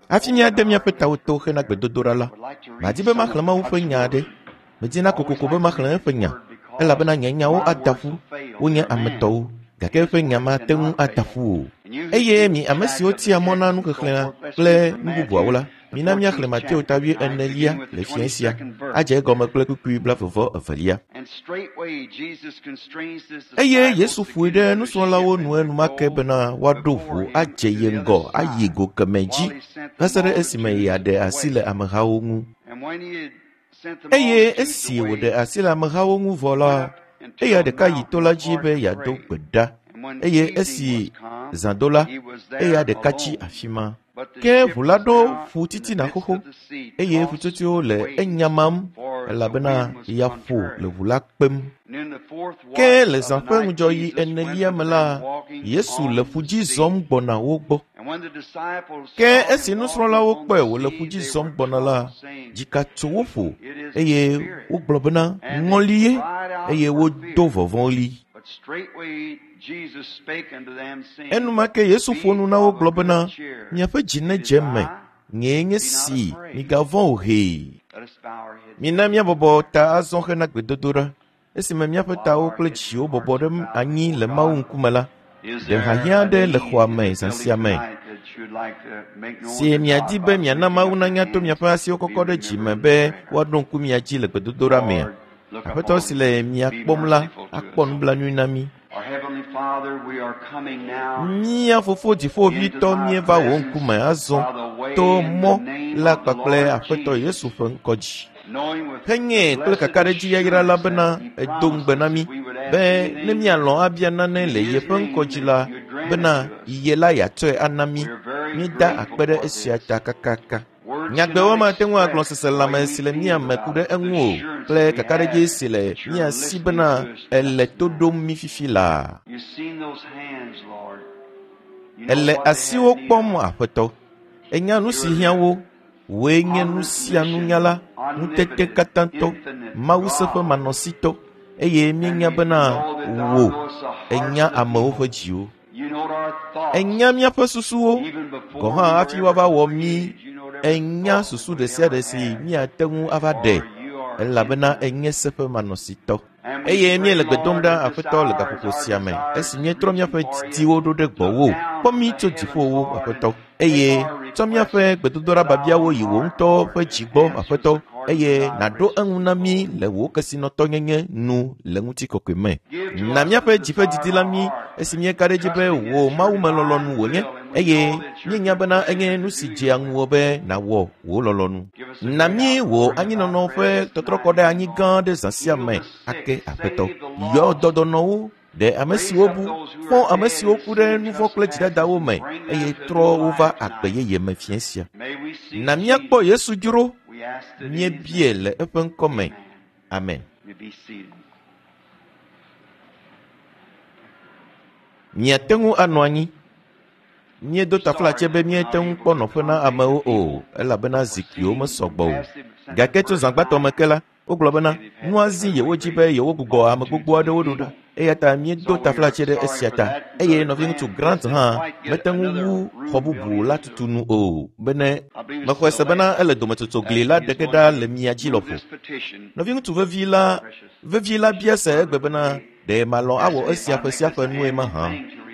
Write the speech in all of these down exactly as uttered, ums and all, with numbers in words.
Hafi míade míaƒe tawo to hena gbedodoɖa la, madi be maxlẽ Mawu ƒe nya aɖe. Medina kokoko be maxlẽ eƒe nya, elabena nye nyawo ada ƒu, wonye ame tɔwo, gake eƒe nya mate ŋu ada ƒu o. Eye mi ame siwo tia mɔ na nuxexlẽ kple nu bubuawo la, mina míaxlẽ Mateo ta wuienelia le fiẽ sia, adze egɔme kple kpukpui blaeve evelia. Eye Yesu ƒoe ɖe nusrɔ̃lawo nu enumake bena woaɖo ʋu adze ye ŋgɔ ayi go kemɛ dzi va se ɖe esime yeaɖe asi le amehawo ŋu. Eye esi wòɖe asi le amehawo ŋu vɔ la, eya ɖeka yi to la dzi be yeado gbe ɖa. Eye esi zã do la, eya ɖeka tsi afi ma. Ke ʋu la ɖo ƒu titina xoxo, eye ƒutsotsoewo le enyamam elabena ya ƒo le ʋu la kpem. Ke le zã ƒe ŋudzɔɣi enelia me la, Yesu le ƒu dzi zɔm gbɔna wo gbɔ. Ke esi nusrɔ̃lawo kpɔe wòle ƒu dzi zɔm gbɔna la, dzika tso wo ƒo eye wogblɔ bena ŋɔli ye eye wodo vɔvɔ̃ɣli. Enumake Yesu ƒo nu na wo gblɔ bena, miaƒe dzi nedze eme, nyee nye si, migavɔ̃ o hee. Mina míabɔbɔ ta azɔ hena gbedodoɖa. Esime míaƒe tawo kple dziwo bɔbɔ ɖe anyi le Mawu ŋkume la, ɖe hiahiã aɖe le xɔa me zã sia me si miadi be miana Mawu nanya to miaƒe asiwo kɔkɔ ɖe dzime be woaɖo ŋku mia dzi le gbedodoɖa mea? Aƒetɔ si le mia kpɔm la akpɔ nublanui na mí. Mía fofo dziƒoʋĩtɔ míeva wò ŋkume azɔ to mɔ la kpakple Aƒetɔ Yesu ƒe ŋkɔ dzi. Henye kple kakaɖedzi yayra la bena edo ŋugbe na mí be ne míalɔ̃ abia nane le yeƒe ŋkɔ dzi la, bena ye la yeatsɔe ana mí. Míeda akpe ɖe esia ta kakaka. Nyagbewo mate ŋu agblɔ seselãme si le mía me ku ɖe eŋu o kple kakaɖedzi si le mía si bena ele to ɖom mí fifi laa. Ele asiwo kpɔm Aƒetɔ. Enya nu si hiã wo. Wòe nye nu sia nunyala, ŋutete katãtɔ, Mawu seƒe manɔsitɔ, eye míenya bena wò ènya amewo ƒe dziwo. Ènya míaƒe susuwo gɔ̃ hã hafi woava wɔ mí. Ènya susu ɖe sia ɖe si míate ŋu ava ɖe, elabena ènye seƒe manɔsitɔ. Eye míele gbe dom ɖa Aƒetɔ le gaƒoƒo sia me, esi míetrɔ míaƒe didiwo ɖo ɖe gbɔwò. Kpɔ mí tso dziƒowo, Aƒetɔ, eye tsɔ míaƒe gbedodoɖa biabiawo yi wò ŋutɔ ƒe dzi gbɔ, Aƒetɔ, eye nàɖo eŋu na mí le wò kesinɔtɔnyenye nu le ŋutikɔkɔe me. Na míaƒe dzi ƒe didi la mí esi míeka ɖe edzi be wò mawumelɔlɔ̃nu wònye, eye míenya bena enye nu si dzea ŋuwò be nàwɔ wò lɔlɔ̃nu. Na mí wò anyinɔnɔ ƒe tɔtrɔkɔ ɖe anyi gã ɖe zã sia me ake, Aƒetɔ. Yɔ dɔdɔnɔwo, ɖe ame siwo bu, fɔ ame siwo ku ɖe nu vɔ̃ kple dzidadawo me, eye trɔ wo va agbe yeye me fiẽ sia. Na míakpɔ Yesu dzro, míebie le eƒe ŋkɔ me. Amen. Miate ŋu anɔ anyi. Míedo taflatse be míete ŋu kpɔ nɔƒe na amewo o, elabena zikpuiwo mesɔgbɔ o. Gake tso zã gbãtɔ me ke la, wogblɔ bena nua zi yewo dzi be yewogbugbɔ ame gbogbo aɖewo ɖo ɖa. Eya ta míedo taflatse ɖe esia ta. Eye nɔviŋutsu Grant hã mete ŋu wu xɔ bubu la tutu nu o, bene mexɔe se bena ele dometsotso gli la ɖe ge ɖa le mia dzi lɔƒo. Nɔviŋutsu vevi la vevi la bia se egbe bena ɖe malɔ̃ awɔ esia ƒe sia ƒe nue mahã,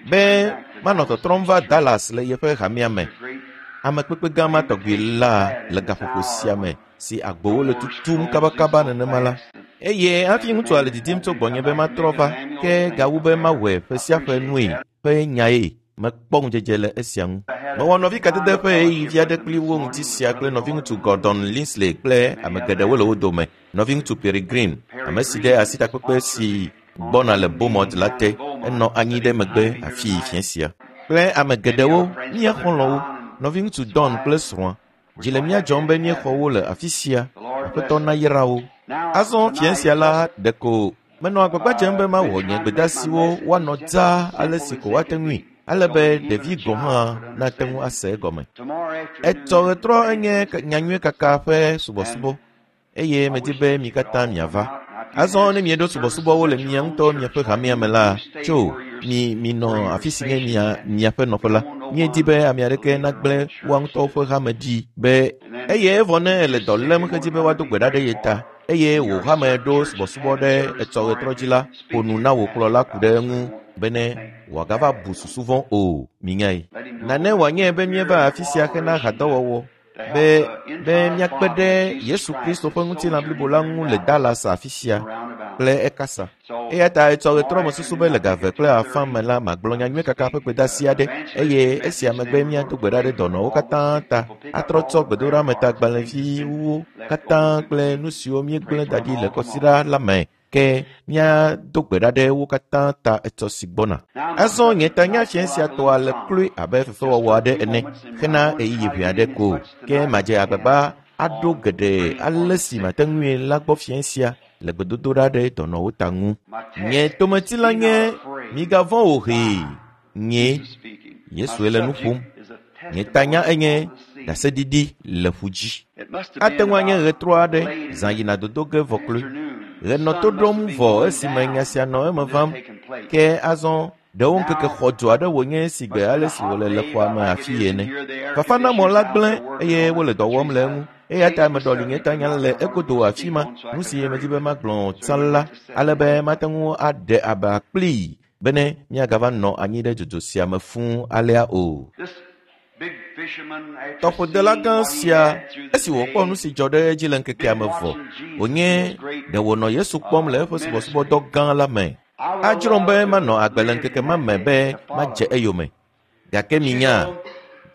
be manɔ tɔtrɔm va Dallas le yeƒe hamea me. Amekpekpe gã ma tɔgbi la le gaƒoƒo sia me si agbowo le tutum kabakaba nenema la. Eye hafi ŋutsua le didim tso gbɔnye be matrɔ va, ke gawu be mawɔe ƒe sia ƒe nue ƒe nyae. Mekpɔ ŋudzedze le esia ŋu. Mewɔ nɔvi kadede ƒe ɣeyiɣi vi aɖe kpli wo ŋuti sia kple nɔviŋutsu Gordon Linsley kple ame geɖewo le wo dome. Nɔviŋutsu Perry Green, ame si ɖe asitakpekpe si gbɔna le Beaumont la te, enɔ anyi ɖe megbe afii fiẽ sia. Kple ame geɖewo, mía xɔlɔ̃wo, nɔviŋutsu Don kple srɔ̃a. Dzi le mía dzɔm be míexɔ wo le afi sia. Aƒetɔ nayra wo. Azɔ fiẽ sia la ɖeko menɔ agbagba dzem be mawɔ nye gbedeasiwo woanɔ dzaa ale si ko woate ŋui, ale be ɖevi gɔ̃ hã nate ŋu ase egɔme. Etsɔ ɣetrɔ enye nyanyui kaka ƒe subɔsubɔ, eye medi be mi katã miava. Azɔ ne mieɖo subɔsubɔwo le mia ŋutɔ miaƒe hamea me la, tso mi minɔ afi si nye mia miaƒe nɔƒe la. Míedi be ame aɖeke nagblẽ woa ŋutɔwo ƒe hame ɖi be eye evɔ ne ele dɔ lém hedzi be woado gbe ɖa ɖe ye ta eye wò hame ɖo subɔsubɔ ɖe etsɔ ɣetrɔ dzi la, ƒo nu na wò kplɔla ku ɖe eŋu bene wòagava bu susu vɔ̃ o. Minyae. Nane wòanye be míeva afi sia hena hadɔwɔwɔ be be míakpe ɖe Yesu Kristo ƒe ŋutilã blibo la ŋu le Dallas afi sia kple ekasa. Eya ta etsɔ ɣetrɔ me susu be le ga eve kple afã me la magblɔ nyanyui kaka ƒe gbedeasi aɖe eye esia megbe míado gbe ɖa ɖe dɔnɔwo katã ta atrɔ tsɔ gbedoɖametagbalẽviwo katã kple nu siwo míegblẽ da ɖi le kɔsiɖa la me ke míado gbe ɖa ɖe wo katã ta etsɔ si gbɔna. Azɔ nye tanya fiẽ sia tɔa le kloe abe fefewɔwɔ aɖe ene hena ɣeyiɣi ʋɛ aɖe ko ke madze agbagba aɖo geɖe ale si mate ŋui la gbɔ fiẽ sia le gbedodoɖa ɖe dɔnɔwo ta ŋu. Nye tometi la nye migavɔ̃ o hee. Nye Yesue le nu ƒom. Nye tanya enye ɖaseɖiɖi le ƒu dzi. Ate ŋu anye ɣetrɔ aɖe zã yina dodo ge vɔ kloe. Ɣe nɔ to ɖom vɔ esime nya sia nɔ eme vam ke azɔ ɖewo ŋkeke xɔdzo aɖe wònye si gbe ale si wòle le xɔa me afi ene. Fafanamɔ la gblẽ eye wole dɔ wɔm le eŋu. Eya ta meɖɔli nye tanya le egodo afi ma. Nu si medi be magblɔ tsã la ale be mate ŋu aɖe aba kplii bene míagava nɔ anyi ɖe dzodzo sia me fũu alea o. Tɔƒodela gã sia esi wòkpɔ nu si dzɔ ɖe edzi le ŋkekea me vɔ wònye ɖe wònɔ Yesu kpɔm le eƒe subɔsubɔdɔ gã la me. Adzrom be manɔ agbe le ŋkeke ma me be madze eyome. Gake minya,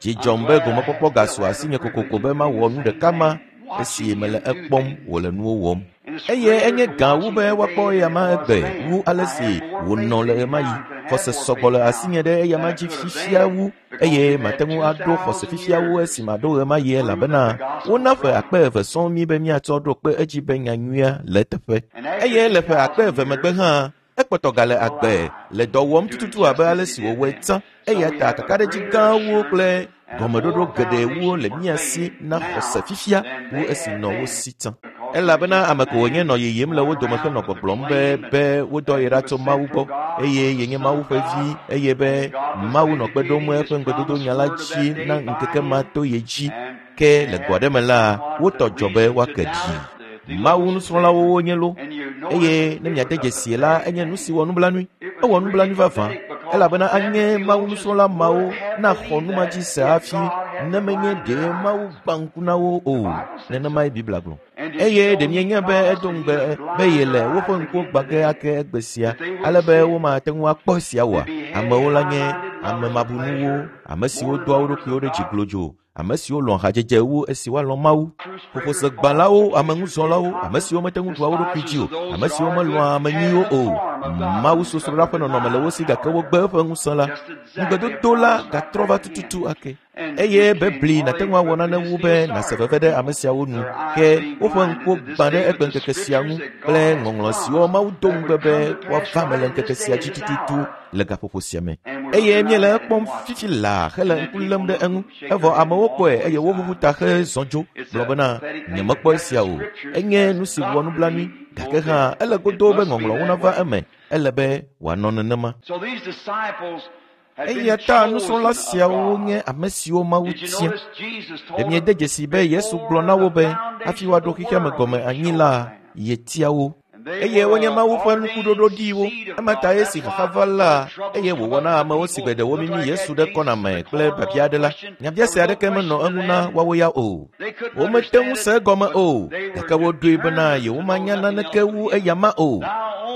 dzi dzɔm be gomekpɔkpɔ gasu asinye kokoko be mawɔ nu ɖeka ma esi mele ekpɔm wòle nuwo wɔm. Eye enye gã wu be woakpɔ eyama egbe wu ale si wònɔ le ɣemaɣi. Xɔse sɔgbɔ le asinye ɖe eyama dzi fifia wu eye mate ŋu aɖo xɔse fifia wu esi maɖo ɣemaɣi elabena wona ƒe akpe eve sɔŋ mí be míatsɔ ɖo kpe edzi be nyanyuia le eteƒe. Eye le ƒe akpe eve megbe hã ekpɔtɔ gale agbe le dɔ wɔm tututu abe ale si wòwɔe tsã. Eya ta kakaɖedzi gãwo kple gɔmeɖoɖo geɖewo le mía si na xɔse fifia wu esi nɔ wo si tsã. Elabena ame ko wònye nɔ yiyim le wo dome henɔ gbɔgblɔm be be wodɔ ye ɖa tso Mawu gbɔ eye yenye Mawu ƒe vi eye be Mawu nɔ kpe ɖom eƒe ŋugbedodo la dzi na ŋkeke ma to ye dzi. Ke le go aɖe me la, wotɔ dzɔ be woake ɖi. Mawu nusrɔ̃lawo wonye lo eye ne miade dzesie la enye nu si wɔ nublanui. Ewɔ nublanui vavã elabena anye Mawu nusrɔ̃la mawo naxɔ nu ma dzi se hafi ne menye ɖe Mawu gbã ŋku na wo o. Nenemae Biblia gblɔ. Eye ɖe mienya be edo ŋugbe be yele woƒe ŋkuwo gbã ge ake egbe sia ale be womate ŋu akpɔ esia oa? Amewo la nye ame mabunuwo, ame siwo doa wo ɖokuiwo ɖe dzi glodzo, ame siwo lɔ̃ hadzedze wu esi woalɔ̃ Mawu. Ƒoƒosegbalẽwo, ameŋuzɔlawo, ame siwo mete ŋu ɖua wo ɖokui dzi o, ame siwo melɔ̃a ame nyuiwo o. Mawu sosroɖa ƒe nɔnɔme le wo si gake wogbe eƒe ŋusẽ la. Ŋugbedodo la gatrɔ va tututu ake. Eye bebli nàte ŋu awɔ nane wu be nàse veve ɖe ame siawo nu ke woƒe ŋkuwo gbã ɖe egbe ŋkeke sia ŋu kple ŋɔŋlɔ siwo Mawu do ŋugbe be woava me le ŋkeke sia dzi tututu le gaƒoƒo sia me. Eye míele ekpɔm fifi laa hele ŋku lém ɖe eŋu. Evɔ amewo kpɔe eye woʋuʋu ta hezɔ dzo gblɔ bena nyemekpɔ esia o. Enye nu si wɔ nublanui gake hã ele godoo be ŋɔŋlɔwo nava eme. Ele be wòanɔ nenema. Eya ta nusrɔ̃la siawo nye ame siwo Mawu tia. Ɖe miede dzesi be Yesu gblɔ na wo be hafi woaɖo xexea me gɔme anyi la, yetia wo. Eye wonye Mawu ƒe nukuɖoɖo ɖiwo. Ema ta esi xaxa va la, eye wòwɔ na amewo si gbe ɖewo mimi Yesu ɖe kɔna me kple biabia aɖe la, nyabiase aɖeke menɔ eŋu na woawo ya o. Womete ŋu se egɔme o, gake woɖoe bena yewomanya naneke wu eyama o.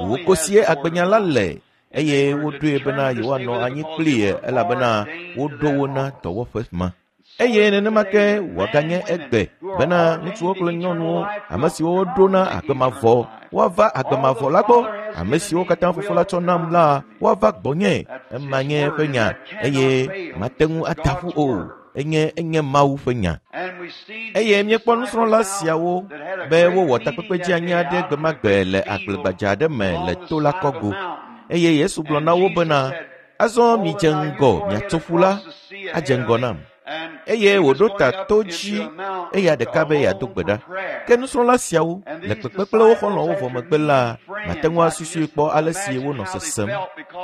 Wò kosie agbenya la le eye woɖoe bena yewoanɔ anyi kplii elabena woɖo wo na dɔwɔƒe ma. Eye nenema ke wòaganye egbe bena ŋutsuwo kple nyɔnuwo, ame siwo woɖo na agbe mavɔ, woava agbe mavɔ la gbɔ. Ame siwo katã Fofo la tsɔ nam la, woava gbɔnye. Ema nye eƒe nya eye mate ŋu ada ƒu o. Enye enye Mawu ƒe nya. Eye míekpɔ nusrɔ̃la siawo be wowɔ takpekpe dzeanyi aɖe gbe ma gbe le agblegbadza aɖe me le to la kɔgo. Eye Yesu gblɔ na wo bena, azɔ midze ŋgɔ miatso ƒu la adze ŋgɔ nam. Eye wòɖo ta to dzi eya ɖeka be yeado gbe ɖa. Ke nusrɔ̃la siawo le kpekpe kple wo xɔlɔ̃wo vɔ megbe la, mate ŋu asusui kpɔ ale si wonɔ sesem.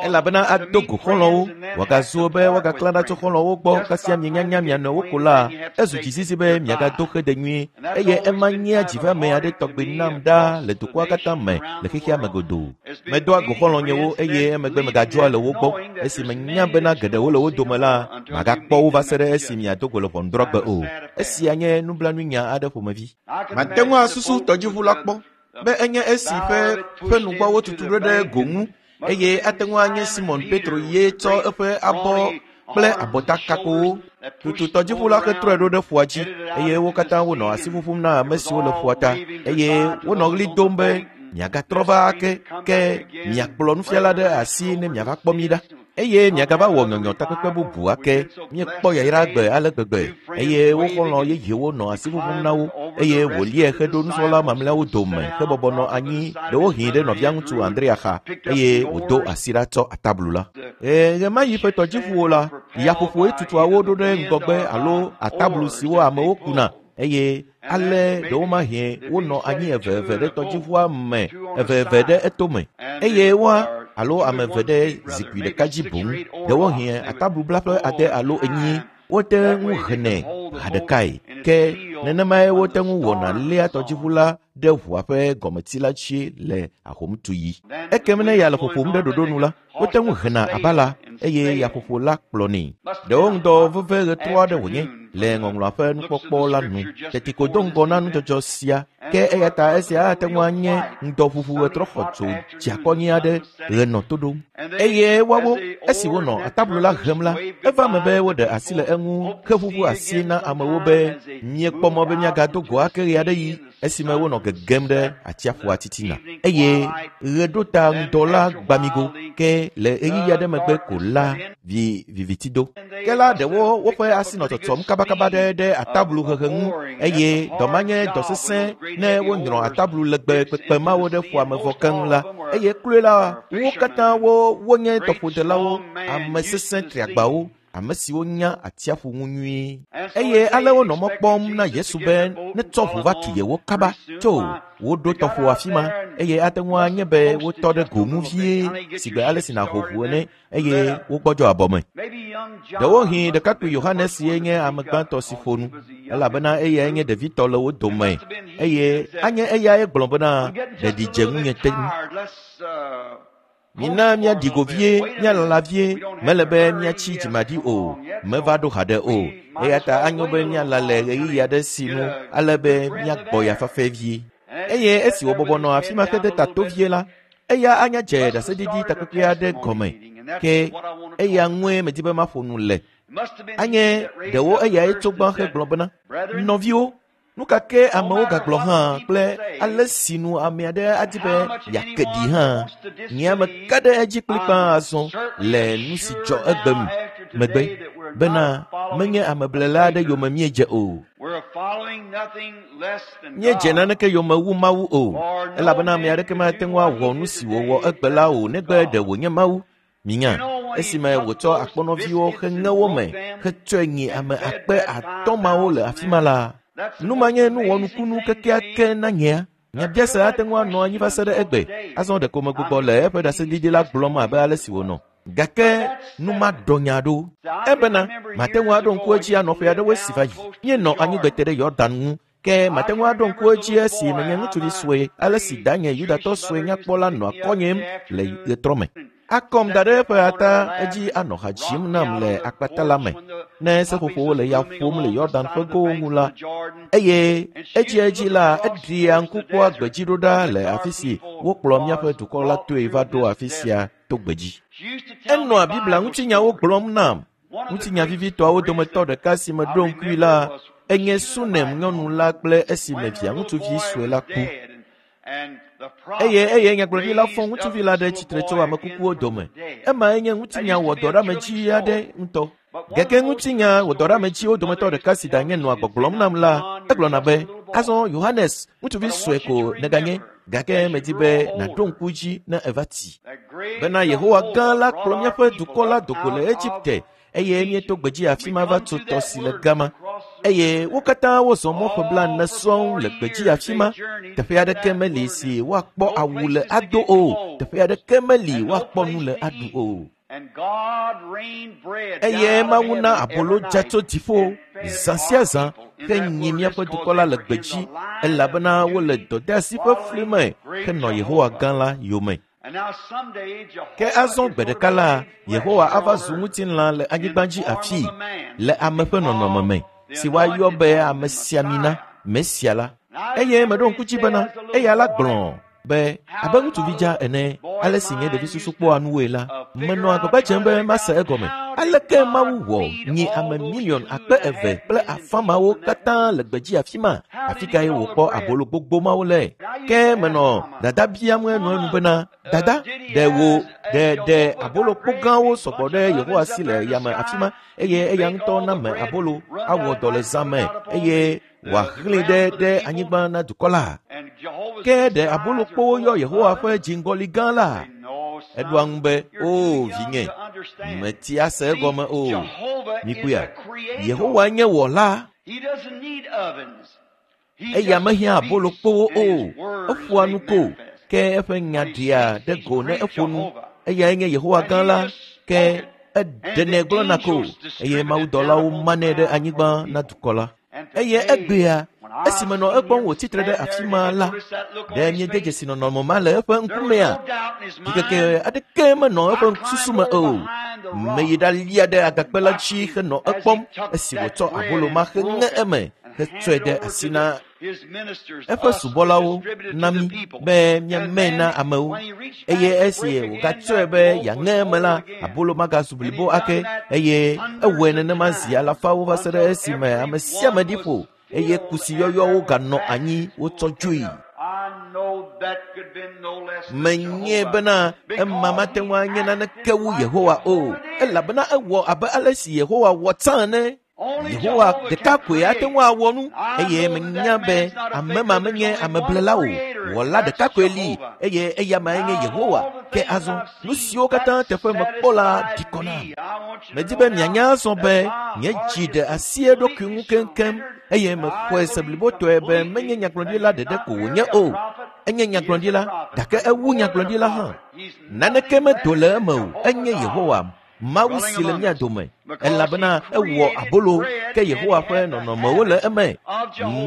Elabena ado go xɔlɔ̃wo, wòagazu be woagaklã ɖa tso xɔlɔ̃wo gbɔ kasia mienya mia nɔewo ko la, ezu dzizizi be miagado xede nyuie eye ema nyea dziveame aɖe tɔgbi nam ɖaa le dukɔa katã me le xexea me godoo. Medoa go xɔlɔ̃nyewo eye emegbe megadzɔa le wo gbɔ. Esi menya bena geɖewo le wo dome la, magakpɔ wo va se ɖe esi miado go le ʋɔnudrɔ̃gbe o. Esia nye nublanuinya aɖe ƒomevi. Mate ŋu asusu tɔdziʋu la kpɔ be enye esi ƒe ƒe nugbɔwo tutu ɖo ɖe go ŋu eye ate ŋu anye Simon Petro ye tsɔ eƒe abɔ kple abɔtakakowo tutu tɔdziʋu la hetrɔe ɖo ɖe ƒua dzi eye wo katã wonɔ asi ƒuƒum na ame siwo le ƒua ta eye wonɔ ɣli dom be miagatrɔ va ake ke miakplɔ nufiala ɖe asi ne miava kpɔ mi ɖa. Eye miagava wɔ nyɔnyɔ takpekpe bubu ake. Miekpɔ yayra gbe ale gbegbe eye wo xɔlɔ̃ yeyewo nɔ asi ƒuƒum na wo eye wòliae heɖo nusrɔ̃la mamlɛawo dome hebɔbɔ nɔ anyi ɖewohĩ ɖe nɔvia ŋutsu Andrea xa eye wòdo asi ɖa tsɔ atablu la. Ɣe ma ɣi ƒe tɔdziʋuwo la, yaƒoƒoe tutuawo ɖo ɖe ŋgɔgbe alo atablu siwo amewo kuna eye ale ɖewomahĩ wonɔ anyi eveve ɖe tɔdziʋua me eveve ɖe etome eye woa alo ame eve ɖe zikpui ɖeka dzi boŋ. Ɖewohĩ atablublaƒe ade alo enyi wote ŋu henɛ ha ɖekae. Ke nenemae wote ŋu wɔna léa tɔdziʋu la ɖe ʋua ƒe gɔmeti la dzi le ahomtuɣi. Ekem ne ya le ƒoƒom ɖe ɖoɖo nu la, wote ŋu hena abala eye yaƒoƒo la kplɔnɛ. Ɖewo ŋdɔ veve ɣetrɔ aɖe wònye le ŋɔŋlɔa ƒe nukpɔkpɔ la nu. Teti ko do ŋgɔ na nudzɔdzɔ sia. Ke eya ta esia ate ŋu anye ŋdɔʋuʋu ɣetrɔ xɔtso dziakɔnyi aɖe ɣenɔ to ɖom. Eye woawo, esi wonɔ atablu la hem la, eva me be woɖe asi le eŋu heʋuʋu asi na amewo be miekpɔ mɔ be miagado go ake ɣe aɖe ɣi esime wonɔ gegem ɖe atsiaƒua titina. Eye ɣe ɖo ta ŋdɔ la gbamigo ke le ɣeyiɣi aɖe megbe ko la vi viviti do. Ke la ɖewo woƒe asi nɔ tsɔtsɔm kabakaba ɖe ɖe atablu hehe ŋu eye dɔ ma nye dɔ sesẽ ne wonyrɔ atablu legbe kpekpe mawo ɖe ƒua me vɔ keŋ la. Eye kloe la wo katã wo wonye tɔƒodelawo, ame sesẽ triagbawo, ame siwo nya atsiaƒu ŋu nyuie. Eye ale wonɔ mɔ kpɔm na Yesu be netsɔ ʋu va tu yewo kaba tso woɖo tɔƒo afi ma eye ate ŋu anye be wotɔ ɖe go ŋu vie sigbe ale si nàho ʋu ene eye wogbɔdzɔ abɔme. Ɖewohĩ ɖekakpui Yohanes ye nye ame gbãtɔ si ƒo nu elabena eyae nye ɖevitɔ le wo dome eye anye eyae gblɔ bena ɖeɖi dze ŋunye te ŋu. Mina míaɖi go vie, míalala vie, mele be míatsi dzimaɖi o, meva ɖo haɖe o. Eya ta anyo be míala le ɣeyiɣi aɖe si nu ale be míagbɔ ya fafɛ vie. Eye esi wòbɔbɔ nɔ afi ma hede ta to vie la, eya anya dze ɖaseɖiɖi takpekpe aɖe gɔme. Ke eya ŋue medi be maƒo nu le. Anye ɖewo eyae tso gbã hegblɔ bena, nɔviwo, nu ka ke amewo gagblɔ hã kple ale si nu ame aɖe adi be yeake ɖi hã, nye ame ka ɖe edzi kplikpaa azɔ le nu si dzɔ egbe megbe bena menye ameblela aɖe yome míedze o. Míedze naneke yome wu Mawu o, elabena ame aɖeke mate ŋu awɔ nu si wòwɔ egbe la o negbe ɖe wònye Mawu. Minya, esime wòtsɔ akpɔnɔviwo heŋe wo me hetsɔe nyi ame akpe atɔ̃ mawo le afi ma la, nu ma nye nuwɔnukunu kekeake na nyea. Nyabiase ate ŋu anɔ anyi va se ɖe egbe. Azɔ ɖeko megbugbɔ le eƒe ɖaseɖiɖi la gblɔm abe ale si wònɔ. Gake nu ma ɖɔ nya ɖo. Ebena mate ŋu aɖo ŋku edzi anɔ ƒe aɖewo si va yi. Míenɔ anyigbe te ɖe Yɔdan ŋu. Ke mate ŋu aɖo ŋku edzi esi menye ŋutsuvi sue ale si danye Yudatɔ sue nyakpɔ la nɔ akɔnyem le ɣetrɔ me. Akɔm da ɖe eƒe ata edzi anɔ ha dzim nam le akpata la me. Ne seƒoƒowo le ya ƒom le Yɔdan ƒe gowo ŋu la, eye edziedzi la eɖea ŋku kpɔa gbedzi ɖo ɖa le afi si wokplɔ míaƒe dukɔ la toe va ɖo afi sia to gbedzi. Enɔa Biblia ŋutinyawo gblɔm nam. Ŋutinya vivitɔawo dometɔ ɖeka si meɖo ŋkui la enye Sunem nyɔnu la kple esime via ŋutsuvi sue la ku. Eye eye nyagblɔɖila fɔ ŋutsuvi la ɖe tsitre tso ame kukuwo dome. Emae nye ŋutinya wɔdɔɖeamedzi aɖe ŋutɔ. Gake ŋutinya wɔdɔɖeamedziwo dometɔ ɖeka si danye nɔa gbɔgblɔm nam la, egblɔna be, azɔ Yohanes, ŋutsuvi sue ko nèganye, gake medi be nàɖo ŋku dzi ne eva ti. Bena Yehowa gã la kplɔ míaƒe dukɔ la do go le Egipte eye míeto gbedzi afi ma va tso tɔ si le gama. Eye wo katã wozɔ mɔ ƒe blaene sɔŋ le gbedzi afi ma. Teƒe aɖeke meli si woakpɔ awu le ado o. Teƒe aɖeke meli woakpɔ nu le aɖu o. Eye Mawu na abolo dza tso dziƒo zã sia zã henyi míaƒe dukɔ la le gbedzi elabena wole dɔdeasi ƒe fli me henɔ Yehowa gã la yome. Ke azɔ gbe ɖeka la, Yehowa ava zu ŋutilã le anyigba dzi afii le ame ƒe nɔnɔme me si woayɔ be amesiamina, Mesia la. Eye meɖo ŋku dzi bena eya la gblɔ be abe ŋutsuvi dza ene, ale si nye ɖevi susu kpɔa nuwoe la, menɔ agbagba dzem be mase egɔme. Aleke Mawu wɔ nyi ame miliɔn akpe eve kple afã mawo katã le gbedzi afi ma? Afi kae wòkpɔ abolo gbogbo mawo le? Ke menɔ dada biam enuenu bena, dada, ɖe wò ɖe ɖe abolo kpo gãwo sɔgbɔ ɖe Yehowa si le yame afi ma eye eya ŋutɔ name abolo awɔ dɔ le zã me eye wòaxlẽ ɖe ɖe anyigba na dukɔ la. Ke ɖe abolokpowo yɔ Yehowa ƒe dziŋgɔli gã la? Eɖoa ŋu be, o vinye, meti ase egɔme o. Mikpɔea, Yehowa nye wɔla. Eya mehiã abolokpowo o. Eƒoa nu ko, ke eƒe nya ɖea ɖe go ne eƒo nu. Eyae nye Yehowa gã la, ke eɖenɛ gblɔna ko, eye mawudɔlawo manɛ ɖe anyigba na dukɔ la. Eye egbea, esi menɔ ekpɔm wòtsitre ɖe afi ma la, ɖe míede dzesi nɔnɔme ma le eƒe ŋkumea? Ɖikeke aɖeke menɔ eƒe susu me o. Meyi ɖalia ɖe agakpe la dzi henɔ ekpɔm esi wòtsɔ abolo ma heŋe eme hetsɔe ɖe asi na eƒe subɔlawo na mí be míamee na amewo. Eye esi wògatsɔe be yeaŋe eme la, abolo magazu blibo ake eye ewɔe nenema zi alafawo va se ɖe esime ame sia ame ɖi ƒo eye kusi yɔyɔwo ganɔ anyi wotsɔ dzoe. Menye bena ema mate ŋu anye naneke wu Yehowa o, elabena ewɔ abe ale si Yehowa wɔ tsã ene. Yehowa ɖeka koe ate ŋu awɔ nu eye menya be ame ma menye ameblela o. Wɔla ɖeka koe li eye eya mae nye Yehowa. Ke azɔ nu siwo katã teƒe mekpɔ la ɖi kɔ nam. Medi be mianya azɔ be nye dzi ɖe asi eɖokui ŋu keŋkeŋ eye mexɔe se blibotɔe be menye nyagblɔɖila ɖeɖe ko wònye o. Enye nyagblɔɖila gake ewu nyagblɔɖila hã. Naneke medo le eme o. Enye Yehowa, Mawu si le mía dome, elabena ewɔ abolo ke Yehowa ƒe nɔnɔmewo le eme.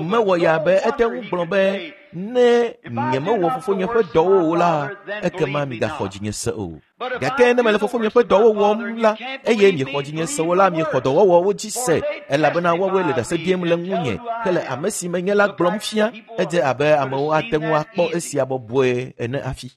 Mewɔ ya be ete ŋu gblɔ be ne nyemewɔ fofonye ƒe dɔwo o la, ekema migaxɔ dzinye se o. Gake ne mele fofonye ƒe dɔwo wɔm la, eye miexɔ dzinye se o la, miexɔ dɔwɔwɔwo dzi se, elabena woawoe le ɖase ɖim le ŋunye hele ame si menye la gblɔm fia. Edze abe amewo ate ŋu akpɔ esia bɔbɔe ene hafi.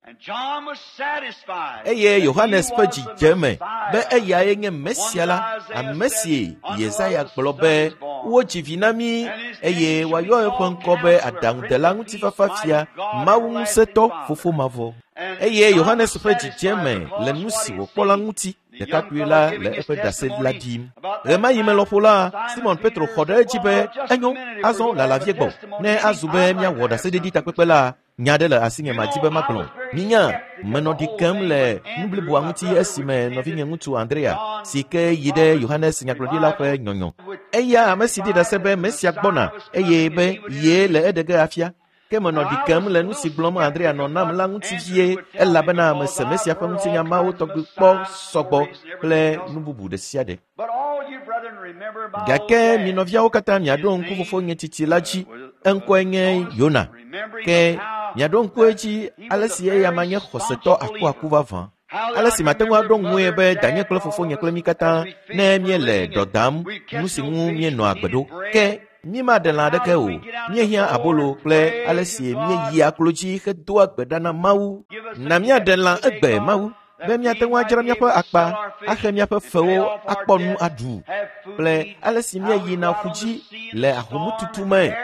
Eye Yohanes ƒe dzi dze eme be eyae nye Mesia la, ame si Yesaya gblɔ be wodzi vi na mí eye woayɔ eƒe ŋkɔ be aɖaŋudela ŋutifafafia, Mawu ŋusẽtɔ, Fofo mavɔ. Eye Yohanes ƒe dzi dze eme le nu si wòkpɔ la ŋuti. Ɖekakpui la le eƒe ɖase la ɖim. Ɣemaɣi me lɔƒo la, Simon Petro xɔ ɖe edzi be enyo, azɔ lala vie gbɔ. Ne azu be míawɔ ɖaseɖiɖi takpekpe la, nya aɖe le asinye madi be magblɔ. Minya, menɔ ɖi kem le nu bliboa ŋuti esime nɔvinye ŋutsu Andrea si ke yi ɖe Yohanes nyagblɔɖila ƒe nyɔnyɔ. Eya ame si ɖi ɖase be Mesia gbɔna eye be ye le eɖe ge afia. Ke menɔ ɖi kem le nu si gblɔm Andrea nɔ nam la ŋuti vie elabena mese Mesia ƒe ŋutinya mawo tɔgbi kpɔ sɔgbɔ kple nu bubu ɖe sia ɖe. Gake mi nɔviawo katã miaɖo ŋku fofonye tsitsi la dzi. Eŋkɔe nye Yona. Ke miaɖo ŋku edzi ale si eya ma nye xɔsetɔ akuaku vavã. Ale si mate ŋu aɖo ŋue be danye kple fofonye kple mí katã ne míele dɔ dam nu si ŋu míenɔa agbe ɖo. Ke mímaɖe lã aɖeke o. Míehiã abolo kple ale si míeyia klo dzi hedoa gbe ɖa na Mawu. Na míaɖe lã egbe Mawu be míate ŋu adzra míaƒe akpa, axe míaƒe fewo, akpɔ nu aɖu kple ale si míeyina ƒu dzi le ahomututu me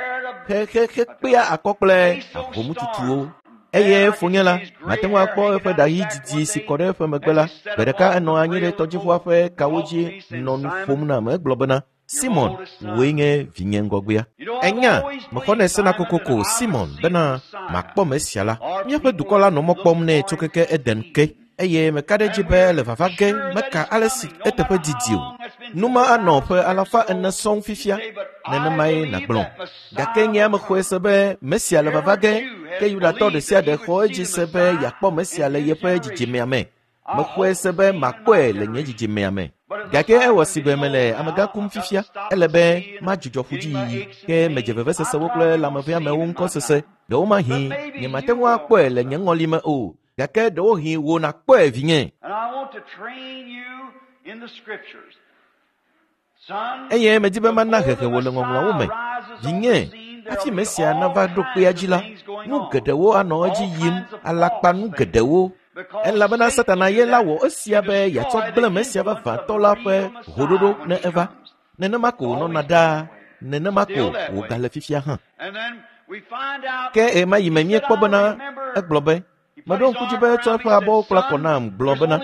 hehehekpea akɔ kple ahomututuwo. Eye fonye la, mate ŋu akpɔ eƒe ɖa ɣi didi si kɔ ɖe eƒe megbe la. Gbe ɖeka enɔ anyi ɖe tɔdziʋua ƒe kawo dzi nɔ nu ƒom nam. Egblɔ bena, Simon, wòe nye vinye ŋgɔgbea. Enya, mexɔnɛ sena kokoko, Simon, bena makpɔ Mesia la. Míaƒe dukɔ la nɔ mɔ kpɔm nɛ tso keke Eden ke eye meka ɖe edzi be le vava ge meka ale si eteƒe didi o. Numa anɔ ƒe alafa ene sɔŋ fifia, nenemae nàgblɔ. Gake nye ame xɔe se be Mesia le vava ge, ke Yudatɔ ɖe sia ɖe xɔ edzi se be yeakpɔ Mesia le yeƒe dzidzimea me. Mexɔe se be makpɔe le nye dzidzimea me. Gake ewɔ si be mele amegã kum fifia, ele be madzudzɔ ƒudziyiyi, ke medze vevesesewo kple lãmeveamewo ŋkɔ sese. Ɖewomahi nyemate ŋu akpɔe le nye ŋɔlime o, gake ɖewohĩ wò nàkpɔe vinye. Eye medi be mana hehe wò le ŋɔŋlɔawo me. Vinye, hafi Mesia nava ɖo kpea dzi la, nu geɖewo anɔ edzi yim, alakpa nu geɖewo. Elabena Satana ye la wɔ esia be yeatsɔ gblẽ Mesia vavãtɔ la ƒe hoɖoɖo ne eva. Nenema ko wònɔna ɖaa, nenema ko wògale fifia hã. Ke ɣe ma yi me míekpɔ bena egblɔ be, meɖo ŋku dzi be etsɔ eƒe abɔwo kpla kɔ nam gblɔ bena,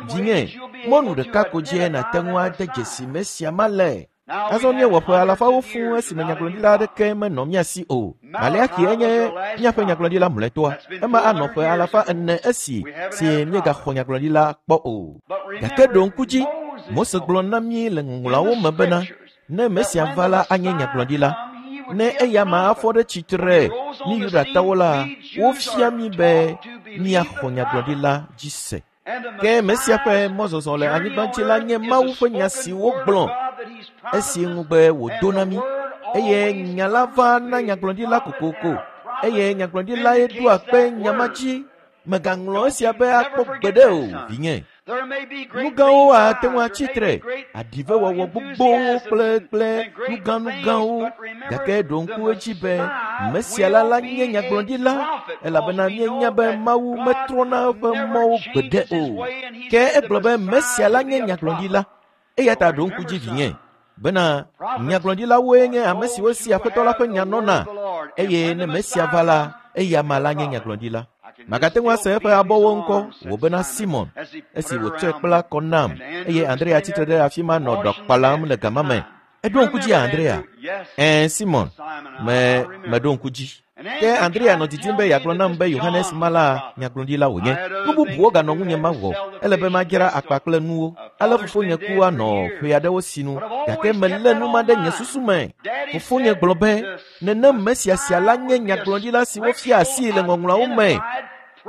vinye, mɔnu ɖeka ko dzie nàte ŋu ade dzesi Mesia ma le. Azɔ míewɔ ƒe alafawo fũu esime nyagblɔɖila aɖeke menɔ mía si o. Maleaxi enye míaƒe nyagblɔɖila mlɔetɔa. Ema anɔ ƒe alafa ene esi si míegaxɔ nyagblɔɖila kpɔ o. Gake ɖo ŋku dzi, Mose gblɔ na mí le ŋɔŋlɔawo me bena, ne Mesia va la anye nyagblɔɖila. Ne eya ma afɔ ɖe tsitre mí Yudatɔwo la, wofia mí be míaxɔ nyagblɔɖila dzi se. Ke Mesia ƒe mɔzɔzɔ le anyigba dzi la nye Mawu ƒe nya si wogblɔ esi ŋugbe wòdo na mí. Eye nya la va na nyagblɔɖila kokoko. Eye nyagblɔɖilae ɖoa kpe nya ma dzi. Mègaŋlɔ esia be akpɔ gbeɖe o, vinye. Nu gãwo ate ŋu atsi tre, aɖivewɔwɔ gbogbowo kple kple nugãnugãwo. Gake ɖo ŋku edzi be Mesia la la nye nyagblɔɖila, elabena míenya be Mawu metrɔna eƒe mɔwo gbeɖe o. Ke egblɔ be Mesia la nye nyagblɔɖila. Eya ta ɖo ŋku dzi vinye bena nyagblɔɖilawoe nye ame siwo si Aƒetɔ la ƒe nya nɔna, eye ne Mesia va la, eya ma la nye nyagblɔɖila. Magate ŋu ase eƒe abɔwo ŋkɔ wò bena Simon, esi wòtsɔe kpla kɔ nam, eye Andrea tsitre ɖe afi ma nɔ ɖɔ kpalam le gama me. Eɖo ŋku dzi Andrea? Ɛ̃, Simon, me meɖo ŋku dzi. Ke Andrea nɔ didim be yeagblɔ nam be Yohanes ma la nyagblɔɖila wònye. Nu bubuwo ganɔ ŋunye mawɔ. Ele be madzra akpa kple nuwo. Ale fofonye ku anɔ ƒe aɖewo sinu, gake melé nu ma ɖe nye susu me. Fofonye gblɔ be, nenem Mesia sia la nye nyagblɔɖila si wofia asii le ŋɔŋlɔawo me.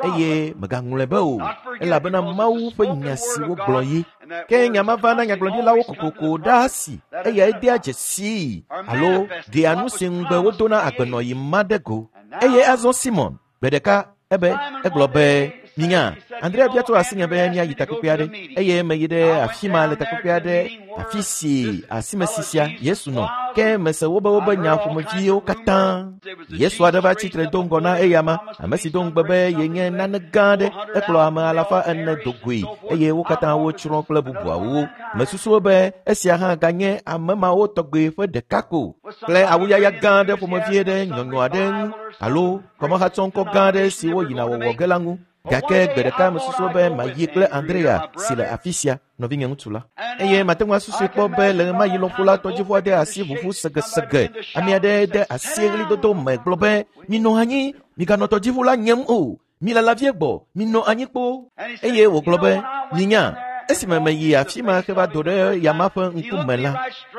Eye mègaŋlɔe be o, elabena Mawu ƒe nya si wogblɔ ye. Ke nya ma va na nyagblɔɖilawo kokoko ɖaa si eyae dea dzesii alo ɖea nu si ŋugbe wodo na agbenɔɣi ma ɖe go. Eye azɔ Simon, gbe ɖeka ebe egblɔ be, minya, Andrea bia tso asinye be míayi takpekpe aɖe, eye meyi ɖe afi ma le takpekpe aɖe, afi si asimesi sia Yesu nɔ. Ke mese wobe wobe nya ƒomeviwo katã. Yesu aɖe va tsitre do ŋgɔ na eyama, ame si do ŋugbe be yenye nane gã aɖe, ekplɔ ame alafa ene do goe, eye wo katã wotsrɔ̃ kple bubuawo. Mesusu be esia hã ganye ame mawo tɔgbe ƒe ɖeka ko, kple awuyaya gã aɖe ƒomevie ɖe nyɔnyɔ aɖe ŋu alo kɔmehatsɔŋkɔ gã aɖe si woyina wɔwɔ ge la ŋu. Gake gbe ɖeka mesusu be mayi kple Andrea si le afi sia, nɔvinye ŋutsu la. Eye mate ŋu asusui kpɔ be le ɣemaɣi lɔƒo la tɔdziʋua de asi ʋuʋu segesege. Ame aɖe de asi ɣlidodo me gblɔ be, minɔ anyi, miganɔ tɔdziʋu la nyem o. Milala vie gbɔ, minɔ anyi kpoo. Eye wògblɔ be, minya, esime meyi afi ma heva do ɖe yama ƒe ŋkume la,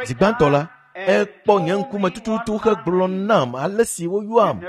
zi gbãtɔ la, ekpɔ nye ŋkume tututu hegblɔ nam ale si woyɔam.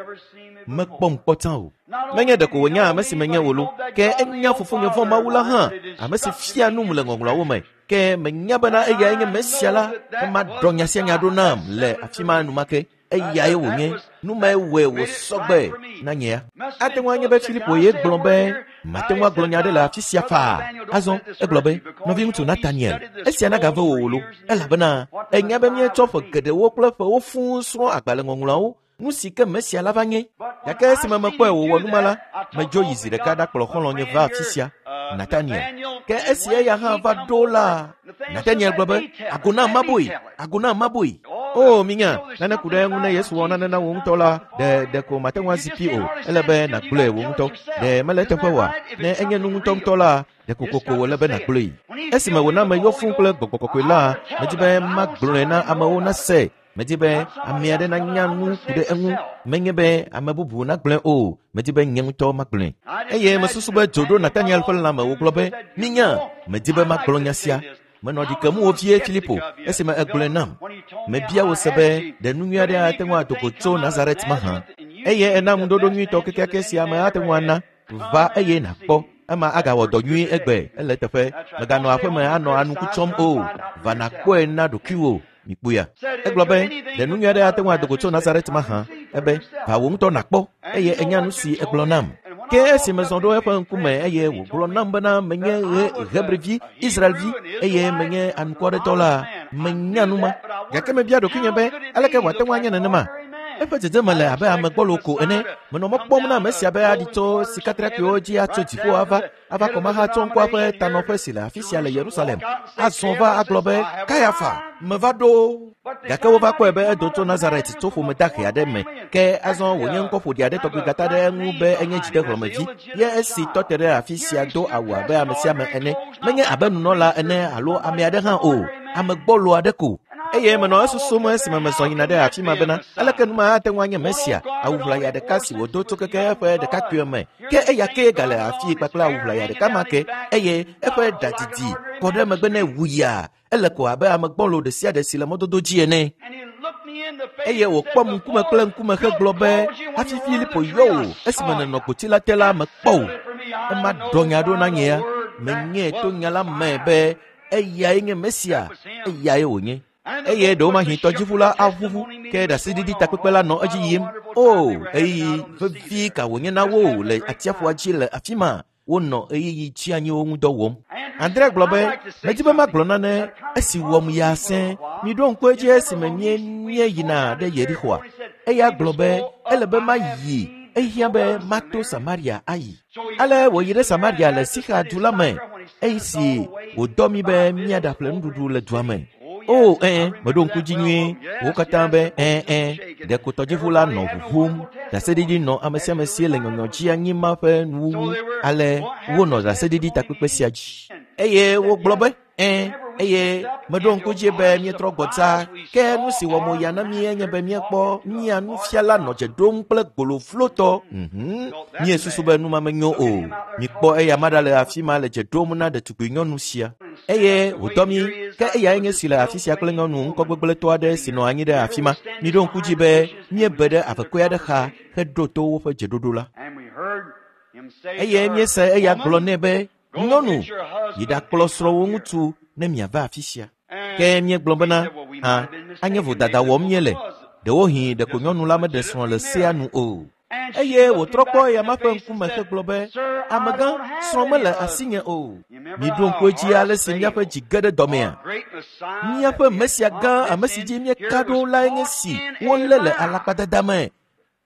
Mekpɔm kpɔ tsã o. Menye ɖeko wònya ame si menye wò lo, ke enya fofonye vɔ̃ Mawu la hã, ame si fia num le ŋɔŋlɔawo me. Ke menya bena eyae nye Mesia la, ema ɖɔ nya sia nya ɖo nam le afi ma enumake. Eyae wònye. Nu mae wɔe wòsɔgbe na nyea. Ate ŋu anye be Filipo ye gblɔ be, mate ŋu agblɔ nya aɖe le afi sia faa. Azɔ egblɔ be, nɔviŋutsu Nataniel, esia nagave wò wò lo, elabena enya be míetsɔ ƒe geɖewo kple ƒewo fũu srɔ̃ agbalẽŋɔŋlɔawo, nu si ke Mesia la va nye. Gake esime mekpɔe wòwɔ nu ma la, medzo yi zi ɖeka ɖakplɔ xɔlɔ̃nye va afi sia, Nataniel. Ke esi eya hã va ɖo la, Nataniel gblɔ be, ago nam maboe, ago nam maboe. O, minya, nane ku ɖe eŋu ne Yesu wɔ nane na wò ŋutɔ la, ɖe ɖeko mate ŋu azi pi o. Ele be nàgblɔe wò ŋutɔ. Ɖe mele eteƒe oa? Ne enye nu ŋutɔŋutɔ la, ɖeko koko wòle be nàgblɔe. Esime wòna meyɔ fũu kple gbɔgbɔ kɔkɔe la, medi be magblɔe na amewo nase. Medi be ame aɖe nanya nu ku ɖe eŋu. Menye be ame bubu nagblɔe o. Medi be nye ŋutɔ magblɔe. Eye mesusu be dzo ɖo Nataniel ƒe lãme wògblɔ be, minya, medi be magblɔ nya sia. Menɔ ɖi kem wo vie Filipo esime egblɔe nam. Mebia wò se be ɖe nu nyui aɖe ate ŋu ado go tso Nazaret mahã. Eye ena ŋuɖoɖo nyuitɔ kekeake si ame ate ŋu ana. Va eye nàkpɔ. Ema agawɔ dɔ nyui egbe ele teƒe. Mèganɔ aƒeme anɔ anuku tsɔm o. Va nàkpɔe na ɖokuiwò. Mikpɔea. Egblɔ be ɖe nu nyui aɖe ate ŋu ado go tso Nazaret mahã. Ebe va wò ŋutɔ nàkpɔ eye enya nu si egblɔ nam. Ke esi mezɔ ɖo eƒe ŋkume eye wògblɔ nam bena menye Hebrevi, Israelvi eye menye anukwɔɖetɔ la, menya nu ma. Gake mebia ɖokuinye be aleke wòate ŋu anye nenema? Eƒe dzedzeme le abe ame gbɔlo ko ene. Menɔ mɔ kpɔm na ame sia be aɖi tso sikatrakpuiwo dzi atso dziƒo ava ava kɔmaha tso ŋkɔa ƒe tanɔƒe si le afi sia le Yerusalem. Azɔ va agblɔ be Kayafa, meva ɖo. Gake wova kpɔe be edo tso Nazaret tso ƒome dahe aɖe me. Ke azɔ wònye ŋkɔ ƒoɖi aɖe tɔgbi gata ɖe eŋu be enye dzidehlɔ̃mevi. Ye esi tɔ te ɖe afi sia do awu abe ame sia ame ene. Menye abe nunɔla ene alo ame aɖe hã o. Ame gbɔlo aɖe ko. Eye menɔ esusum esime mezɔ yina ɖe afi ma bena aleke nu ma ate ŋu anye Mesia, awu ʋlaya ɖeka si wòdo tso keke eƒe ɖekakpuie me. Ke eya kee gale afii kpakple awu ʋlaya ɖeka ma ke eye eƒe ɖa didi kɔ ɖe megbe nɛ wuya. Ele ko abe ame gbɔlo ɖe sia ɖe si le mɔdodo dzi ene. Eye wòkpɔm ŋkume kple ŋkume hegblɔ be hafi Filipo yɔ wò esime nènɔ gboti la te la mekpɔ wò. Ema ɖɔ nya ɖo na nyea. Menyae to nya la me be eyae nye Mesia, eyae wònye. Eye ɖewomahi tɔdziʋu la aʋuʋu ke ɖaseɖiɖi takpekpe la nɔ edzi yim. O, ɣeyiɣi vevi ka wònye na wo le atsiaƒua dzi le afi ma. Wonɔ ɣeyiɣi tsianyiwo ŋu dɔ wɔm. Andrea gblɔ be medi be magblɔ nane esi wɔm ya sẽ. Miɖo ŋku edzi esime mie míeyina ɖe Yerixoa. Eya gblɔ be ele be mayi, ehiã be mato Samaria ayi. Ale wòyi ɖe Samaria le Sixa du la me esi wòdɔ mí be míaɖaƒle nuɖuɖu le dua me. O, ɛ̃, meɖo ŋku dzi nyuie. Wo katã be ɛ̃ ɛ̃. Ɖeko tɔdziʋu la nɔ ʋuʋum. Ɖaseɖiɖi nɔ ame sia ame si le nyɔnyɔ dzi anyi ma ƒe nuwuwu. Ale wonɔ ɖaseɖiɖi takpekpe sia dzi. Eye wogblɔ be ɛ̃, eye meɖo ŋku dzi be míetrɔ gbɔ dzaa. Ke nu si wɔ mo ya na mí enye be míekpɔ mía nufiala nɔ dze ɖom kple gboloflotɔ. Mhm. Míesusu be nu ma menyo o. Mikpɔ eya ma ɖa le afi ma le dze ɖom na ɖetugbui nyɔnu sia. Eye wòdɔ mí. Ke eyae nye si le afi sia kple nyɔnu ŋkɔgbegblẽtɔ aɖe si nɔ anyi ɖe afi ma. Miɖo ŋku dzi be míebe ɖe avekɔe aɖe xa heɖo to woƒe dzeɖoɖo la. Eye míese eya gblɔ nɛ be nyɔnu, yi ɖakplɔ srɔ̃wò ŋutsu ne miava afi sia. Ke míegblɔ bena hã anye vodada wɔm míele. Ɖewohĩ ɖeko nyɔnu la meɖe srɔ̃ le sea nu o. Eye wòtrɔ kpɔ eya ma ƒe ŋkume hegblɔ be amegã, srɔ̃ mele asinye o. Miɖo ŋku edzi ale si míaƒe dzi ge ɖe dɔmea. Míaƒe Mesia gã ame si dzi míeka ɖo lae nye si wolé le alakpadada me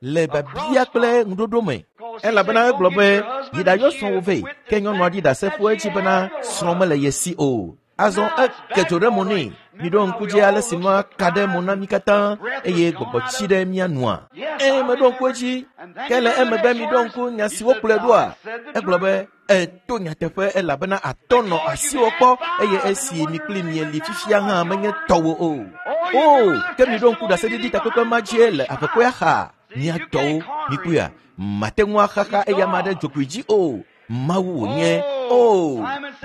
le biabia kple ŋuɖoɖo me. Elabena egblɔ be yi ɖayɔ srɔ̃wò vɛ. Ke nyɔnua ɖi ɖasefo edzi bena srɔ̃ mele ye si o. Azɔ eke dzo ɖe mo nɛ. Miɖo ŋku dzi ale si nua ka ɖe mo na mí katã eye gbɔgbɔ tsi ɖe mía nua. Ẽ, meɖo ŋku edzi. Ke le emegbe miɖo ŋku nya si wokplɔe ɖoa. Egblɔ be eto nyateƒe elabena atɔ nɔ asiwò kpɔ eye esi mi kpli mieli fifia hã menye tɔwò o. O, ke miɖo ŋku ɖaseɖiɖi takpekpe ma dzie le avekɔea xa. Mía tɔwo, mikpɔea, mate ŋu axaxa eya ma ɖe dzogoe dzi o. Mawu wònye. O,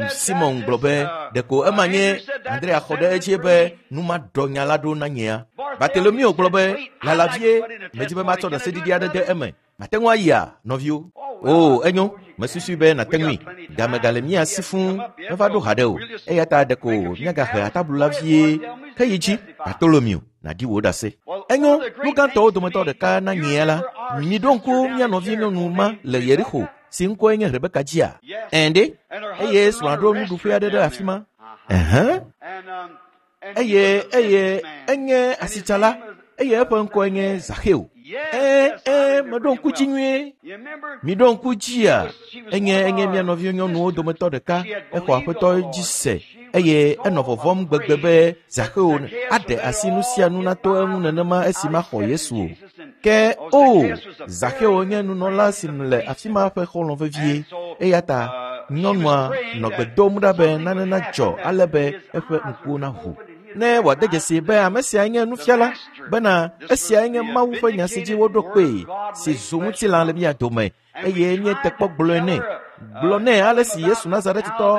Simon gblɔ be ɖeko ema nye. Andrea xɔ ɖe edzi be nu ma ɖɔ nya la ɖo na nyea. Bartolomeo gblɔ be lala vie, medzi be matsɔ ɖaseɖiɖi aɖe de eme. Mate ŋu ayia, nɔviwo? O, enyo, mesusui be nàte ŋui. Game gale mía si fũu, meva ɖo haɖe o. Eya ta ɖeko míagahe atablu la vie. Ke yi dzi, Bartolomeo, nàɖi wò ɖase. Enyo, nu gãtɔwo dometɔ ɖeka na nyea la, miɖo ŋku mía nɔvi nyɔnu ma le Yerixo si ŋkɔe nye Rebeka dzia. Ɛ̃ ɖe, eye srɔ̃a ɖo nuɖuƒe aɖe ɖe afi ma. Ɛhɛn. Eye eye enye asitsala eye eƒe ŋkɔe nye Zaxeo. Ɛ̃ ɛ̃, meɖo ŋku dzi nyuie. Miɖo ŋku dzia, enye enye mía nɔvi nyɔnuwo dometɔ ɖeka. Exɔ aƒetɔ dzi se eye enɔ vɔvɔ̃m gbegbe be Zaxeo aɖe asi nu sia nu nato eŋu nenema esi maxɔ Yesu o. Ke o, Zaxeo nye nunɔla si le afi ma ƒe xɔlɔ̃ vevie. Eya ta nyɔnua nɔ gbe dom ɖa be nane nadzɔ ale be eƒe ŋkuwo naʋu. Ne wòade dzesi be ame sia nye nufiala bena esiae nye Mawu ƒe nya si dzi woɖo kpee si zu ŋutilã le mía dome eye míete kpɔ gblɔe nɛ. Gblɔ nɛ ale si Yesu Nazaretitɔ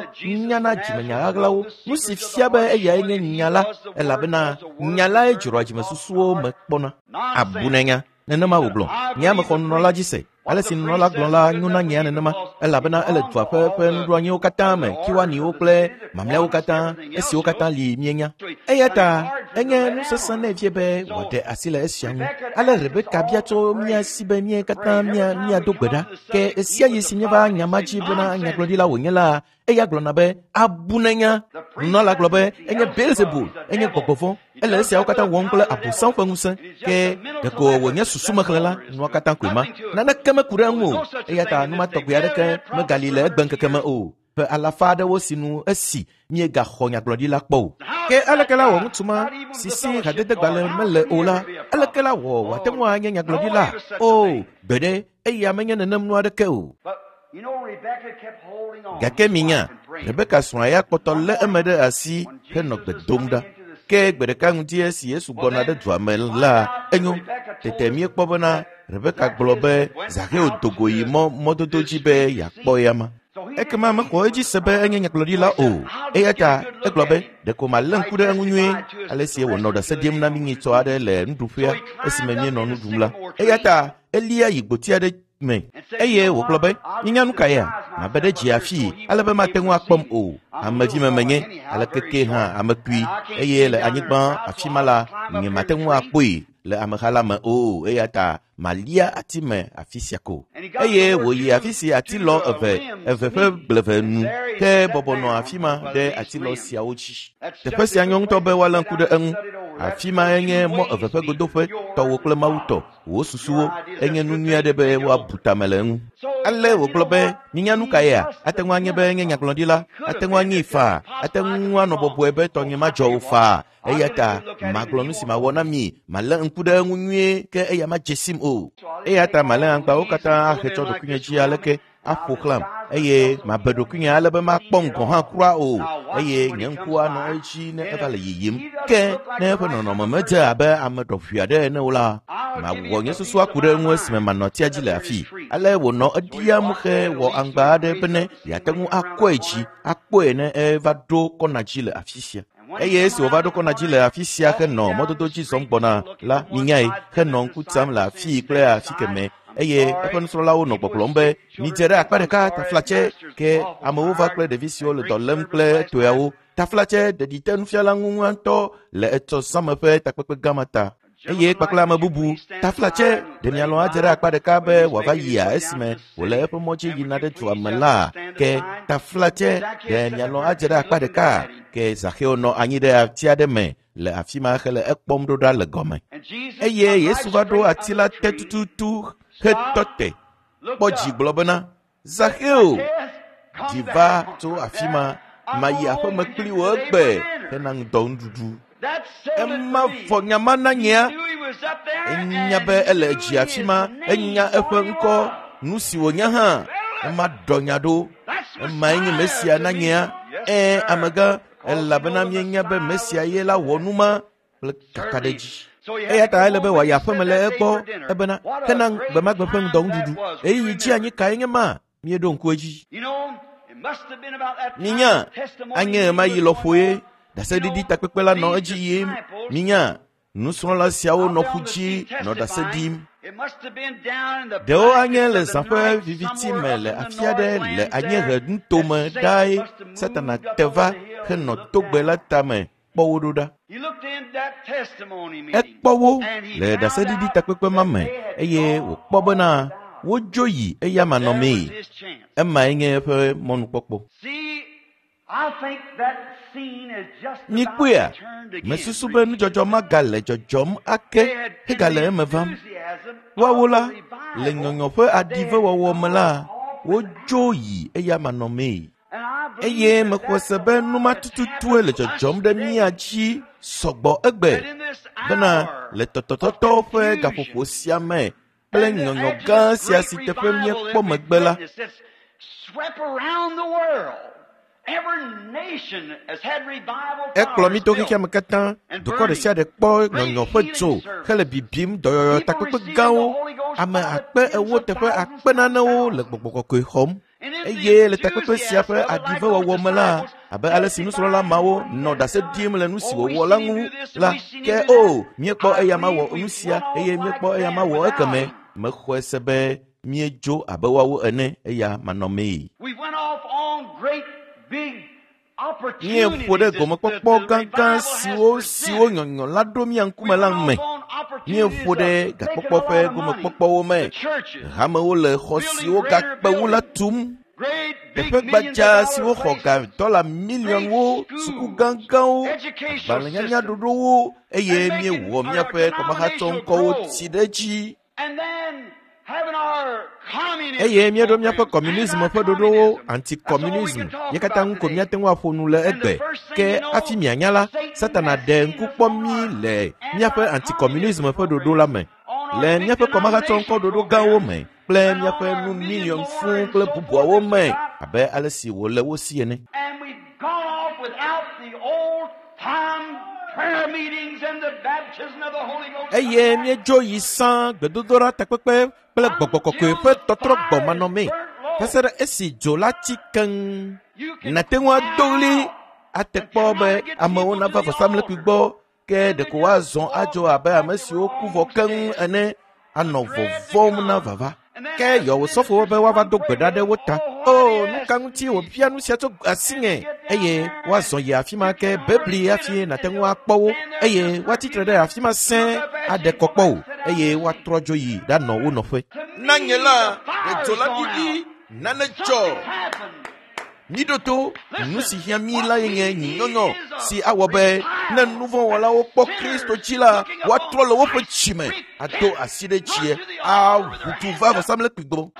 nyana dzimenya ɣaɣlawo, nu si fia be eyae nye nya la, elabena nya lae dzroa dzimesusuwo me kpɔna. Abu nenya, nenema wògblɔ. Nye ame xɔ nunɔla dzi se. Ale si nunɔla gblɔ la nyo na nyea nenema, elabena ele dua ƒe ƒe nuɖoanyiwo katã me, kiwaniwo kple mamlɛawo katã, esiwo katã li mienya. Eya ta enye nu sesẽ nɛ vie be wòaɖe asi le esia ŋu. Ale Rebeka bia tso mía si be mía katã mía míado gbe ɖa. Ke ɣesia ɣi si míeva nya ma dzi bena nyagblɔɖila wònye la, eya gblɔna be abu nenya. Nunɔla gblɔ be enye Beelzebul, enye gbɔgbɔ vɔ̃. Ele esiawo katã wɔm kple Abosam ƒe ŋusẽ. Ke ɖeko wònye susumexlẽla, nua katã koe ma. Naneke meku ɖe eŋu o. Eya ta nu ma tɔgbi aɖeke megali le egbeŋkeke me o. Ƒe alafa aɖewo sinu esi míegaxɔ nyagblɔɖila kpɔ o. Ke aleke la wɔ ŋutsu ma si si hadedegbalẽ mele o la, aleke la wɔ wòate ŋu anye nyagblɔɖila? O, gbeɖe, eya menye nenem nu aɖeke o. Gake minya, Rebeka srɔ̃a ya kpɔtɔ lé eme ɖe asi henɔ gbe dom ɖa. Ke gbe ɖeka ŋdi esi Yesu gbɔna ɖe dua me la, enyo. Tete míekpɔ bena Rebeka gblɔ be Zaxeo do go yi mɔ mɔdodo dzi be yeakpɔ eyama. Ekema mexɔ edzi se be enye nyagblɔɖila o. Eya ta egblɔ be ɖeko malé ŋku ɖe eŋu nyuie ale si wònɔ ɖase ɖim na mí nyitsɔ aɖe le nuɖuƒea esime míenɔ nu ɖum la. Eya ta elia yi gboti aɖe me eye wògblɔ be minya nu ka ya mabe ɖe dzi afii ale be mate ŋu akpɔm o. Amevi me menye aleke ke hã ame kui eye le anyigba afi ma la nye mate ŋu akpɔe le ameha la me o. Eya ta malia ati me afi sia ko. Eye wòyi afi si atilɔ eve eve ƒe gbleve nu ke bɔbɔ nɔ afi ma ɖe atilɔ siawo dzi. Teƒe sia nyɔ ŋutɔ be woalé ŋku ɖe eŋu. Afi ma enye mɔ eve ƒe godoƒe, tɔwò kple Mawu tɔ. Wò susuwo enye nu nyui aɖe be woabu tame le eŋu. Ale wògblɔ be minya nu ka yea? Ate ŋu anye be enye nyagblɔɖila, ate ŋu anyee faa, ate ŋu anɔ bɔbɔe be tɔnye madzɔ o faa. Eya ta magblɔ nu si mawɔ na mi, malé ŋku ɖe eŋu nyuie ke eya madze sim o. Eya ta malé aŋgbawo katã ahe tsɔ ɖokuinye dzi aleke aƒo xlãm eye mabe ɖokuinye ale be makpɔm gɔ̃ hã kura o eye nye ŋku anɔ edzi ne eva le yiyim. Ke ne eƒe nɔnɔme medze abe ame ɖɔʋui aɖe ene o la, mawɔ nye susu aku ɖe eŋu esime manɔ atia dzi le afii. Ale wònɔ eɖiam he wɔ aŋgba aɖe bene yeate ŋu akɔe dzi akpɔe ne eva ɖo kɔna dzi le afi sia. Eye esi wòva ɖo kɔna dzi le afi sia henɔ mɔdodo dzi zɔm gbɔna la, minyae, henɔ ŋku tsam le afii kple afi kemɛ. Eye eƒe nusrɔ̃lawo nɔ gbɔgblɔm be midze ɖe akpa ɖeka taflatse. Ke amewo va kple ɖevi siwo le dɔ lém kple toeawo. Taflatse ɖeɖi te nufiala ŋu ŋutɔ le etsɔ zãme ƒe takpekpe gã ma ta. Eye kpakple ame bubu taflatse ɖe mialɔ̃ adze ɖe akpa ɖeka be wòava yia esime wòle eƒe mɔ dzi yina ɖe dua me la. Ke taflatse ɖe mialɔ̃ adze ɖe akpa ɖeka. Ke Zaxeo nɔ anyi ɖe ati aɖe me le afi ma hele ekpɔm ɖo ɖa le gɔme. Eye Yesu va ɖo ati la te tututu hetɔ te kpɔ dzi gblɔ bena Zaxeo, ɖi va tso afi ma, mayi aƒeme kpli wò egbe hena ŋdɔ nuɖuɖu. Ema vɔ nya ma na nyea. Enya be ele dzi afi ma, enya eƒe ŋkɔ, nu si wònya hã. Ema ɖɔ nya ɖo. Emae nye Mesia na nyea. Ẽ, amegã, elabena míenya be Mesia ye la wɔ nu ma kple kakaɖedzi. Eya ta ele be wòayi aƒeme le egbɔ ebena hena gbemagbe ƒe ŋdɔ nuɖuɖu. Ɣeyiɣi dzi anyi kae nye ma? Míeɖo ŋku edzi. Minya, anye ɣemaɣi lɔƒoe ɖaseɖiɖi takpekpe la nɔ edzi yim. Minya, nusrɔ̃la siawo nɔ ƒu dzi nɔ ɖase ɖim. Ɖewo anye le zã ƒe viviti me le afi aɖe le anyiehe nutome ɖae Satana te va henɔ togbe la tame kpɔ wo ɖo ɖa. Ekpɔ wo le ɖaseɖiɖi takpekpe ma me eye wòkpɔ bena wodzo yi eya manɔmee. Emae nye eƒe mɔnukpɔkpɔ. Mikpɔea, mesusu be nudzɔdzɔ ma gale dzɔdzɔm ake hegale eme vam. Woawo la, le nyɔnyɔ ƒe aɖivewɔwɔ me la, wodzo yi eya manɔmee. Eye mexɔ se be nu ma tututue le dzɔdzɔm ɖe mía dzi sɔgbɔ egbe bena le tɔtɔtɔtɔ ƒe gaƒoƒo sia me kple nyɔnyɔ gã sia si teƒe míekpɔ megbe la, ekplɔ mí to xexea me katã. Dukɔ ɖe sia ɖe kpɔ nyɔnyɔ ƒe dzo hele bibim dɔyɔyɔ takpekpe gãwo. Ame akpe ewo teƒe akpe nanewo le gbɔgbɔ kɔkɔe xɔm. Eye le takpekpe sia ƒe aɖivewɔwɔ me la, abe ale si nusrɔ̃la mawo nɔ ɖase ɖim le nu si wòwɔ la ŋu la, ke o, míekpɔ eya ma wɔ nu sia eye míekpɔ eya ma wɔ ekeme. Mexɔe se be míedzo abe woawo ene eya manɔmee. Míeƒo ɖe gomekpɔkpɔ gãgã siwo siwo nyɔnyɔ la ɖo mía ŋkume la me. Míeƒo ɖe gakpɔkpɔ ƒe gomekpɔkpɔwo me. Hamewo le xɔ siwo gakpe wu la tum. Teƒe gbadza siwo xɔ ga dɔla miliɔnwo, suku gãgãwo, agbalẽnyanya ɖoɖowo eye míewɔ míaƒe kɔmahatsɔŋkɔwo tsi ɖe edzi. Eye míeɖo míaƒe kɔmunism ƒe ɖoɖowo, antikɔmunism, mía katã ŋu ko míate ŋu aƒo nu le egbe. Ke hafi mianya la, Satana ɖe ŋku kpɔ mí le míaƒe antikɔmunism ƒe ɖoɖo la me, le míaƒe kɔmahatsɔŋkɔ ɖoɖo gãwo me kple míaƒe nu miliɔn fũu kple bubuawo me abe ale si wòle wo si ene. Eye míedzo yi sã gbedodoɖa takpekpe kple gbɔgbɔ kɔkɔe ƒe tɔtrɔ gbɔ manɔmee va se ɖe esi dzo la tsi keŋ. Nàte ŋu ado ɣli ate kpɔ be amewo nava vɔsamlekpui gbɔ, ke ɖeko woazɔ adzo abe ame siwo ku vɔ keŋ ene anɔ vɔvɔ̃m na vava. Ke yɔ wò sɔfowo be woava do gbe ɖa ɖe wo ta. O, nu ka ŋuti wòbia nu sia tso asinye? Eye woazɔ yi afi ma ke bebli hafi nàte ŋu akpɔ wo, eye woatsitre ɖe afi ma sẽe aɖe kɔ kpɔ wò, eye woatrɔ dzo yi ɖanɔ wo nɔƒe. Na nye la, ɖe dzo la ɖiɖi, nane dzɔ. Míɖo to nu si hiã mí la ye nye nyunyɔnyɔ si awɔ be ne nuvɔ̃wɔlawo kpɔ Kristo dzi la, woatrɔ le woƒe dzime, ado asi ɖe dzie, aʋu du va vɔsamlekpui gbɔ,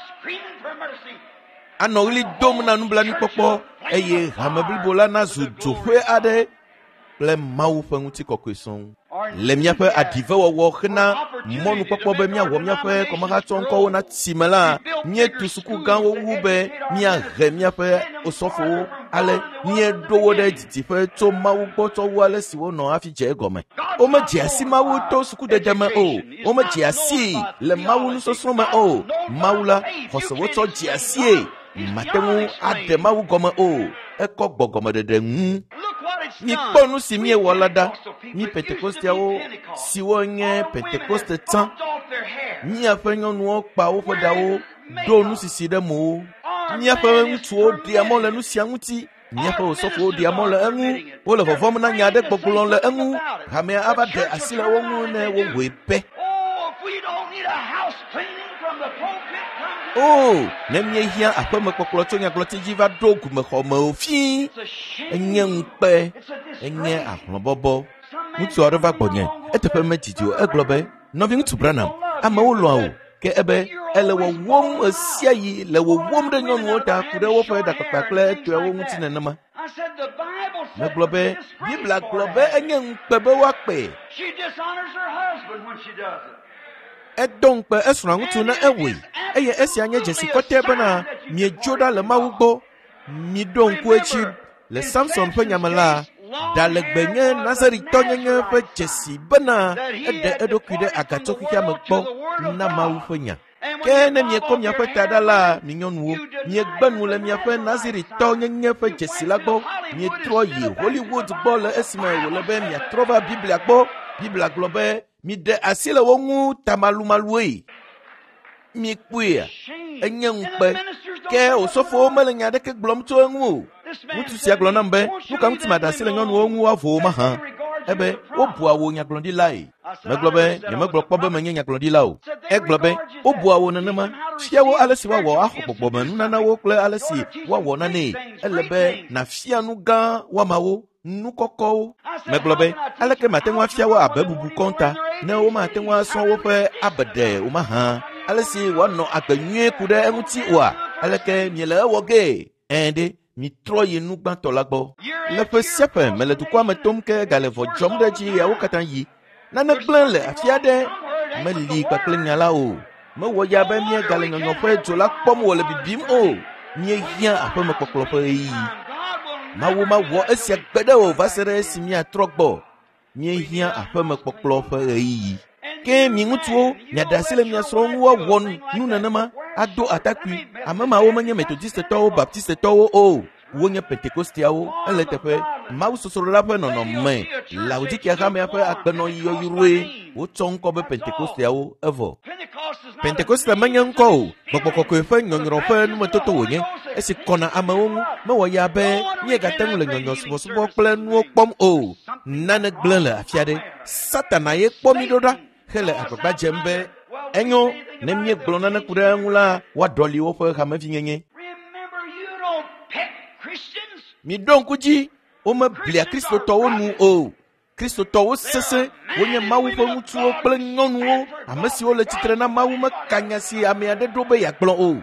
anɔ ɣli dom na nublanuikpɔkpɔ eye hame blibo la nazu dzoƒe aɖe kple Mawu ƒe ŋutikɔkɔe sɔŋ. Le míaƒe aɖivewɔwɔ hena mɔnukpɔkpɔ be míawɔ míaƒe kɔmahatsɔŋkɔwo na tsi me la, míetu suku gãwo wu be míahe míaƒe osɔfowo ale míeɖo wo ɖe didiƒe tso Mawu gbɔ tsɔ wu ale si wonɔ hafi dze egɔme. Womedze asi Mawu to sukudede me o. Womedze asi le Mawu nusɔsrɔ̃ me o. Mawu la, xɔse wotsɔ dze asie. Mate ŋu aɖe Mawu gɔme o. Ekɔ gbɔgɔmeɖeɖe ŋu. Mikpɔ nu si míewɔ la ɖa. Mí Pentekosteawo siwo nye Pentekoste tsã, míaƒe nyɔnuwo kpa woƒe ɖawo, ɖo nusisi ɖe mowo. Míaƒe ŋutsuwo ɖea mɔ le nu sia ŋuti. Míaƒe osɔfowo ɖea mɔ le eŋu. Wole vɔvɔ̃m na nya aɖe gbɔgblɔ le eŋu. Hamea ava ɖe asi le wo ŋu ne wowɔe pɛ. O, ne míehiã aƒemekpɔkplɔ tso nyagblɔti dzi va ɖo gumexɔme o fii, enye ŋukpe, enye ahlɔ̃bɔbɔ. Ŋutsu aɖe va gbɔnye, eteƒe medidi o, egblɔ be, nɔviŋutsu Branham, amewo lɔ̃a wò, ke ebe ele wɔwɔm ɣe sia ɣi le wɔwɔm ɖe nyɔnuwo ta ku ɖe woƒe ɖakpakpa kple etɔewo ŋuti nenema. Megblɔ be Biblia gblɔ be enye ŋukpe be woakpee. Edo ŋukpe esrɔ̃a ŋutsu ne ewɔe, eye esia nye dzesi kɔtɛ bena miedzo ɖa le Mawu gbɔ. Miɖo ŋku edzi le Samson ƒe nyame la, ɖa legbe nye Nazaritɔnyenye ƒe dzesi bena eɖe eɖokui ɖe aga tso xexea me gbɔ na Mawu ƒe nya. Ke ne miekɔ miaƒe ta ɖa la, mi nyɔnuwo, miegbe nu le miaƒe Nazaritɔnyenye ƒe dzesi la gbɔ. Mietrɔ yi Hollywood gbɔ le esime wòle be miatrɔ va Biblia gbɔ. Biblia gblɔ be miɖe asi le wo ŋu tamalumalue. Mikpɔea, enye ŋukpe. Ke osɔfowo mele nya aɖeke gblɔm tso eŋu o. Ŋutsu sia gblɔ nam be, nu ka ŋuti maɖe asi le nyɔnuwo ŋu woavo wo mahã? Ebe wobua wò nyagblɔɖilae. Megblɔ be nyemegblɔ kpɔ be menye nyagblɔɖila o. Egblɔ be wobua wò nenema. Fia wo ale si woawɔ axɔ gbɔgbɔmenunanawo kple ale si woawɔ nanee. Ele be nàfia nu gã woamawo, nu kɔkɔwo. Megblɔ be aleke mate ŋu afia wo abe bubu kɔnta ne womate ŋu asrɔ̃ woƒe abeɖe o mahã? Ale si woanɔ agbe nyuie ku ɖe eŋuti oa? Aleke miele ewɔ gee? Ɛ̃ ɖe, mitrɔ yi nu gbãtɔ la gbɔ. Le ƒe sia ƒe mele dukɔa me tom ke gale vɔ dzɔm ɖe edzi ɣeawo katã yi. Nane gblẽ le afi aɖe meli kpakple nya la o. Mewɔ ya be míegale nyɔnyɔ ƒe dzo la kpɔm wòle bibim o. Míehiã aƒemekpɔkplɔ ƒe ɣeyiɣi. Mawu mawɔ esia gbe ɖe o va se ɖe esi míatrɔ gbɔ. Míehiã aƒemekpɔkplɔ ƒe ɣeyiɣi. Ke mi ŋutsuwo, miaɖe asi le mia srɔ̃wo ŋu woawɔ nu nenema. ado atakpui. Ame mawo menye Metodistetɔwo, Baptistetɔwo o. Wonye Pentekosteawo. Ele teƒe Mawu sosrola ƒe nɔnɔme. Laodikia hamea ƒe agbenɔɣi yɔyrɔe. Wotsɔ ŋkɔ be Pentekosteawo evɔ. Pentekoste menye ŋkɔ o. Gbɔgbɔ kɔkɔe ƒe nyɔnyrɔ ƒe numetoto wònye. Esi kɔna amewo ŋu mewɔ ya be míegate ŋu le nyɔnyɔ subɔsubɔ kple nuwo kpɔm o. Nane gblẽ le afi aɖe. Satana ye kpɔ mí ɖo ɖa hele agbagba dzem be enyo ne míegblɔ nane ku ɖe eŋu la woaɖɔli woƒe hamevinyenye. Remember, you don't pick Christians. Miɖo ŋku dzi, womeblia Kristotɔwo nu o. Kristotɔwo sesẽ, wonye Mawu ƒe ŋutsuwo kple nyɔnuwo, ame siwo le tsitre na Mawu meka nya si ame aɖe ɖo be yeagblɔ o.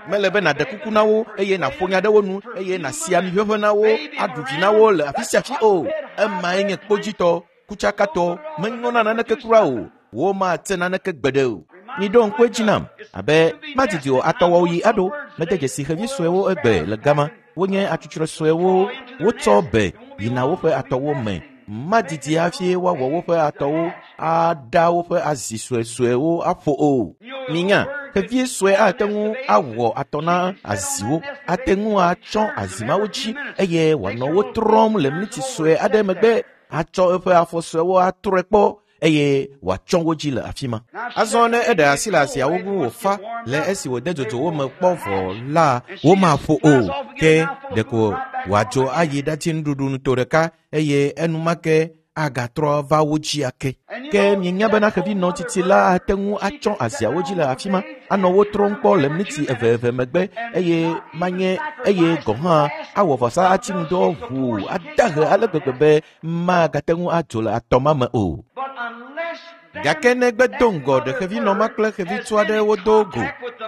Mele be nàɖe kuku na wo eye nàƒo nya ɖe wo nu eye nàsi ami ʋeʋẽ na wo, aɖu vi na wo le afi sia afi o. Emae nye kpodzitɔ, kutsakatɔ, menyo na naneke kura o. Womate naneke gbeɖe o. Miɖo ŋku edzi nam abe madidi o atɔwɔwo yi aɖo. Mede dzesi xevi suewo egbe le gama. Wonye atsutsrɔe suewo. Wotsɔ be yina woƒe atɔwo me. Madidi hafi woawɔ woƒe atɔwo aɖa woƒe azi suesuewo aƒo o. Minya, xevi sue ate ŋu awɔ atɔ na aziwo, ate ŋu atsɔ azi mawo dzi eye wòanɔ wo trɔm le miniti sue aɖe megbe, atsɔ eƒe afɔ suewo atrɔe kpɔ eye wòatsɔ wo dzi le afi ma. Azɔ ne eɖe asi le aziawo ŋu wòfa le esi wòde dzodzo wo me kpɔ vɔ la, womaƒo o. Ke ɖeko wòadzo ayi ɖati nuɖuɖu nuto ɖeka eye enumake agatrɔ va wo dzi ake. Ke mienya bena xevinɔ tsitsi la ate ŋu atsɔ aziawo dzi le afi ma, anɔ wo trɔm kpɔ le miniti eve eve megbe eye manye eye gɔ̃ hã awɔ vɔsa ati ŋudɔ ʋuu adahe ale gbegbe be magate ŋu adzo le atɔ ma me o. But unless them Gake negbe do ŋgɔ ɖe xevinɔ ma kple xevitsu aɖe wodo go,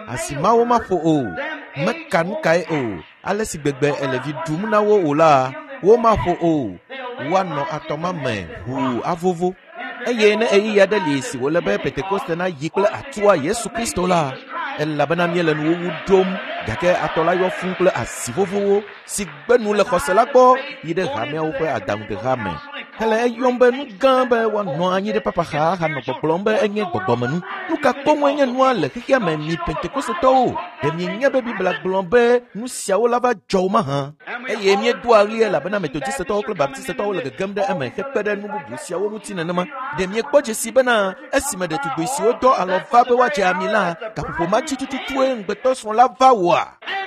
asi mawo maƒo o, meka nu kae o, ale si gbegbe ele vi ɖum na wo o la, womaƒo o, woanɔ atɔ ma me ʋuu avovo. Eye ne ɣeyiɣi aɖe li si wòle be Pentekoste nayi kple atua Yesu Kristo la, elabena míele nuwuwu ɖom, gake atɔ la yɔ fũu kple asi vovowo si gbe nu le xɔse la gbɔ yi ɖe hameawo ƒe adaŋudeha me. Hele eyɔm be nu gã be woanɔ anyi ɖe papaxa ahanɔ gbɔgblɔm be enye gbɔgbɔmenu. Nu ka koŋue nye nua le xexea me mi Pentekostetɔwo? Ɖe mienya be Biblia gblɔ be nu siawo la va dzɔ o mahã? Eye míedoa ɣli elabena Metodistetɔwo kple Baptistetɔwo le gegem ɖe eme hekpe ɖe nu bubu siawo ŋuti nenema. Ɖe miekpɔ dzesi bena esime ɖetugbi siwo dɔ alɔ va be woadze ami la, gaƒoƒo ma dzi tututue ŋugbetɔsrɔ̃ la va wɔa?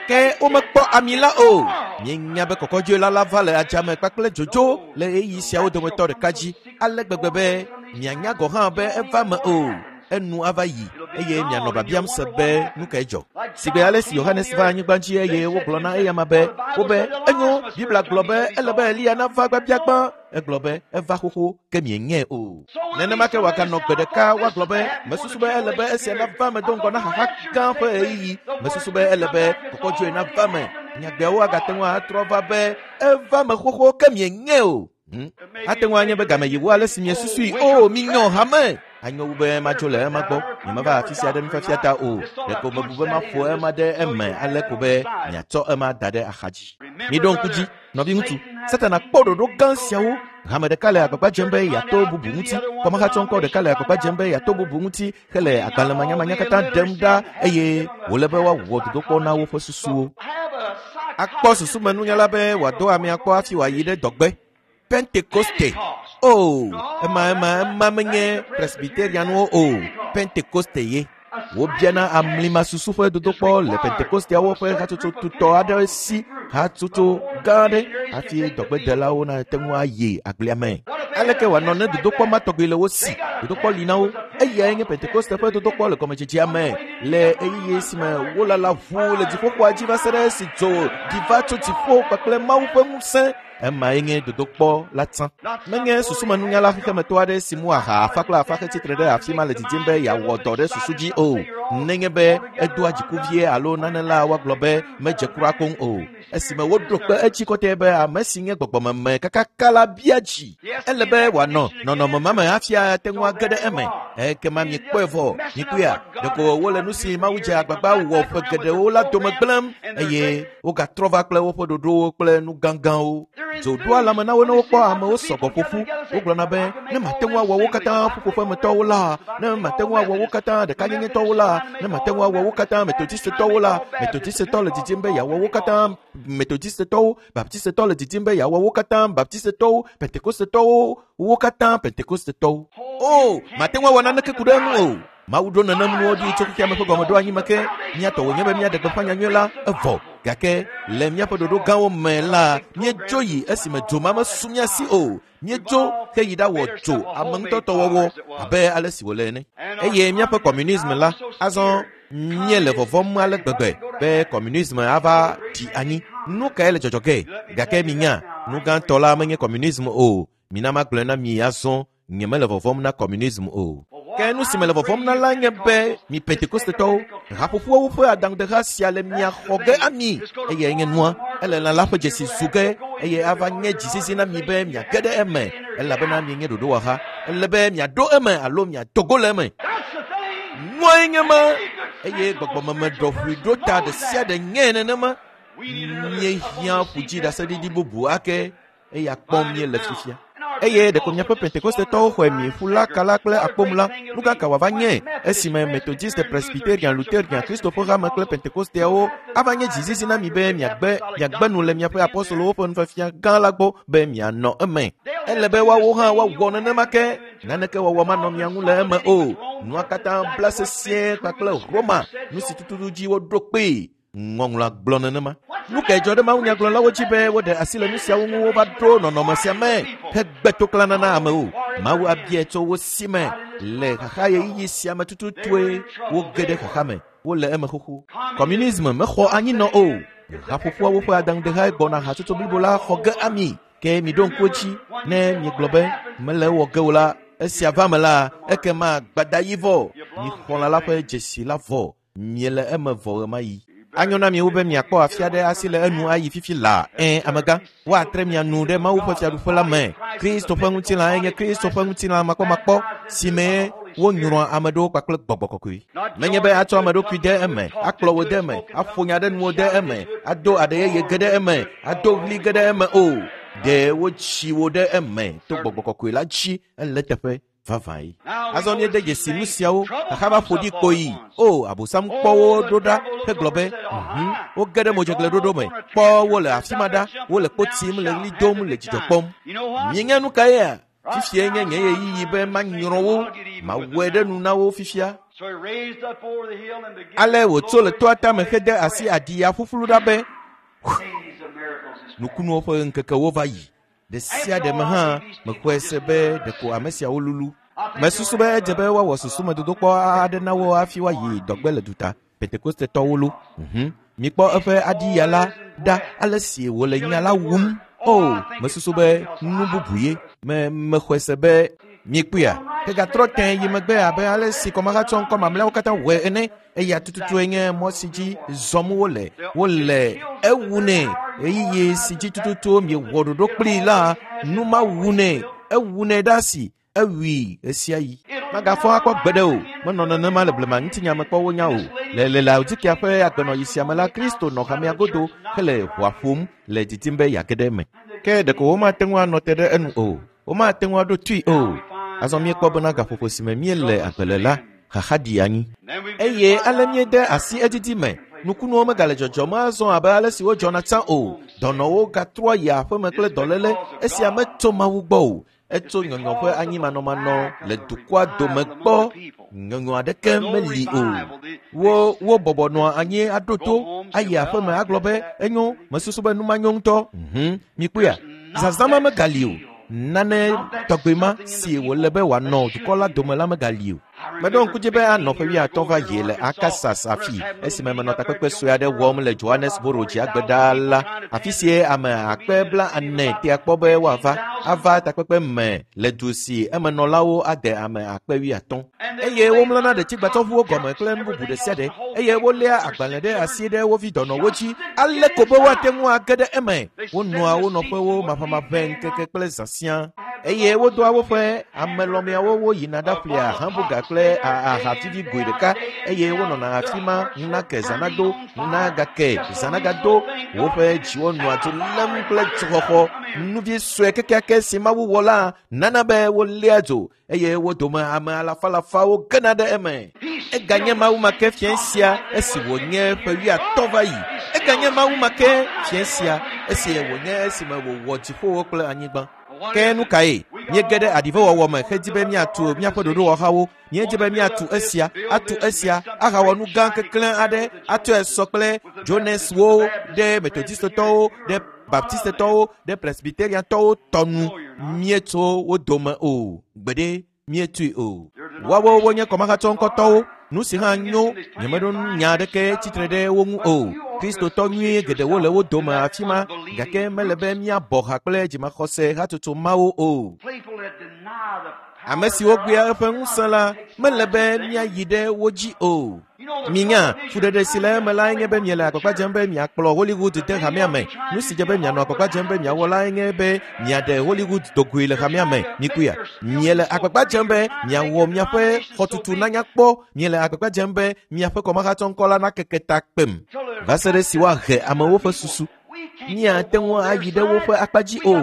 Ke womekpɔ ami la o. Mienya be kɔkɔdzoe la va le adzame kpakple dzodzo le ɣeyiɣi siawo dometɔ ɖeka dzi ale gbegbe be mianya gɔ̃ hã be eva me o. Enu ava yi eye mianɔ biabiam se be nu kae dzɔ. Sigbe ale si Yohanes va anyigba dzi eye wogblɔ na eyama be wobe enyo Biblia gblɔ be ele be Eliya nava gbabiagbã. Egblɔ be eva xoxo ke mienyae o. Nenema ke wòaganɔ gbe ɖeka woagblɔ be mesusu be ele be esia nava me do ŋgɔ na xaxa gã ƒe ɣeyiɣi. Mesusu be ele be kɔkɔdzoe nava me. Nyagbeawo agate ŋu atrɔ va be eva me xoxo ke mienyae o. Hmm? Ate ŋu anye be game yi wu ale si miesusui. O, minyɔ hame. Anyo wu be madzo le ema gbɔ. Nyemeva afi sia ɖe nufiafia ta o. Ɖeko mebu be maƒo ema ɖe eme ale ko be miatsɔ ema da ɖe axadzi. Miɖo ŋku dzi, nɔviŋutsu, Satana kpɔ ɖoɖo gã siawo. Hame ɖeka le agbagba dzem be yeato bubu ŋuti. Kɔmahatsɔŋkɔ ɖeka le agbagba dzem be yeato bubu ŋuti hele agbalẽmanyamanya katã ɖem ɖa eye wòle be woawɔ dodokpɔ na woƒe susuwo. Akpɔ susumenunyala be wòado amea kpɔ hafi wòayi ɖe dɔgbe. Pentekoste. O, ema ema ema menye Presbyterianwo o. Pentekoste ye. Wobiana amlimasusu ƒe dodokpɔ le Pentekosteawo ƒe hatsotso tutɔ aɖe si hatsotso gã aɖe hafi dɔgbedelawo nate ŋu ayi agblea me. Aleke wòanɔ ne dodokpɔ ma tɔgbi le wo si? Dodokpɔ li na wo. Eyae nye Pentekoste ƒe dodokpɔ le gɔmedzedzea me le ɣeyiɣi si me wolala ʋuu le dziƒoxɔa dzi va se ɖe esi dzo ɖi va tso dziƒo kpakple Mawu ƒe ŋusẽ. Emae nye dodokpɔ la tsã. Menye susumenunyala xexemetɔ aɖe si mu aha afa kple afa hetsitre ɖe afi ma le didim be yeawɔ dɔ ɖe susu dzi o. Nenye be edoa dziku vie alo nane la woagblɔ be medze kura koŋ o. Esime woɖo kpe edzi kɔtɛ be ame si nye gbɔgbɔmeme kakaka la bia dzi. Ele be wòanɔ nɔnɔme ma me hafi ate ŋu age ɖe eme. Ekema miekpɔe vɔ, mikpɔea, ɖeko wole nu si Mawu dze agbagba wɔ ƒe geɖewo la dome gblẽm eye wogatrɔ va kple woƒe ɖoɖowo kple nu gãgãwo. Dzo ɖoa lãme na wo ne wokpɔ amewo sɔgbɔ ƒoƒu. Wogblɔna be ne mate ŋu awɔ wo katã ƒuƒoƒemetɔwo la, ne mate ŋu awɔ wo katã ɖekanyenyetɔwo la, ne mate ŋu awɔ wo katã metodistetɔwo la, metodistetɔ le didim be yeawɔ wo katã metodistetɔwo, baptistetɔ le didim be yeawɔ wo katã baptistetɔwo, pentekostetɔwo, wo katã pentekostetɔwo. O, mate ŋu awɔ naneke ku ɖe eŋu o. Mawu ɖo nenem nuwo ɖi tso xexea me ƒe gɔmeɖoanyi me ke. Mía tɔ wònye be míaɖe gbeƒã nyanyui la evɔ. Gake le míaƒe ɖoɖo gãwo me la, míedzo yi esime dzo ma mesu mía si o. Míedzo heyi ɖawɔ dzo ame ŋutɔtɔ wɔwɔ abe ale si wòle ene. Eye míaƒe kɔmunism la, azɔ míele vɔvɔm ale gbegbe be kɔmunism ava ɖi anyi. Nu kae le dzɔdzɔ ge? Gake minya, nu gãtɔ la menye kɔmunism o. Mina magblɔe na mi azɔ, nyemele vɔvɔm na kɔmunism o. Ke nu si mele vɔvɔm na la nye be mi Pentekostetɔwo, haƒoƒoawo ƒe aɖaŋudeha sia le mia xɔ ge ami. Eyae nye nua, ele lã la ƒe dzesi zu ge eye ava nye dzizizi na mi be miage ɖe eme elabena mienye ɖoɖowɔha. Ele be miaɖo eme alo miado go le eme. Nuae nye ma eye gbɔgbɔmeme ɖɔʋui ɖo ta ɖe sia ɖe nye nenema. Míehiã ƒudziɖaseɖiɖi bubu ake eya kpɔm míele fifia. Eye ɖeko miaƒe Pentekostetɔwo xɔe mi ƒu la kala kple akpom la, nu ka ka wòava nye esime Methodiste, Presbyterian, Lutherian, Kristo ƒe hame kple Pentekosteawo ava nye dzizizi na mi be miagbe miagbe nu le miaƒe apostolowo ƒe nufiafia gã la gbɔ be mianɔ eme. Ele be woawo hã woawɔ nenema ke. Naneke wɔwɔ manɔ mia ŋu le eme o. Nua katã bla sesĩe kpakple Roma, nu si tututu dzi woɖo kpee. Ŋɔŋlɔa gblɔ nenema. Nu kae dzɔ ɖe mawunyagblɔlawo dzi be woɖe asi le nu siawo ŋu wova ɖo nɔnɔme sia me hegbe toklana na amewo? Mawu abia tso wo si me le xaxa ɣeyiɣi sia me tututue woge ɖe xaxa me. Wole eme xoxo. Kɔmunism mexɔ anyinɔ o. Haƒoƒoawo ƒe aɖaŋudehae gbɔna hatsotso blibo la xɔ ge ami. Ke miɖo ŋku edzi ne miegblɔ be mele ewɔ ge o la, esia va me la, ekema gbadayi vɔ. Mixɔ lã la ƒe dzesi la vɔ. Miele eme vɔ ɣemaɣi. Anyo na miwo be miakpɔ afi aɖe asi le enu ayi fifi laa. Ẽ, amegã, woatre mia nu ɖe Mawu ƒe fiaɖuƒe la me. Kristo ƒe ŋutilã enye Kristo ƒe ŋutilã makpɔmakpɔ si mee wonyrɔa ame ɖewo kpakple gbɔgbɔ kɔkɔe. Menye be atsɔ ame ɖokui de eme, akplɔ wo de eme, aƒo nya ɖe nuwo de eme, ado aɖe yeye ge ɖe eme, ado ɣli ge ɖe eme o. Ɖe wotsi wo ɖe eme to gbɔgbɔ kɔkɔe la dzi ele teƒe vavãe. Azɔ míede dzesi nu siawo, xaxa va ƒo ɖi kpoyi. O, Abosam kpɔ wo ɖo ɖa hegblɔ be, mhm, woge ɖe modzegleɖoɖo me. Kpɔ wo le afi ma ɖa, wole kpo tim, le ɣli dom, le dzidzɔ kpɔm. Mienya nu kaea? Fifia nye nye ɣeyiɣi be manyrɔ wo, mawɔe ɖe nu na wo fifia. Ale wòtso le toa tame hede asi aɖiya ƒuƒlu ɖa be, nukunuwo ƒe ŋkekewo va yi. Ɖe sia ɖe me hã mexɔe se be ɖeko ame siawo lulu. Mesusu be edze be woawɔ susumedodokpɔ aɖe na wo hafi woayi dɔgbe le duta. Pentekostetɔwo lo. Mhm. Mikpɔ eƒe aɖiya la ɖa ale si wòle nya la wum. O, mesusu be nu bubu ye. Me mexɔe se be mikpɔea. Hegatrɔ tẽ yi megbe abe ale si kɔmahatsɔ ŋkɔ mamlɛawo katã wɔe ene. Eya tututue nye mɔ si dzi zɔm wole. Wole ewu nɛ. Ɣeyiɣi si dzi tututu miewɔ ɖoɖo kplii la, nu ma wu nɛ. Ewu nɛ ɖe asi. Ewui ɣesiaɣi. Magafɔ akpɔ gbeɖe o. Menɔ nenema le blema ŋutinya me kpɔ wonya o. Le le Laodikea ƒe agbenɔɣi sia me la, Kristo nɔ hamea godo hele ʋɔa ƒom le didim be yeage ɖe eme. Ke ɖeko womate ŋu anɔ te ɖe enu o. Womate ŋu aɖo tui o. Azɔ míekpɔ bena gaƒoƒo si me míele agbe le la, xaxa ɖi anyi. Eye ale míede asi edzidzi me. Nukunuwo megale dzɔdzɔm azɔ abe ale si wodzɔna tsã o. Dɔnɔwo gatrɔa yi aƒeme kple dɔléle. Esia metso Mawu gbɔ o. Etso nyɔnyɔ ƒe anyimanɔmanɔ le dukɔa dome gbɔ. Nyɔnyɔ aɖeke meli o. Wo wo bɔbɔ nɔa anyi aɖo to ayi aƒeme agblɔ be enyo mesusu be nu ma nyo ŋutɔ. Mhm, mikpɔea, zazã ma megali o. Nane tɔgbe ma si wòle be wòanɔ dukɔ la dome la megali o. Meɖo ŋku dzi be anɔ ƒe wuiatɔ̃ va yi le Arkansas afi esime menɔ takpekpe sue aɖe wɔm le Johannesburg dziagbe la. Afi sie ame akpe bla ene tea kpɔ be woava ava takpekpe me le du si emenɔlawo ade ame akpe wuiatɔ̃. Eye womlɔna ɖetsigbatsɔʋuwo gɔme kple nu bubu ɖe sia ɖe eye woléa agbalẽ ɖe asi ɖe wo vi dɔnɔwo dzi ale ko be woate ŋu age ɖe eme. Wonɔa wo nɔƒewo maʋamaʋẽ ŋkeke kple zã siaa. Eye wodoa woƒe amelɔmeawo woyina ɖaƒlea hamburger kple ahavivi goe ɖeka eye wonɔna afi ma ŋunake zãnado ŋunagake zãnagado. Woƒe dziwo nɔa dzo lém kple dzoxɔxɔ. Nuvi sue kekeake si Mawu wɔ la nana be woléa dzo eye wo dome ame alafalafawo gena ɖe eme. Eganye Mawu ma ke fiẽ sia esi wònye ƒe wuiatɔ̃ va yi. Eganye Mawu ma ke fiẽ sia esi wònye esime wòwɔ dziƒowo kple anyigba. Ke nu kae? Míege ɖe aɖivewɔwɔ me hedi be míatu míaƒe ɖoɖowɔhawo. Míedi be míatu esia, atu esia, ahawɔ nu gã keklẽ aɖe, atsɔe sɔ kple Joneswo ɖe Methodistetɔwo, ɖe Baptistetɔwo, ɖe Presbyteriantɔwo tɔ nu. Míetso wo dome o. Gbeɖe míetui o. Woawo wonye kɔmahatsɔ ŋkɔtɔwo. Nu si hã nyo, nyemeɖo nya aɖeke tsitre ɖe wo ŋu o. Kristotɔ nyui geɖewo le wo dome afi ma, gake mele be míabɔ ha kple dzimaxɔse hatsotso mawo o. Ame siwo gbea eƒe ŋusẽ la, mele be míayi ɖe wo dzi o. Minya, fuɖeɖe si le eme lae nye be miele agbagba dzem be miakplɔ Hollywood de hamea me. Nu si dze be mianɔ agbagba dzem be miawɔ lae nye be miaɖe Hollywood dogoe le hamea me. Mikuya. Miele agbagba dzem be miawɔ miaƒe xɔtutu nanyakpɔ. Miele agbagba dzem be miaƒe kɔmahatsɔŋkɔ la nakeke ta kpem. Va se ɖe si woahe amewo ƒe susu. Míate ŋu ayi ɖe woƒe akpa dzi o.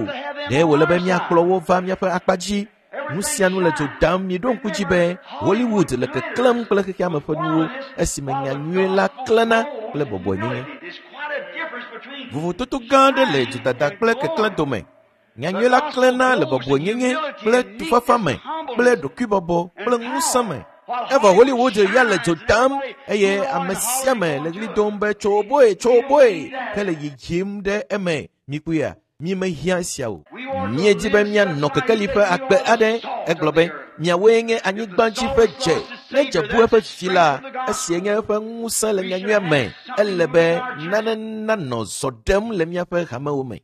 Ɖe wòle be míakplɔ wo va míaƒe akpa dzi. Nu sia nu le dzo dam. Miɖo ŋku dzi be Hollywood le keklẽm kple xexeame ƒe nuwo esime nyanyui la klẽna kple bɔbɔenyenye. Vovototo gã aɖe le dzodada kple keklẽ dome. Nyanyui la klẽna le bɔbɔenyenye kple tufafa me kple ɖokuibɔbɔ kple ŋusẽ me. Evɔ Hollywood ya le dzo dam eye ame sia ame le ɣli dom be tso boe, tso boe hele yiyim ɖe eme. Mikuya. Mímehiã esia o. Míedi be míanɔ kekeli ƒe agbe aɖe. Egblɔ be miawoe nye anyigbadzi ƒe dze. Ne dze bu eƒe vi la, esie nye eƒe ŋusẽ le nyanyuia me. Ele be nane nanɔ zɔ ɖem le míaƒe hamewo me.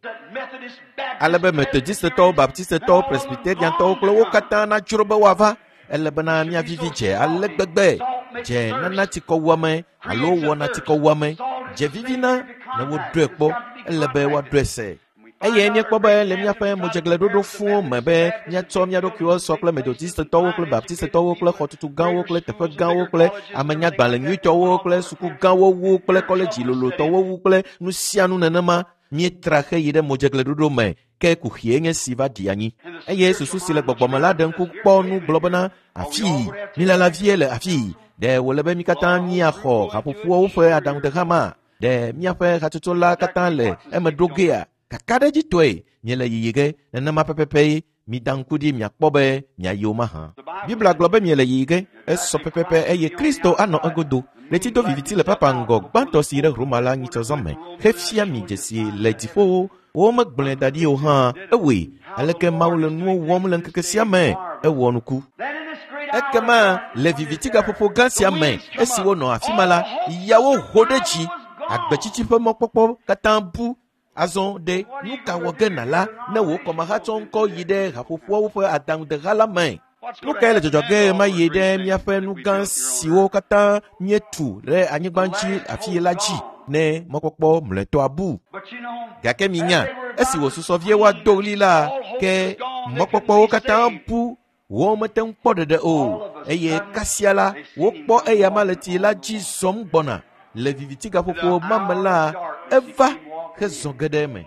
Ale be Methodistetɔwo, Baptistetɔwo, Presbyteriantɔwo kple wo katã nadzro be woava. Ele bena míavivi dze ale gbegbe. Dze nana tsikɔwuame alo wɔna tsikɔwuame. Dze vivina ne woɖɔe kpɔ. Ele be woaɖɔe se. Eye míekpɔ be le míaƒe modzegleɖoɖo fũu me be míatsɔ mía ɖokuiwo sɔ kple Methodistetɔwo kple Baptistetɔwo kple xɔtutu gãwo kple teƒe gãwo kple amenyagbalẽ nyuitɔwo kple suku gãwo wu kple kɔledzi lolotɔwo wu kple nu sia nu nenema. Míetra xeyi ɖe modzegleɖoɖo me ke kuxie nye si va ɖi anyi. Eye susu si le gbɔgbɔme la ɖe ŋku kpɔ nu gblɔ bena afii, mílala vie le afii. Ɖe wòle be mí katã míaxɔ haƒoƒoawo ƒe aɖaŋudeha ma? Ɖe míaƒe hatsotso la katã le eme ɖo gea? Kakaɖedzitɔe miele yiyi ge nenema pɛpɛpɛ mida ŋku ɖi miakpɔ be miayi wo mahã. Biblia gblɔ be miele yiyi ge esɔ pɛpɛpɛ eye Kristo anɔ egodo. Ɣleti do viviti le papa ŋgɔ gbãtɔ si yi ɖe Roma la nyitsɔ zã me hefia mi dzesi le dziƒowo. Womegblɔe da ɖi o hã ewɔe. Aleke Mawu le nuwo wɔm le ŋkeke sia me ewɔ nuku. Ekema le viviti gaƒoƒo gã sia me esi wonɔ afi ma la, yawo ho ɖe dzi. Agbetsitsi ƒe mɔkpɔkpɔ katã bu. Azɔ ɖe nu ka wɔ ge nala ne wò kɔmahatsɔ ŋkɔ yi ɖe haƒoƒoawo ƒe aɖaŋudeha la me? Nu kae le dzɔdzɔ ge ma yi ɖe míaƒe nu gã siwo katã míetu ɖe anyigba dzi afi la dzi ne mɔkpɔkpɔ mlɔetɔa bu? Gake minya, esi wòsusɔ vie woado ɣli la, ke mɔkpɔkpɔwo katã bu. Womete ŋu kpɔ ɖeɖe o. Eye kasia la, wokpɔ eyama le tsi la dzi zɔm gbɔna. Le viviti gaƒoƒo ma me la, eva hezɔ ge ɖe eme.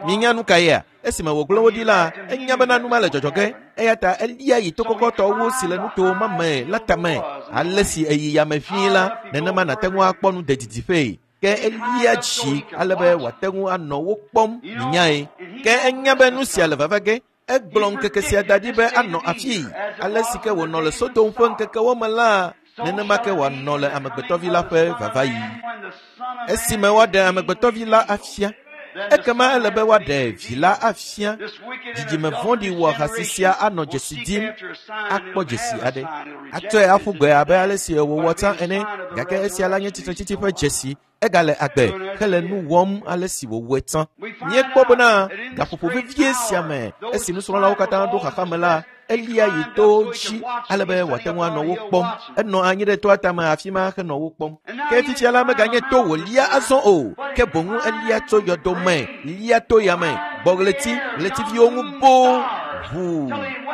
Minya nu ka yea? Esime wògblẽ wo ɖi la, enya bena nu ma le dzɔdzɔ ge. Eya ta elia yi to kɔkɔtɔwo si le nuto ma me la tame. Ale si eyi yame ʋĩi la, nenema nàte ŋu akpɔ nu de didiƒee. Ke elia dzi ale be wòate ŋu anɔ wo kpɔm minyae. Ke enya be nu sia le vava ge. Egblɔ ŋkeke sia da ɖi be anɔ afii. Ale si ke wònɔ le Sodom ƒe ŋkekewo me la, nenema ke wòanɔ le Amegbetɔvi la ƒe vavaɣi. Esime woaɖe Amegbetɔvi la afia, ekema ele be woaɖe vi la afia. Dzidzime vɔ̃ɖi wɔhasi sia anɔ dzesi dim, akpɔ dzesi aɖe. Atsɔe aƒu gbe abe ale si wòwɔ tsã ene, gake esia la nye tsitretsitsi ƒe dzesi. Egale agbe hele nu wɔm ale si wòwɔe tsã. Míekpɔ bena gaƒoƒo vevie sia me esi nusrɔ̃lawo katã ɖo xaxa me la, elia yi to dzi ale be wòate ŋu anɔ wo kpɔm. Enɔ anyi ɖe toa tame afi ma henɔ wo kpɔm. Ke fifia la meganye to wòlia azɔ o, ke boŋ elia tso yɔdo me, lia to yame, gbɔ ɣleti, ɣletiviwo ŋu boo. Ʋuu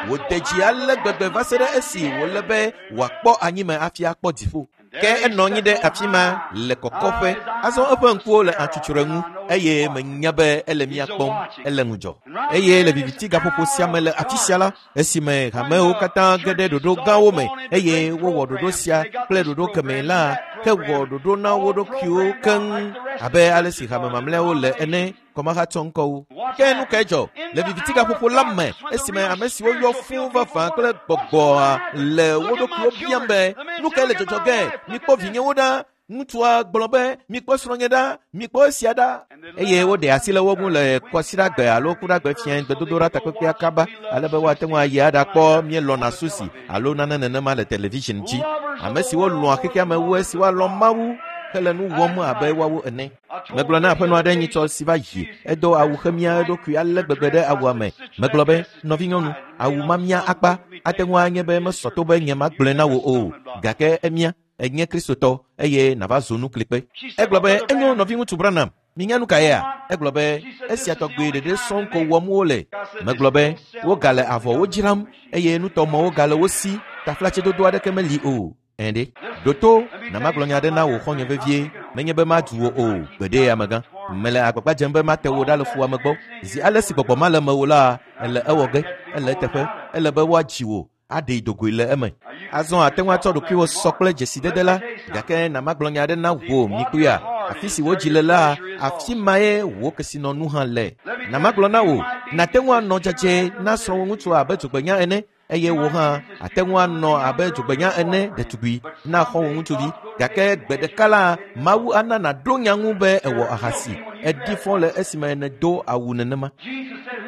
wòde dzi ale gbegbe va se ɖe esi wòle be wòakpɔ anyime hafi akpɔ dziƒo. Ke enɔ anyi ɖe afi ma le kɔkɔƒe. Azɔ eƒe ŋkuwo le atsutsre ŋu eye menya be ele mía kpɔm, ele ŋudzɔ. Eye le viviti gaƒoƒo sia me le afi sia la, esime hamewo katã ge ɖe ɖoɖo gãwo me eye wowɔ ɖoɖo sia kple ɖoɖo kemɛ la, ke wɔ ɖoɖo na wo ɖokuiwo keŋ abe ale si hame mamlɛawo le ene. Kɔmahatsɔ ŋkɔwo. Ke nu kae dzɔ le viviti gaƒoƒo la me esime ame siwo yɔ fũu vavã kple gbɔgbɔa le wo ɖokuiwo biam be nu kae le dzɔdzɔ ge? Mikpɔ vinyewo ɖa. Ŋutsua gblɔ be mikpɔ srɔ̃nye ɖa, mikpɔ esia ɖa. Eye woɖe asi le wo ŋu le kɔsiɖagbe alo kuɖagbe fiẽ gbedodoɖa takpekpea kaba ale be woate ŋu ayi aɖakpɔ Míelɔ̃na Susi alo nane nenema le television dzi. Ame siwo lɔ̃a xexea me wu esi woalɔ̃ Mawu hele nu wɔm abe woawo ene. Megblɔ na aƒenɔ aɖe nyitsɔ si va yi, edo awu xemia eɖokui ale gbegbe ɖe awua me. Megblɔ be, nɔvinyɔnu, awu ma mia akpa, ate ŋu anye be mesɔ to be nye magblɔe na wò o, gake emia, enye Kristotɔ eye nava zu nuklikpe. Egblɔ be, enyo nɔviŋutsu Branham, minya nu kaea? Egblɔ be, esia tɔgbi ɖeɖe sɔŋ ko wɔm wole. Megblɔ be, wogale avɔwo dzram eye nutɔmɔwo gale wo si, taflatsedodo aɖeke meli o. Ɛ̃ɖe. Ɖoto, na magblɔ nya aɖe na wò xɔ̃nye vevie, menye be madu wò o, gbeɖe amegã. Mele agbagba dzem be mate wò ɖa le fuwɔame gbɔ. Zi ale si gbɔgbɔ ma le mewò la, ele ewɔ ge, ele eteƒe, ele be woadzi wò, aɖee dogoe le eme. Azɔ ate ŋu atsɔ ɖokuiwò sɔ kple dzesidede la, gake na magblɔ nya aɖe na wò mikpɔea, afi si wodzi le la, afi mae wò kesinɔnu hã le. Na magblɔ na wò, nate ŋu anɔ dzadzɛ na srɔ̃wò ŋutsu abe dzogbenya ene, eye wò hã ate ŋu anɔ abe dzogbenya ene ɖetugbui na xɔ̃wò ŋutsuvi. Gake gbe ɖeka la, Mawu ana nàɖo nya ŋu be ewɔ ahasi, eɖi fɔ le esime nèdo awu nenema.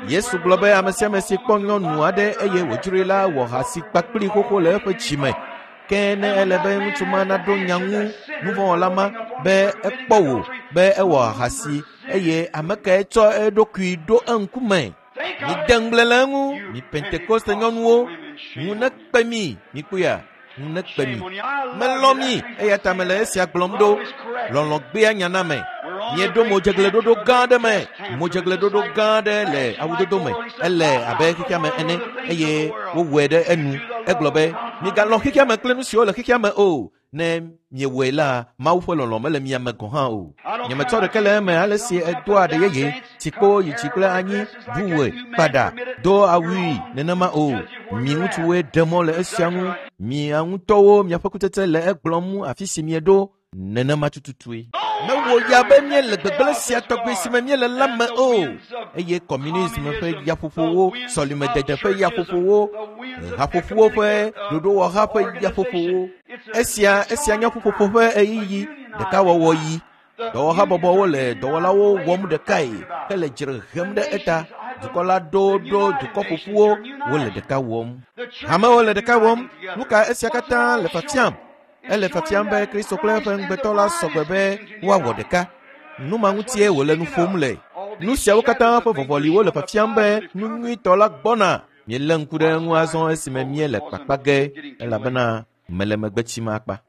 Yesu gblɔ be ame sia ame si kpɔ nyɔnu aɖe eye wòdzroe la wɔ ahasi kpakpli xoxo le eƒe dzi me. Ke ne ele be ŋutsu ma naɖo nya ŋu nuvɔ̃wɔla ma be ekpɔ wò be ewɔ ahasi eye ame kae tsɔ eɖokui ɖo eŋkume. Mide ŋugble le eŋu, mi Pentekoste nyɔnuwo, ŋu nekpe mi, mikpɔea, ŋu nekpe mi. Melɔ̃ mi, eya ta mele esia gblɔm ɖo. Lɔlɔ̃ gbea nya na me. Mieɖo modzegleɖoɖo gã aɖe me, modzegleɖoɖo gã aɖe le awudodo me. Ele abe xexea me ene eye wowɔe ɖe enu. Egblɔ be, migalɔ̃ xexea me kple nu siwo le xexea me o. Ne miewɔe la, Mawu ƒe lɔlɔ̃ mele mia me gɔ̃ hã o. Nyemetsɔ ɖeke le eme ale si edoa aɖe yeye, tsikpo yi dzi kple anyi, ɖuwɔe, kpaɖa, do awui nenema o. Mi ŋutsuwoe ɖe mɔ le esia ŋu. Mia ŋutɔwo miaƒe kutsetse le egblɔm afi si mieɖo nenema tututue. Mewɔ ya be míele gbegblẽ sia tɔgbi si me míele la me o. Eye kɔmunism ƒe yaƒoƒowo, sɔlimedede ƒe yaƒoƒowo, haƒoƒowo ƒe ɖoɖowɔha ƒe yaƒoƒowo. Esia, esia nye ƒuƒoƒo ƒe ɣeyiɣi ɖekawɔwɔ yi. Dɔwɔhabɔbɔwo le dɔwɔlawo wɔm ɖekae hele dzre hem ɖe eta. Dukɔ la ɖo ɖo dukɔ ƒoƒuwo wole ɖeka wɔm. Hamewo le ɖeka wɔm. Nu ka esia katã le fiafiam? Ele fiafiam be Kristo kple eƒe ŋugbetɔ la sɔgbe be woawɔ ɖeka. Nu ma ŋutie wòle nu ƒom le. Nu siawo katã ƒe vɔvɔliwo le fiafiam be nu nyuitɔ la gbɔna. Míelé ŋku ɖe eŋu azɔ esime míele kpakpa ge elabena mele megbe tsim akpa.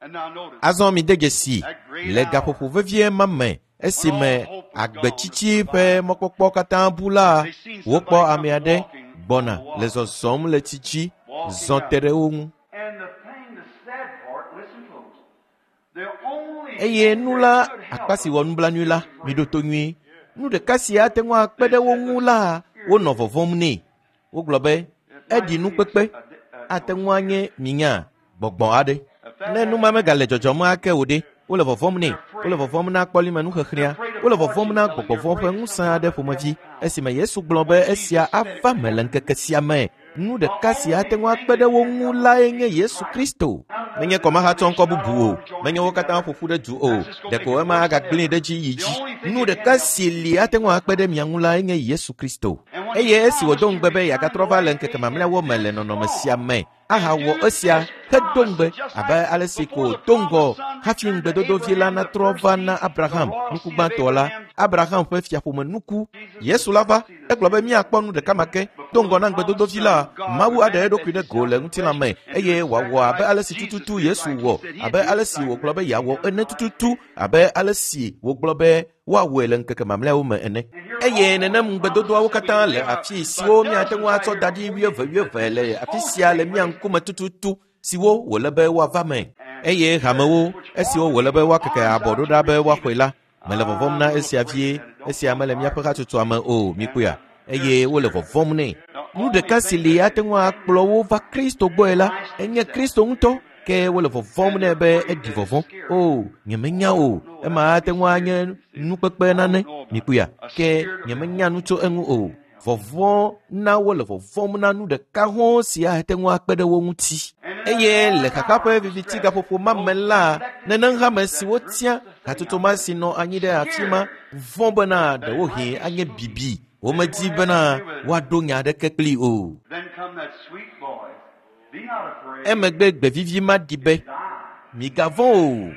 Azɔ mide dzesi le gaƒoƒo vevie ma me esime agbetsitsi ƒe mɔkpɔkpɔ katã bu la, wokpɔ ame aɖe gbɔna le zɔzɔm le tsi dzi, zɔ te ɖe wo ŋu. Eye nu la, akpa si wɔ nublanui la, miɖo to nyuie. Nu ɖeka si ate ŋu akpe ɖe wo ŋu la, wonɔ vɔvɔ̃m nɛ. Wogblɔ be, eɖi nukpekpe, ate ŋu anye minya gbɔgbɔ aɖe. Ne nu ma megale dzɔdzɔm ake o ɖe, wole vɔvɔ̃m nɛ, wole vɔvɔ̃m na kpɔlimenuxexlẽa, wole vɔvɔ̃m na gbɔgbɔvɔ̃ ƒe ŋusẽ aɖe ƒomevi. Esime Yesu gblɔ be esia ava me le ŋkeke sia me, nu ɖeka si ate ŋu akpe ɖe wo ŋu lae nye Yesu Kristo. Menye kɔmahatsɔ ŋkɔ bubu o, menye wo katã ƒo ƒu ɖe du o, ɖeko ema agagblẽe ɖe dzi yi dzi. Nu ɖeka si li ate ŋu akpe ɖe mia ŋu lae nye Yesu Kristo. Eye esi wòdo ŋugbe be yeagatrɔ va le ŋkeke mamlɛawo me le nɔnɔme sia me, ahawɔ esia hedo ŋugbe abe ale si ko do ŋgɔ hafi ŋugbedodovi la natrɔ va na Abraham nuku gbãtɔ la, Abraham ƒe fiaƒome nuku. Yesu la va, egblɔ be míakpɔ nu ɖeka ma ke. Do ŋgɔ na ŋugbedodovi la, Mawu aɖe eɖokui ɖe go le ŋutilã me eye wòawɔ abe ale si tututu Yesu wɔ, abe ale si wògblɔ be yeawɔ ene tututu, abe ale si wògblɔ be woawɔe le ŋkeke mamlɛawo me ene. Eye nenem ŋugbedodoawo katã le afi siwo míate ŋu atsɔ da ɖi wuieve wuieve le afi sia le mía ŋkume tututu siwo wòle be woava me. Eye hamewo, esiwo wòle be woakeke abɔ ɖo ɖa be woaxɔe la, mele vɔvɔ̃m na esia vie, esia mele míaƒe hatsotsoa me o, mikpɔea, eye wole vɔvɔ̃m nɛ. Nu ɖeka si li ate ŋu akplɔ wo va Kristo gbɔe la, enye Kristo ŋutɔ. Ke wole vɔvɔ̃m nɛ be eɖi vɔvɔ̃. O, nyemenya o, ema ate ŋu anye nukpekpe nane, mikpɔea, ke nyemenya nu tso eŋu o. Vɔvɔ̃ na wole vɔvɔ̃m na nu ɖeka hɔ̃ si ate ŋu akpe ɖe wo ŋuti. Eye le xaxa ƒe viviti gaƒoƒo ma me la, nenem hame si wotia hatsotso ma si nɔ anyi ɖe afi ma vɔ̃ bena ɖewohĩ anye bibi. Womedi bena woaɖo nya aɖeke kplii o. Then come that sweet voice. Be not afraid. Emegbe gbevivi ma ɖi be, migavɔ̃ o,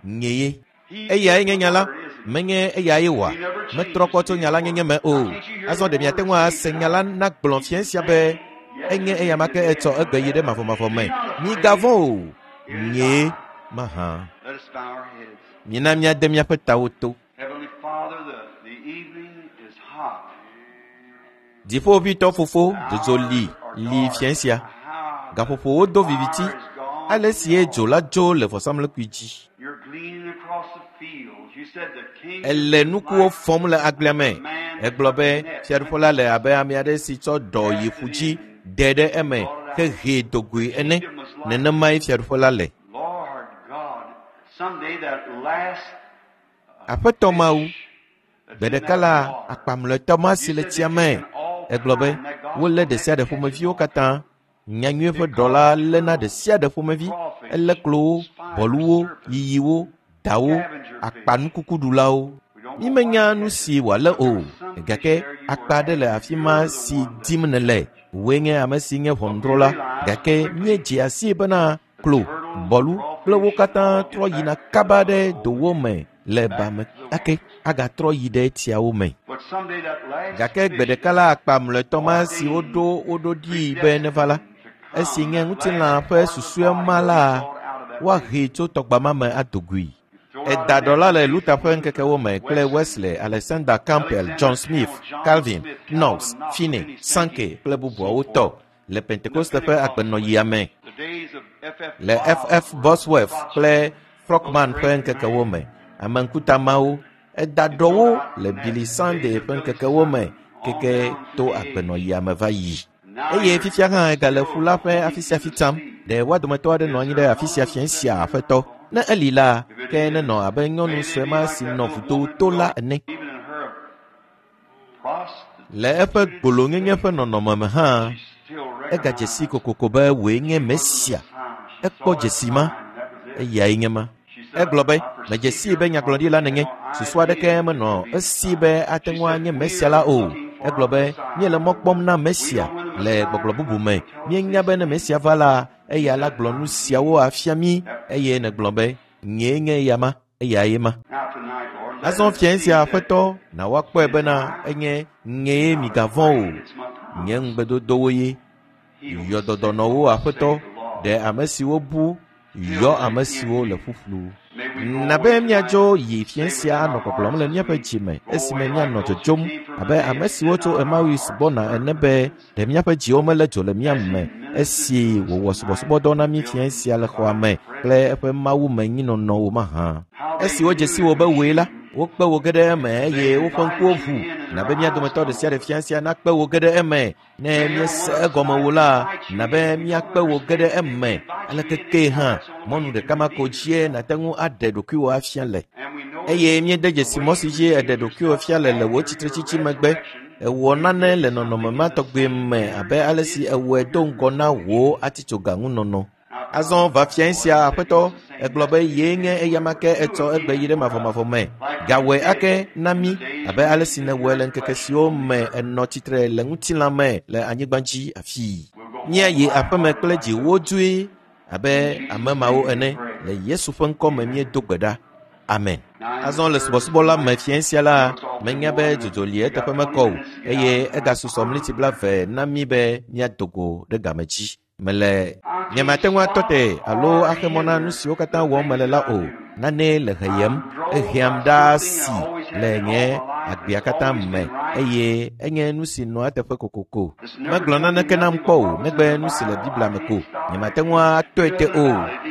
nye ye. Eyae nye nya la, menye eyae wɔa. Metrɔ kpɔ tso nya la nyenye me o. Azɔ ɖe miate ŋu ase nya la nagblɔ fia sia be enye eya ma ke etsɔ egbe yi ɖe mavɔmavɔ me. Migavɔ̃ o, nye mahã. Let us bow our heads. Mina míade míaƒe tawo to. Heavenly Father, the, the evening is hot. Dziƒoʋĩtɔ fofo dzodzo li li fia sia. Gaƒoƒowo do viviti. Ale sie dzo la dzo le vɔsamlekpui dzi. You're gleaning across the fields. You said the king Ele nukuwo fɔm le agblea me. Egblɔ be fiaɖuƒe la le abe ame aɖe si tsɔ ɖɔ yi ƒu dzi de ɖe eme hehee dogoe ene. Nenemae fiaɖuƒe la le. Lord God, someday that last Aƒetɔ Mawu, gbe ɖeka la akpamlɔetɔ ma si le tsia me. Egblɔ be wolé ɖe sia ɖe ƒomeviwo katã. Nyanyui ƒe ɖɔ la léna ɖe sia ɖe ƒomevi. Elé klowo, bɔluwo, yiyiwo, dawo, akpanukukuɖulawo. Mímenya nu si wòalé o, gake akpa aɖe le afi ma si dim nèle. Wòe nye ame si nye ʋɔnudrɔ̃la, gake míedze asii bena klo, bɔlu kple wo katã trɔ yina kaba ɖe dowo me le ba me ake agatrɔ yi ɖe tsiawo me. But someday that last Gake gbe ɖeka la akpa mlɔetɔ ma si woɖo wo ɖo ɖii be neva la, esi nye ŋutilã ƒe susɔe ma la, woahee tso tɔgba ma me ado goe. Eda ɖɔ la le Luther ƒe ŋkekewo me kple Wesley, Alexander Campbell, John Smith, Calvin, Knox, Finney, Sankey kple bubuawo tɔ le Pentekoste ƒe agbenɔɣia me. the days of F F Le F F Bosworth kple Frogman ƒe ŋkekewo me, ame ŋkuta mawo eda ɖɔwo le Billy Sunday ƒe ŋkekewo me keke to agbenɔɣia me va yi. Eye fifia hã egale ƒu la ƒe afi sia afi tsam. Ɖe woa dometɔ aɖe nɔ anyi ɖe afi sia fia sia aƒetɔ. Ne eli la, ke nenɔ abe nyɔnu sue ma si nɔ vudo to la ene. Even in her prostitute, Le eƒe gbolonyenye ƒe nɔnɔme me hã, she still egadze si kokoko be wòe nye Mesia. Ekpɔ dzesi ma, eyae nye ma. Egblɔ be, medze sii be nyagblɔɖila nenye. Susu aɖeke menɔ esi be ate ŋu anye Mesia la o. Egblɔ be, míele mɔ kpɔm na Mesia le gbɔgblɔ bubu me. Míenya be ne Mesia va la, eya la gblɔ nu siawo afia mí. Eye nègblɔ be, nyee nye eya ma, eyae ma. Now tonight, Lord, let Azɔ us fia see sia that aƒetɔ, na woakpɔe bena enye nyee migavɔ̃ o. it's my promise. Nye ŋugbedodowo ye. Heal Yɔ the dɔdɔ sick, nɔ wo aƒetɔ, save the lost. ɖe ame siwo bu, yɔ ame siwo le ƒuƒlu. May we go Na be away míadzo tonight, yi fia say sia within anɔ our gbɔgblɔm hearts le as míaƒe we dzi me go esime away míanɔ like those who dzodzom came from abe ame Emmaus, siwo did tso not our Emmaus hearts gbɔna burn ene be ɖe míaƒe dziwo mele dzo le mía as he me ministered esi to us wòwɔ tonight subɔsubɔdɔ na mí building fia sia le xɔa divine me kple presence. eƒe mawumenyinɔnɔwo mahã. How they Esi wodze si knew wò it be was wòe la, you. wokpe wò ge ɖe eme eye They woƒe ŋkuwo invited ʋu. you in and Na their be mía eyes dometɔ ɖe sia ɖe opened. fia sia nakpe wò ge ɖe eme. Ne Many a míese one of us egɔme tonight wò la, invite you na in be if we don't míakpe wò ge ɖe understand it. They eme. invite Ale you in keke anyhow. hã, That's the only way mɔnu you can ɖeka ma ko reveal dzie yourself. nàte ŋu aɖe ɖokuiwò afia le. And we know Eye míede the dzesi way mɔ si you dzi eɖe revealed ɖokuiwò yourself fia le le wò after your tsitretsitsi megbe. resurrection, Ewɔ you nane did le nɔnɔme something ma in the tɔgbe same me manner abe you ale si did ewɔe before do your ŋgɔ na crucifixion. wò atitsogaŋunɔnɔ. Now Azɔ come va tonight, fia Lord, sia you said you aƒetɔ, was the same egblɔ be yesterday, yee today, nye and eya ma forever. ke Do etsɔ egbe yi again ɖe for us, mavɔmavɔ me. like you Gawɔe did ake na in the mí days abe you ale si presented nèwɔe your le ŋkeke flesh siwo on the me earth. ènɔ tsitre le ŋutilã me le anyigba dzi afii. We'll go home Míayi aƒeme lighthearted kple like dzi those. wodzoe abe In ame Jesus' mawo name we ene. pray. Le Yesu ƒe ŋkɔ me Amen. míedo gbe ɖa. Amen. Now in the Azɔ le service subɔsubɔ la me tonight, fia sia la, you know it's all too menya be warm and dzodzo li we got eteƒe twenty mekɔ o minutes to get out eye of time. egasusɔ mliti blaeve na mí be míado go ɖe game dzi. Mele I nyemate can't ŋu atɔ stop te alo or axe mɔ na nu hinder siwo katã the wɔm things mele la that I o. do. Nane le heyem, I'm drove eheam by ɖaa something si I always have le been nye all my life agbea that's katã always me been right eye enye nu si nɔa eteƒe kokoko. Megblɔ naneke nam kpɔ o, negbe nu si le Biblia me ko. Nyemate ŋu atɔe te o,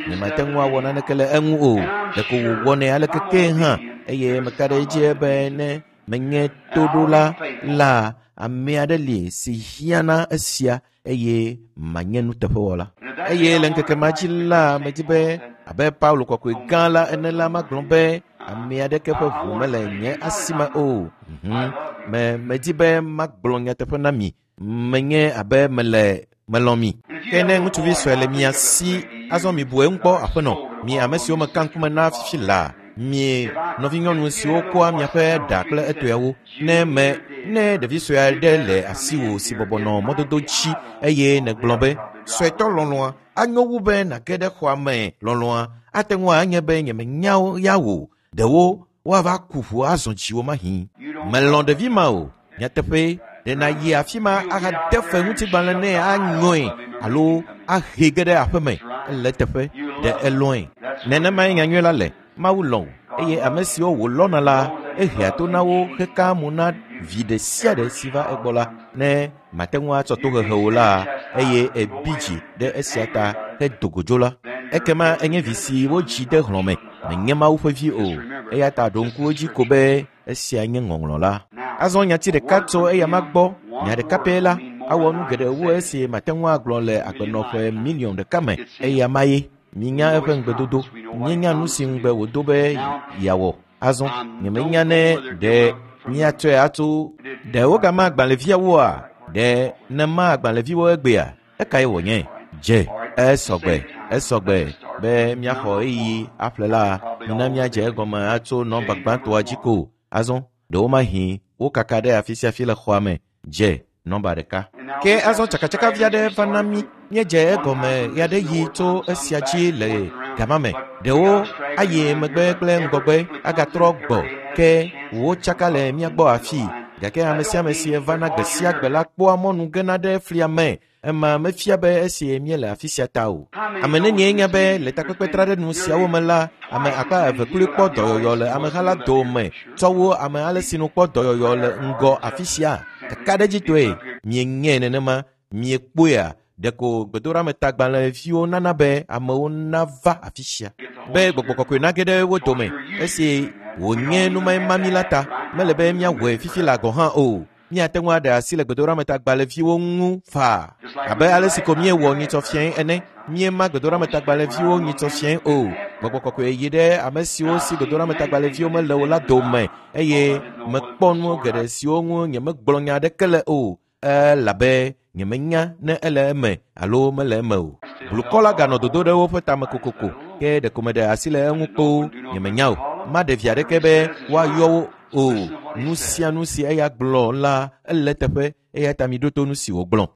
nyemate ŋu awɔ naneke le eŋu o. Ɖeko wòwɔnɛ aleke ke hã eye meka ɖe edzi be ne menye toɖola la, ame aɖe li si hiã na esia eye manye nuteƒewɔla. Eye le ŋkeke ma dzi la, medzi be abe Paulo kɔkɔe gã la ene la, magblɔ be ame aɖeke ƒe ʋu mele nye asi me o. Mhm. Me medzi be magblɔ nyateƒe na mi. Menye abe mele melɔ̃ mi. Ke ne ŋutsuvi sue le mia si, azɔ mibu eŋu kpɔ aƒenɔ. Mi ame siwo meka ŋkume na fifi laa, mi nɔvinyɔnu siwo kɔa miaƒe ɖa kple etɔewo. Ne me ne ɖevi sue aɖe le asiwò si bɔbɔ nɔ mɔdodo dzi eye nègblɔ be suetɔ lɔlɔ̃a anyo wu be nàge ɖe xɔa me lɔlɔ̃a ate ŋu anye be nyemenya ya wò. Ɖewo woava ku ʋu azɔ dziwò mahi. Melɔ̃ ɖevi ma o. Nyateƒe ɖe nàyi afi ma ahade fe ŋutigbalẽ nɛ anyɔe alo ahe ge ɖe aƒeme. Ele eteƒe ɖe elɔ̃e. Nenemae nyanyui la le. Mawu lɔ̃ wò eye ame siwo wòlɔ̃na la, ehea to na wo hekaa mo na vi ɖe sia ɖe si va egbɔ la. Ne mate ŋu atsɔ tohehe o la, eye ebi dzi ɖe esia ta hedo go dzo la, ekema enye vi si wodzi de hlɔ̃me, menye Mawu ƒe vi o. Eya ta ɖo ŋku edzi ko be esia nye ŋɔŋlɔ la. Azɔ nyati ɖeka tso eyama gbɔ, nya ɖeka pɛ la awɔ nu geɖe wu esi mate ŋu agblɔ le agbenɔƒe miliɔn ɖeka me. Eyama ye. Minya eƒe ŋugbedodo. Míenya nu si ŋugbe wòdo be yeawɔ. Azɔ nyemenya ne ɖe míatsɔe atso ɖe wogama agbalẽviawoa? Ɖe nema agbalẽviwo egbea? Ekae wònye? Dze esɔgbe esɔgbe be míaxɔ ɣeyiɣi aƒle la, mina míadze egɔme atso nɔmba gbãtɔa dzi ko. Azɔ ɖewomahi wokaka ɖe afi sia afi le xɔa me. Dze nɔmba ɖeka. Ke azɔ tsakatsakavi aɖe va na mí. Míedze egɔme ɣeaɖeɣi tso esia dzi le gama me. Ɖewo ayi megbe kple ŋgɔgbe agatrɔ gbɔ ke wotsaka le mía gbɔ afii. Gake ame sia ame si vana gbe sia gbe la kpɔa mɔnu gena ɖe flia me. Ema mefia be esi míele afi sia ta o. Ame nenie nya be le takpekpetraɖenu siawo me la, ame akpa eve kloe kpɔ dɔyɔyɔ le ameha la dome tsɔ wu ame ale si nu kpɔ dɔyɔyɔ le ŋgɔ afi sia. Kakaɖedzitɔe mienyae nenema, miekpɔea ɖeko gbedoɖametagbalẽviwo nana be amewo nava afi sia be gbɔgbɔ kɔkɔe nage ɖe wo dome. Esi wònye numae mi la ta, mele be míawɔe fifi la gɔ̃ hã o. Míate ŋu aɖe asi le gbedoɖametagbalẽviwo ŋu faa abe ale si ko míewɔ nyitsɔ fiae ene. Míema gbedoɖametagbalẽviwo nyitsɔ fiae o. Gbɔgbɔ kɔkɔe yi ɖe ame siwo si gbedoɖametagbalẽviwo mele o la dome eye mekpɔ nu geɖe siwo ŋu nyemegblɔ nya aɖeke le o elabe nyemenya ne ele eme alo mele eme o. Blukɔ la ganɔ dodo ɖe woƒe tame kokoko ke ɖeko meɖe asi le eŋu kpoo. Nyemenya o. Maɖe vi aɖeke be woayɔ wo o. Nu sia nu si eya gblɔ la ele teƒe eya ta miɖo to nu si wògblɔ.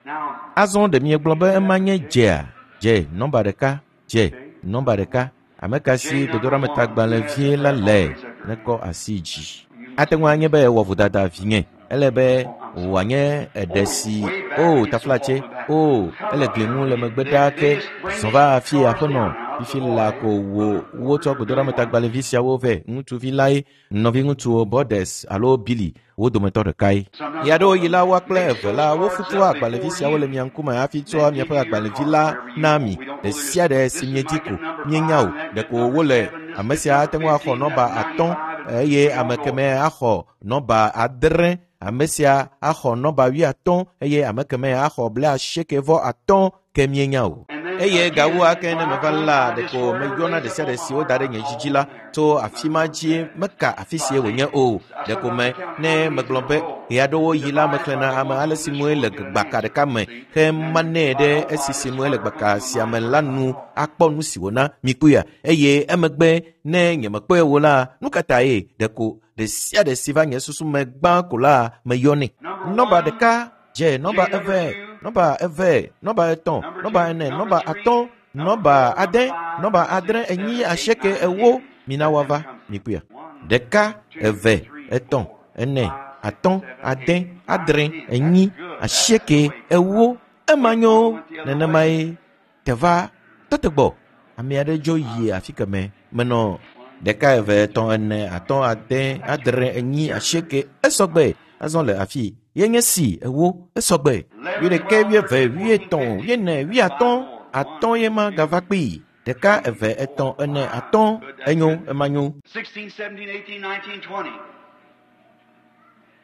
Azɔ ɖe miegblɔ be ema nye dzea? Dze nɔmba ɖeka, dze nɔmba ɖeka. Ame ka si gbedoɖametagbalẽvie la le nekɔ asi dzi. Ate ŋu anye be ewɔ vodada vinye. Ele be wòanye eɖe si o taflatse o ele gli ŋu le megbe ɖaa ke zɔ va afi aƒenɔ fifi la ko wo wotsɔ gbedoɖametagbalẽvi siawo vɛ. Ŋutsuvi lae nɔviŋutsuwo Borders alo Billy wo dometɔ ɖekae. Ɣeaɖewoɣi la woa kple eve la wofutua agbalẽvi siawo le mia ŋkume hafi tsɔa miaƒe agbalẽvi la na mi. Ɖe sia ɖe si miedi ko mienya o. Ɖeko wole ame sia ate ŋu axɔ nɔmba atɔ̃ eye ame kemɛ axɔ nɔmba adre. Ame sia axɔ nɔmba wuiatɔ̃ eye ame kemɛ axɔ blaasieke vɔ atɔ̃ ke mienya o. Eye gawu ake ne meva la ɖeko meyɔna ɖe sia ɖe si woda ɖe nye dzidzi la tso afi ma dzi meka afi sie wònye o. Ɖeko me ne megblɔ be ɣeaɖewoɣi la mexlẽna ame ale si nue le gbaka ɖeka me hemanɛ ɖe esi si nue le gbaka sia me la nu akpɔ nu si wòna mikpɔea. Eye emegbe ne nyemekpɔe o la, nu ka tae ɖeko ɖe sia ɖe si va nye susu me gbã ko la meyɔnɛ. Nɔmba ɖeka dze nɔmba eve, nɔmba eve, nɔmba etɔ̃, nɔmba ene, nɔmba atɔ̃, nɔmba ade, nɔmba adre, enyi, asieke, ewo. Mina woava mikpɔea. Ɖeka, eve, etɔ̃, ene, atɔ̃, ade, adre, enyi, asieke, ewo. Ema nyo nenemae teva tɔte gbɔ. Ame aɖe dzo yi afi keme menɔ ɖeka, eve, etɔ̃, ene, atɔ̃, ade, adre, enyi, asieke. Esɔgbe. Azɔ le afi ye nye si ewo esɔgbe wuiɖekɛ wuieve wuietɔ̃ wuiene wuiatɔ̃ atɔ̃ ye ma gava kpee ɖeka eve etɔ̃ ene atɔ̃ enyo ema nyo. sixteen, seventeen, eighteen, nineteen, twenty.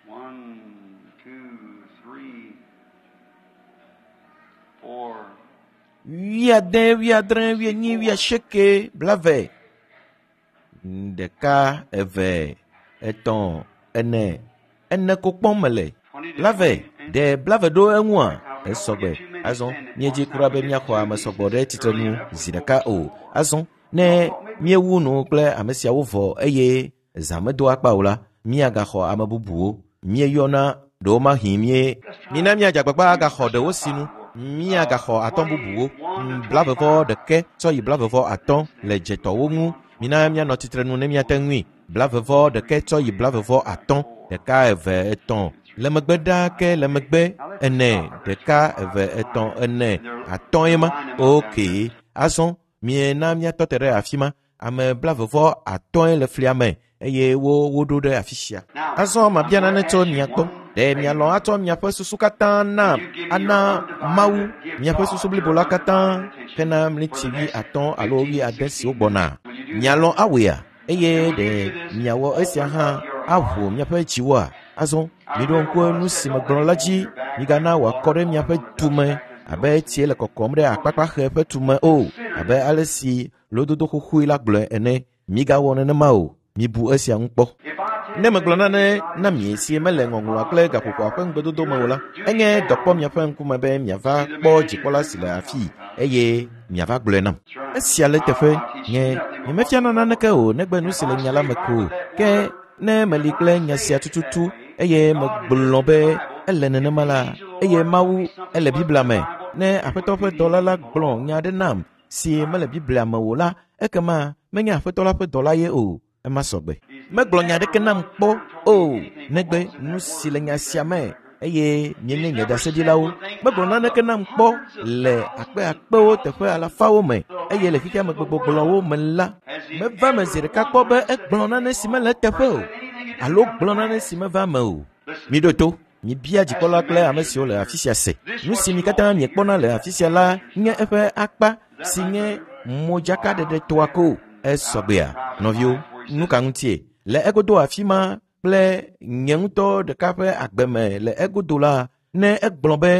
One, two, three, four. Wuiade wuiadre wuienyi wuiasieke blave ɖeka eve etɔ̃ ene ene ko kpɔm mele blave ɖe blave ɖo eŋua esɔgbe azɔ míedzi kura be míaxɔ ame sɔgbɔ ɖe tsitrenu zi ɖeka o azɔ ne míewu nu kple ame siawo vɔ eye zã medo akpa o la míagaxɔ ame bubuwo míeyɔna ɖewo mahi mie mina míadze agbagba agaxɔ ɖewo sinu míagaxɔ atɔ̃ bubuwo blavevɔ ɖeke tsɔ yi blavevɔ atɔ̃ le dzetɔwo ŋu mina míanɔ tsitrenu ne míate ŋui blavevɔ ɖeke tsɔ yi blavevɔ atɔ̃ ɖeka eve etɔ̃ le megbe ɖaa ke le megbe ene ɖeka eve etɔ̃ ene atɔ̃ ye ma ok azɔ miena míatɔ te ɖe afi ma ame blavevɔ atɔ̃e le flia me eye wo woɖo ɖe afi sia azɔ mabia nane tso mia gbɔ ɖe mialɔ̃ atsɔ miaƒe susu katã na ana Mawu miaƒe susu blibo la katã hena mliti wui atɔ̃ alo wui ade siwo gbɔna mialɔ̃ awɔea eye ɖe miawɔ esia hã aʋu miaƒe dziwoa azɔ miɖo ŋku nu si megblɔ la dzi migana wòakɔ ɖe miaƒe tume abe tsie le kɔkɔm ɖe akpakpaxe ƒe tume o abe ale si lododo xoxoe la gblɔe ene migawɔ nenema o mibu esia ŋu kpɔ ne megblɔ nane na mi si mele ŋɔŋlɔa kple gaƒoƒoa ƒe ŋugbedodo me o la enye dɔ kpɔ miaƒe ŋkume be miava kpɔ dzikpɔla si le afii eye miava gblɔe nam esia le teƒe nye nyemefiana naneke o negbe nu si le nya la me ko ke ne meli kple nya sia tututu eye megblɔ be ele nenema la eye Mawu ele Biblia me ne aƒetɔ ƒe dɔla la gblɔ nya aɖe nam si mele Biblia me o la ekema menye aƒetɔ la ƒe dɔla ye o ema sɔgbe megblɔ nya aɖeke nam kpɔ o negbe nu si le nya sia me eye mienye nye ɖaseɖilawo megblɔ naneke nam kpɔ le akpe akpewo teƒe alafawo me eye le xexea me gbegbɔgblɔwo me la meva me zi ɖeka kpɔ be egblɔ nane si mele eteƒe o alo gblɔ nane si meva me o miɖo to mibia dzikpɔla kple ame siwo le afi sia se nu si mi katã miekpɔna le afi sia la nye eƒe akpa si nye modzakaɖeɖe toa ko esɔgbea nɔviwo nu ka ŋutie le egodo afi ma kple nye ŋutɔ ɖeka ƒe agbe me le egodo la ne egblɔ be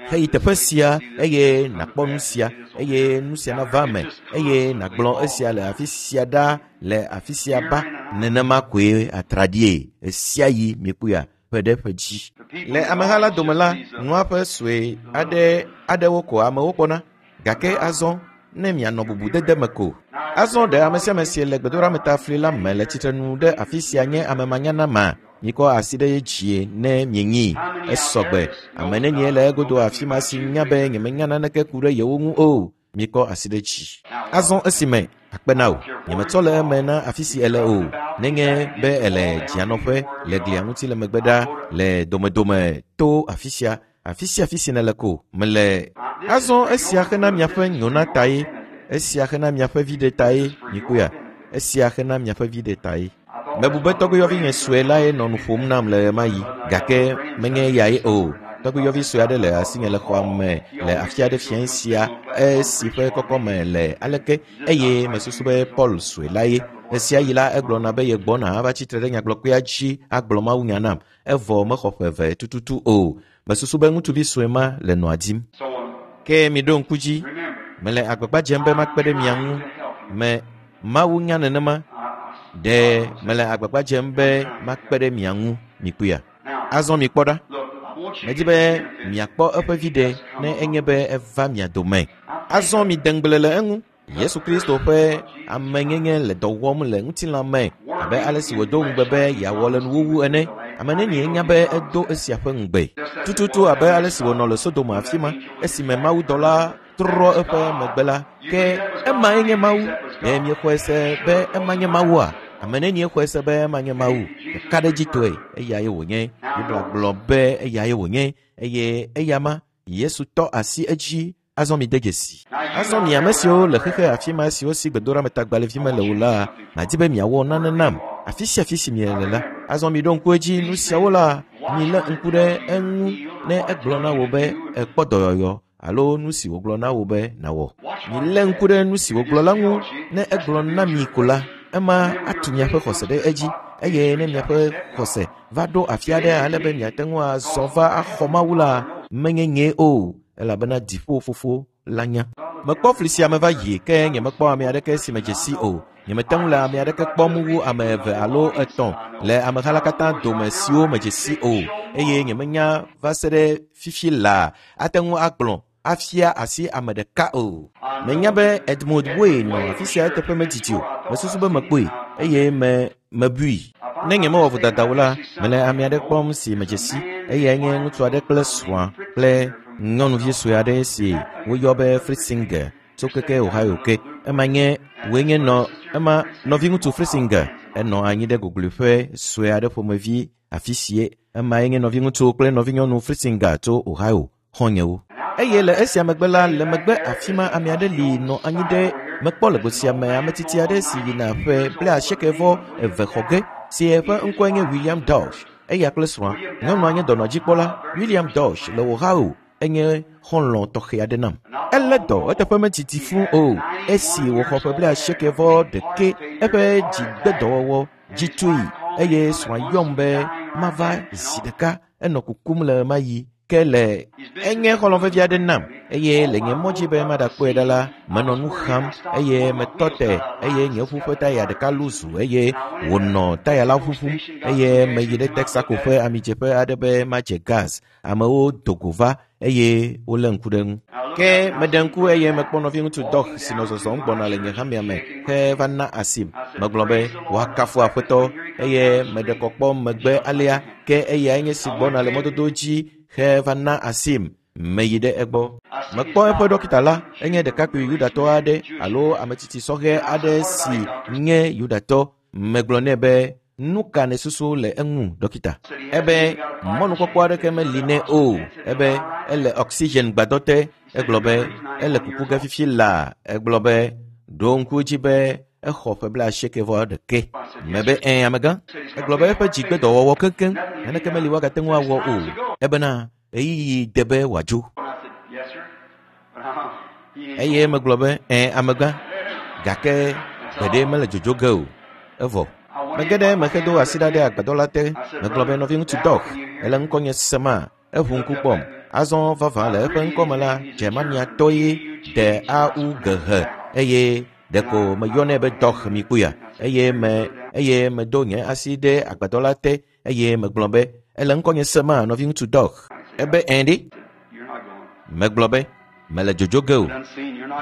heyi teƒe sia eye nàkpɔ nu sia eye nu sia nava me eye nàgblɔ esia le afi sia ɖa le afi sia ba nenema koe atraɖie esia yi miekpɔa ƒe ɖe ƒe dzi le ameha la dome la nua ƒe sue aɖe aɖewo ko amewo kpɔna gake azɔ ne mianɔ bubudede me ko azɔ ɖe ame sia ame si le gbedoɖametafli la me le tsitrenu ɖe afi sia nye ame manyanama mikɔ asi ɖe dzie ne mienyi esɔgbe ame nenie le egodo afi ma si nya be nyemenya naneke ku ɖe yewo ŋu o mikɔ asi ɖe dzi azɔ esime akpe na o nyemetsɔ le eme na afi si ele o nenye be ele dzianɔƒe le glia ŋuti le megbe ɖa le domedome to afi sia afi sia afi si nele ko mele azɔ esia xena miaƒe nyona tae esia xena miaƒe viɖe tae mikpɔea esia xena miaƒe viɖe tae mebu be tɔgbiyɔvi nye sue lae nɔ nu ƒom nam le ɣemaɣi gake menye eyae o tɔgbiyɔvi sue aɖe le asinye le xɔa me le afi aɖe fiẽ sia esi ƒe kɔkɔme le aleke eye mesusu be Paul sue lae esia yi la egblɔna be yegbɔna ava tsitre ɖe nyagblɔkpea dzi agblɔ mawunya nam evɔ mexɔ ƒe eve tututu o mesusu be ŋutsuvi sue ma le nɔa dim ke miɖo ŋku dzi mele agbagba dzem be makpe ɖe mia ŋu me Mawu nya nenema ɖe mele agbagba dzem be makpe ɖe mia ŋu mikpɔea azɔ mikpɔ ɖa medi be miakpɔ eƒe viɖe ne enye be eva mia dome azɔ mide ŋugble le eŋu Yesu Kristo ƒe amenyenye le dɔ wɔm le ŋutilã me abe ale si wòdo ŋugbe be yeawɔ le nuwuwu ene ame nenie nya be edo esia ƒe ŋugbe tututu abe ale si wònɔ le Sodom afi ma esime mawudɔla trɔ eƒe megbe la ke emae nye Mawu ɖe miexɔe se be ema nye Mawua ame nenie xɔe se be ema nye Mawu ɖeka ɖe dzitɔe eyae wònye Biblia gblɔ be eyae wònye eye eyama Yesu tɔ asi edzi azɔ mi de dzesi azɔ mi ame siwo le xexe afi ma siwo si gbedoɖametagbalẽvi mele o la madi be miawɔ nane nam afi sia afi si miele la azɔ mi ɖo ŋku edzi nu siawo la Milé ŋku ɖe eŋu ne egblɔ na wò be ekpɔ dɔyɔyɔ alo nu si wògblɔ na wò be nàwɔ. Milé ŋku ɖe nu si wògblɔ la ŋu ne egblɔ na mi ko la, ema atu miaƒe xɔse ɖe edzi eye ne miaƒe xɔse va ɖo afi aɖe ale be miate ŋu azɔ va axɔ Mawu la, menye nyee o, elabena dziƒo fofo la nya. Mekpɔ fli sia me va yi ke nyemekpɔ ame aɖeke si medze si o. Nyemete ŋu le ame aɖeke kpɔm wu ame eve alo etɔ̃ le ameha la katã dome siwo medze si o eye nyemenya va se ɖe fifi laa ate ŋu agblɔ afia asi ame ɖeka o. Menya be Edmund Way nɔ afi sia eteƒe medidi o. Mesusu be mekpɔe eye me mebui. Ne nyemewɔ vodada o la, mele ame aɖe kpɔm si medze si eyae nye ŋutsu aɖe kple srɔ̃a kple nyɔnuvi sue aɖe si woyɔ be Fritzinger tso keke Ohio ke. Ema nye woe nye nɔ ema nɔviŋutsu Fritzinger enɔ anyi ɖe gogloƒe sue aɖe ƒomevi afi sie. Emae nye nɔviŋutsu kple nɔvinyɔnu Fritzinger tso Ohio xɔ̃nyewo. Eye le esia megbe la, le megbe afi ma ame aɖe li nɔ anyi ɖe mekpɔ le go sia me ame tsitsi aɖe si yina ƒe blaasieke vɔ eve xɔ ge si eƒe ŋkɔe nye William Dauch. Eya kple srɔ̃a, nyɔnua nye dɔnɔdzikpɔla. William Dauch le Ohio enye xɔlɔ̃ tɔxɛ aɖe nam. Elé dɔ eteƒe medidi fũu o. Esi wòxɔ ƒe blaasieke vɔ ɖeke, eƒe dzigbedɔwɔwɔ dzi tui eye srɔ̃a yɔm be mava zi ɖeka. Enɔ kukum le ɣemaɣi ke le enye xɔlɔ̃ vevi aɖe nam eye le nye mɔ dzi be maɖakpɔe ɖa la, menɔ nu xam eye metɔ te eye nye ʋu ƒe taya ɖeka luzu eye wònɔ taya la ʋuʋum eye meyi ɖe Texaco ƒe amidzeƒe aɖe be madze gas. Amewo do go va eye wolé ŋku ɖe eŋu. Ke meɖe ŋku eye mekpɔ nɔviŋutsu Doc si nɔ zɔzɔm gbɔna le nye hamea me heva na asim. Megblɔ be woakafu Aƒetɔ eye meɖe kɔ kpɔ megbe alea ke eyae nye si gbɔna le mɔdodo dzi heva na asim. Meyi ɖe egbɔ. Mekpɔ eƒe ɖɔkita la, enye ɖekakpui Yudatɔ aɖe alo ame tsitsi sɔhɛ aɖe si nye Yudatɔ. Megblɔ nɛ be nu ka nèsusu le eŋu, ɖɔkita? Ebe mɔnukpɔkpɔ aɖeke meli nɛ o. Ebe ele oxygen gbadɔ te. Egblɔ be ele kuku ge fifi laa. Egblɔ be ɖo ŋku edzi be exɔ ƒe blaasieke vɔ ɖeke. Mebe ɛ̃ amegã. Egblɔ be eƒe dzigbedɔwɔwɔ keŋkeŋ naneke meli woagate ŋu awɔ o. Ebena ɣeyiɣi de be wòadzo. Eye megblɔ be ɛ̃ amegã gake gbeɖe mele dzodzo ge o. Evɔ. Mege ɖe eme hedo asi ɖa ɖe agbadɔ la te. Megblɔ be nɔviŋutsu Doc, ele ŋkɔnye sema. Eʋu ŋku kpɔm. Azɔ vavã le eƒe ŋkɔme la, Germaniatɔ ye D A U G H eye ɖeko meyɔnɛ be Doc mi kpuia. Eye me eye medo nye asi ɖe agbadɔ la te eye megblɔ be ele ŋkɔnye sema nɔviŋutsu Doc. Ebe ɛ̃ ɖe. Megblɔ be mele dzodzo ge o.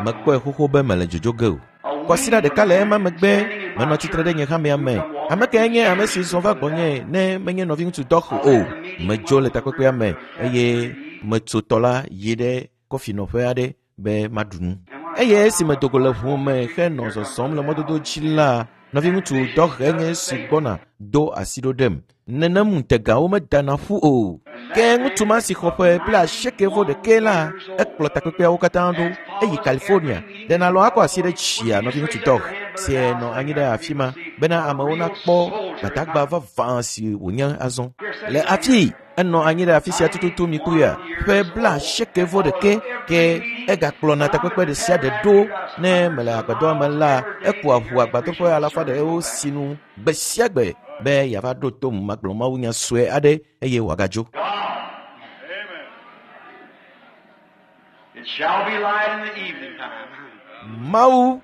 Mekpɔe xoxo be mele dzodzo ge o. Kwasiɖa ɖeka le ema megbe menɔ tsitre ɖe nye hamea me. Ame kae nye ame si zɔ va gbɔnye ne menye nɔviŋutsu Doc o? Medzo le takpekpea me eye metso tɔ la yi ɖe kɔfinɔƒe aɖe be maɖu nu. Eye esi medo go le ʋu me henɔ zɔzɔm le mɔdodo dzi la, nɔviŋutsu Doc enye si gbɔna do asi ɖo ɖem. Nenem ŋutegawo medana ƒu o. Ke ŋutsu ma si xɔ ƒe blaasieke vɔ ɖeke la, ekplɔ takpekpeawo katã ɖo eyi California. Ɖe nalɔ akɔ asi ɖe tsia nɔviŋutsu Doc si nɔ anyi ɖe afi ma bena amewo nakpɔ gbadagba vavã si wònye azɔ. Le afi enɔ anyi ɖe afi sia tututu mi kpuia ƒe blaasieke vɔ ɖeke ke egakplɔna takpekpe ɖe sia ɖe ɖo ne mele agbadɔa me la, ekua ʋu agbadɔ ƒe alafa ɖewo sinu gbe sia gbe be yeava ɖo tom magblɔ mawunya sue aɖe eye wòagadzo. It shall be light in the evening time. Mawu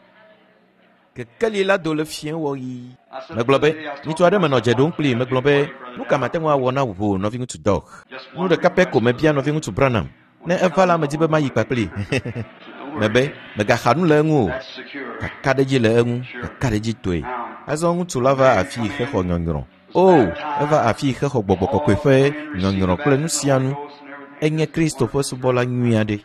kekeli la do le fiẽ wɔɣi. Megblɔ be ŋutsu aɖe menɔ dze ɖom kplii. Megblɔ be nu ka mate ŋu awɔ na wò nɔviŋutsu Doc? Nu ɖeka pɛ ko mebia nɔviŋutsu Branham. Ne eva la, medi be mayi kpakplii. Mebe megaxa nu le eŋu o. Kakaɖedzi le eŋu, kakaɖedzi toe. Azɔ ŋutsu la va afii hexɔ nyɔnyrɔ. O, eva afii hexɔ gbɔgbɔ kɔkɔe ƒe nyɔnyrɔ kple nu sia nu. Enye Kristo ƒe subɔla nyui aɖe.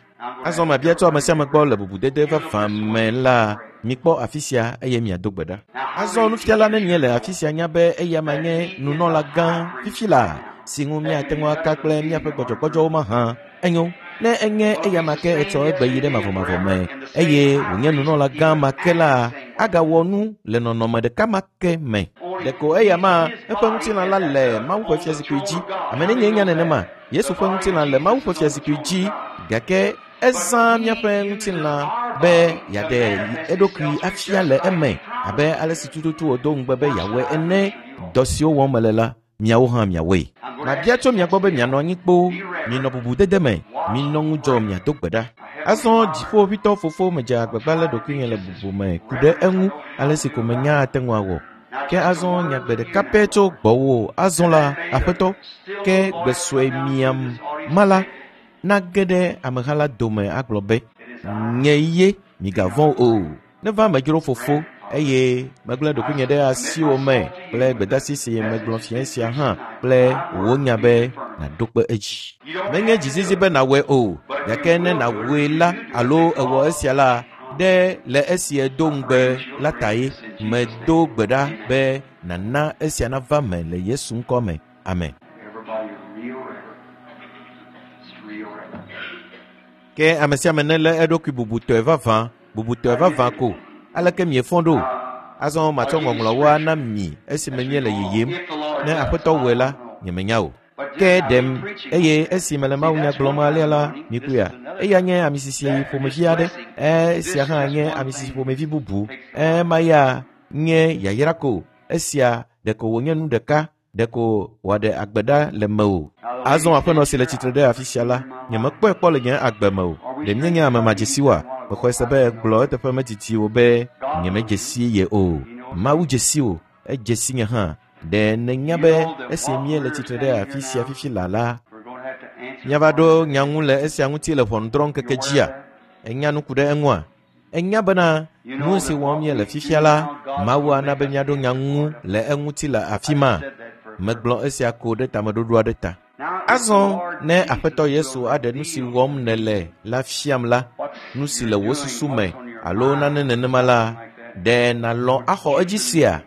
Azɔ mabia tso ame sia ame gbɔ le bubudede vavã me la, mikpɔ afi sia eye miado gbe ɖa. Azɔ nufiala nenye le afi sia nya be eya ma nye nunɔla gã fifi la si ŋu míate ŋu aka kple míaƒe gbɔdzɔgbɔdzɔwo mahã. Enyo, ne enye eya ma ke etsɔ egbe yi ɖe mavɔmavɔ me eye wònye nunɔla gã ma ke la, agawɔ nu le nɔnɔme ɖeka ma ke me. Ɖeko eya ma eƒe ŋutilã la le Mawu ƒe fiazikpui dzi. Ame nenye nya nenema, Yesu ƒe ŋutilã le Mawu ƒe fiazikpui dzi, gake ezã míaƒe ŋutilã be yeaɖe eɖokui afia le eme abe ale si tututu wòdo ŋugbe be yeawɔe ene. Dɔ siwo wɔm mele la, miawo hã miawɔe. Mabia tso mia gbɔ be mianɔ anyi kpoo, minɔ bubudede me, minɔ ŋudzɔ miado gbe ɖa. Azɔ dziƒoʋĩtɔ fofo medze agbagba le ɖokuinye le bubu me ku ɖe eŋu ale si ko menya ate ŋu awɔ. Ke azɔ nya gbe ɖeka pɛ tso gbɔwò azɔ la, Aƒetɔ, ke gbe sue miam ma la nage ɖe ameha la dome agblɔ be, nye ye, migavɔ̃ o. Neva medzro fofo eye megblẽ ɖokuinye ɖe asiwò me kple gbedeasi si megblɔ fia sia hã kple wò nya be nàɖo kpe edzi. Menye dzizizi be nàwɔe o, gake ne nàwɔe la alo ewɔ esia la, ɖe le esi edo ŋugbe la ta ye. Medo gbe ɖa be nàna esia nava me le Yesu ŋkɔ me. Amen. Everybody real reverent. It's real reverent. Ke ame sia ame nelé eɖokui bubutɔe vavã, bubutɔe vavã ko. Aleke miefɔ ɖo? Azɔ matsɔ ŋɔŋlɔwo ana mi esime míele yiyim. Ne Aƒetɔ wɔe la, nyemenya o. Ke ɖem eye esi mele mawunya gblɔm alea la, mikpɔea, eya nye amisisi ƒomevi aɖe, esia hã nye amisisi ƒomevi bubu. Ema ya nye yayra ko. Esia ɖeko wònye nu ɖeka, ɖeko wòaɖe agbe ɖa le mewò. Azɔ aƒenɔ si le tsitre ɖe afi sia la, nyemekpɔe kpɔ le nye agbe me o. Ɖe míenye ame madzesiwoa? Mexɔe se be egblɔ eteƒe medidi o be nyemedze si ye o. Mawu dze si wò, edze si nye hã. Ɖe nènya be esi míele tsitre ɖe afi sia fifi la la, We're going to have to answer. míava ɖo nya ŋu le esia ŋuti le ʋɔnudrɔ̃ŋkeke dzia? Ènya nu ku ɖe eŋua? Ènya bena nu si wɔm míele fifia la, Mawu ana be míaɖo nya ŋu le eŋuti le afi ma. Megblɔ esia ko ɖe tameɖoɖo aɖe ta. Now, if the Azɔ Lord ne Jesus Aƒetɔ Yesu will aɖe nu si reveal wɔm nèle la fiam la, what nu si you're le wò doing, susu what's me on your alo mind, nane nenema la, something like that, ɖe nàlɔ̃ axɔ edzi sea?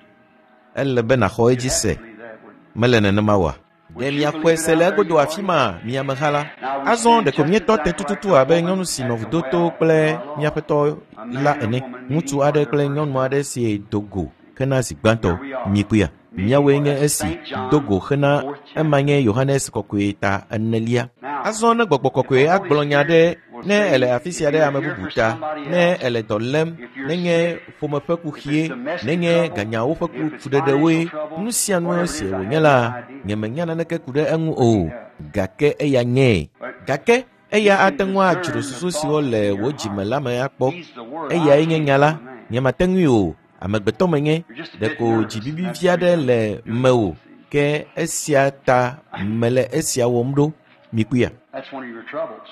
Ele be nàxɔ edzi you'd have se. to believe that, wouldn't you? Mele nenema oa? Ɖe miaxɔe se le egodo afi ma, mi ameha la? Azɔ ɖeko míetɔ te tututu abe nyɔnu si nɔ vudo to kple míaƒetɔ la ene. Ŋutsu aɖe kple nyɔnu aɖe si do go hena zi gbãtɔ. Mikpɔea? Míawoe nye esi do go hena ema nye Yohanes kɔkɔe ta enelia. Azɔ ne gbɔgbɔ kɔkɔe agblɔ nya ɖe ne ele afi sia ɖe ame bubu ta, ne ele dɔ lém, nenye ƒome ƒe kuxie, nenye ganyawo ƒe ku fuɖeɖewoe, nu sia nu si wònye la, nyemenya naneke ku ɖe eŋu o, gake eya nyee. Gake eya ate ŋu adzro susu siwo le wò dzime la me akpɔ. He's the Word. Eyae I nye can't nya la, do man. nyemate ŋui o. Amegbetɔ menye, You're just a bit ɖeko nervous, and dzibibi that's vi the aɖe reason le I'm doing mewò. this. Ke esia ta mele esia wɔm ɖo. Mikpɔea? That's one of your troubles.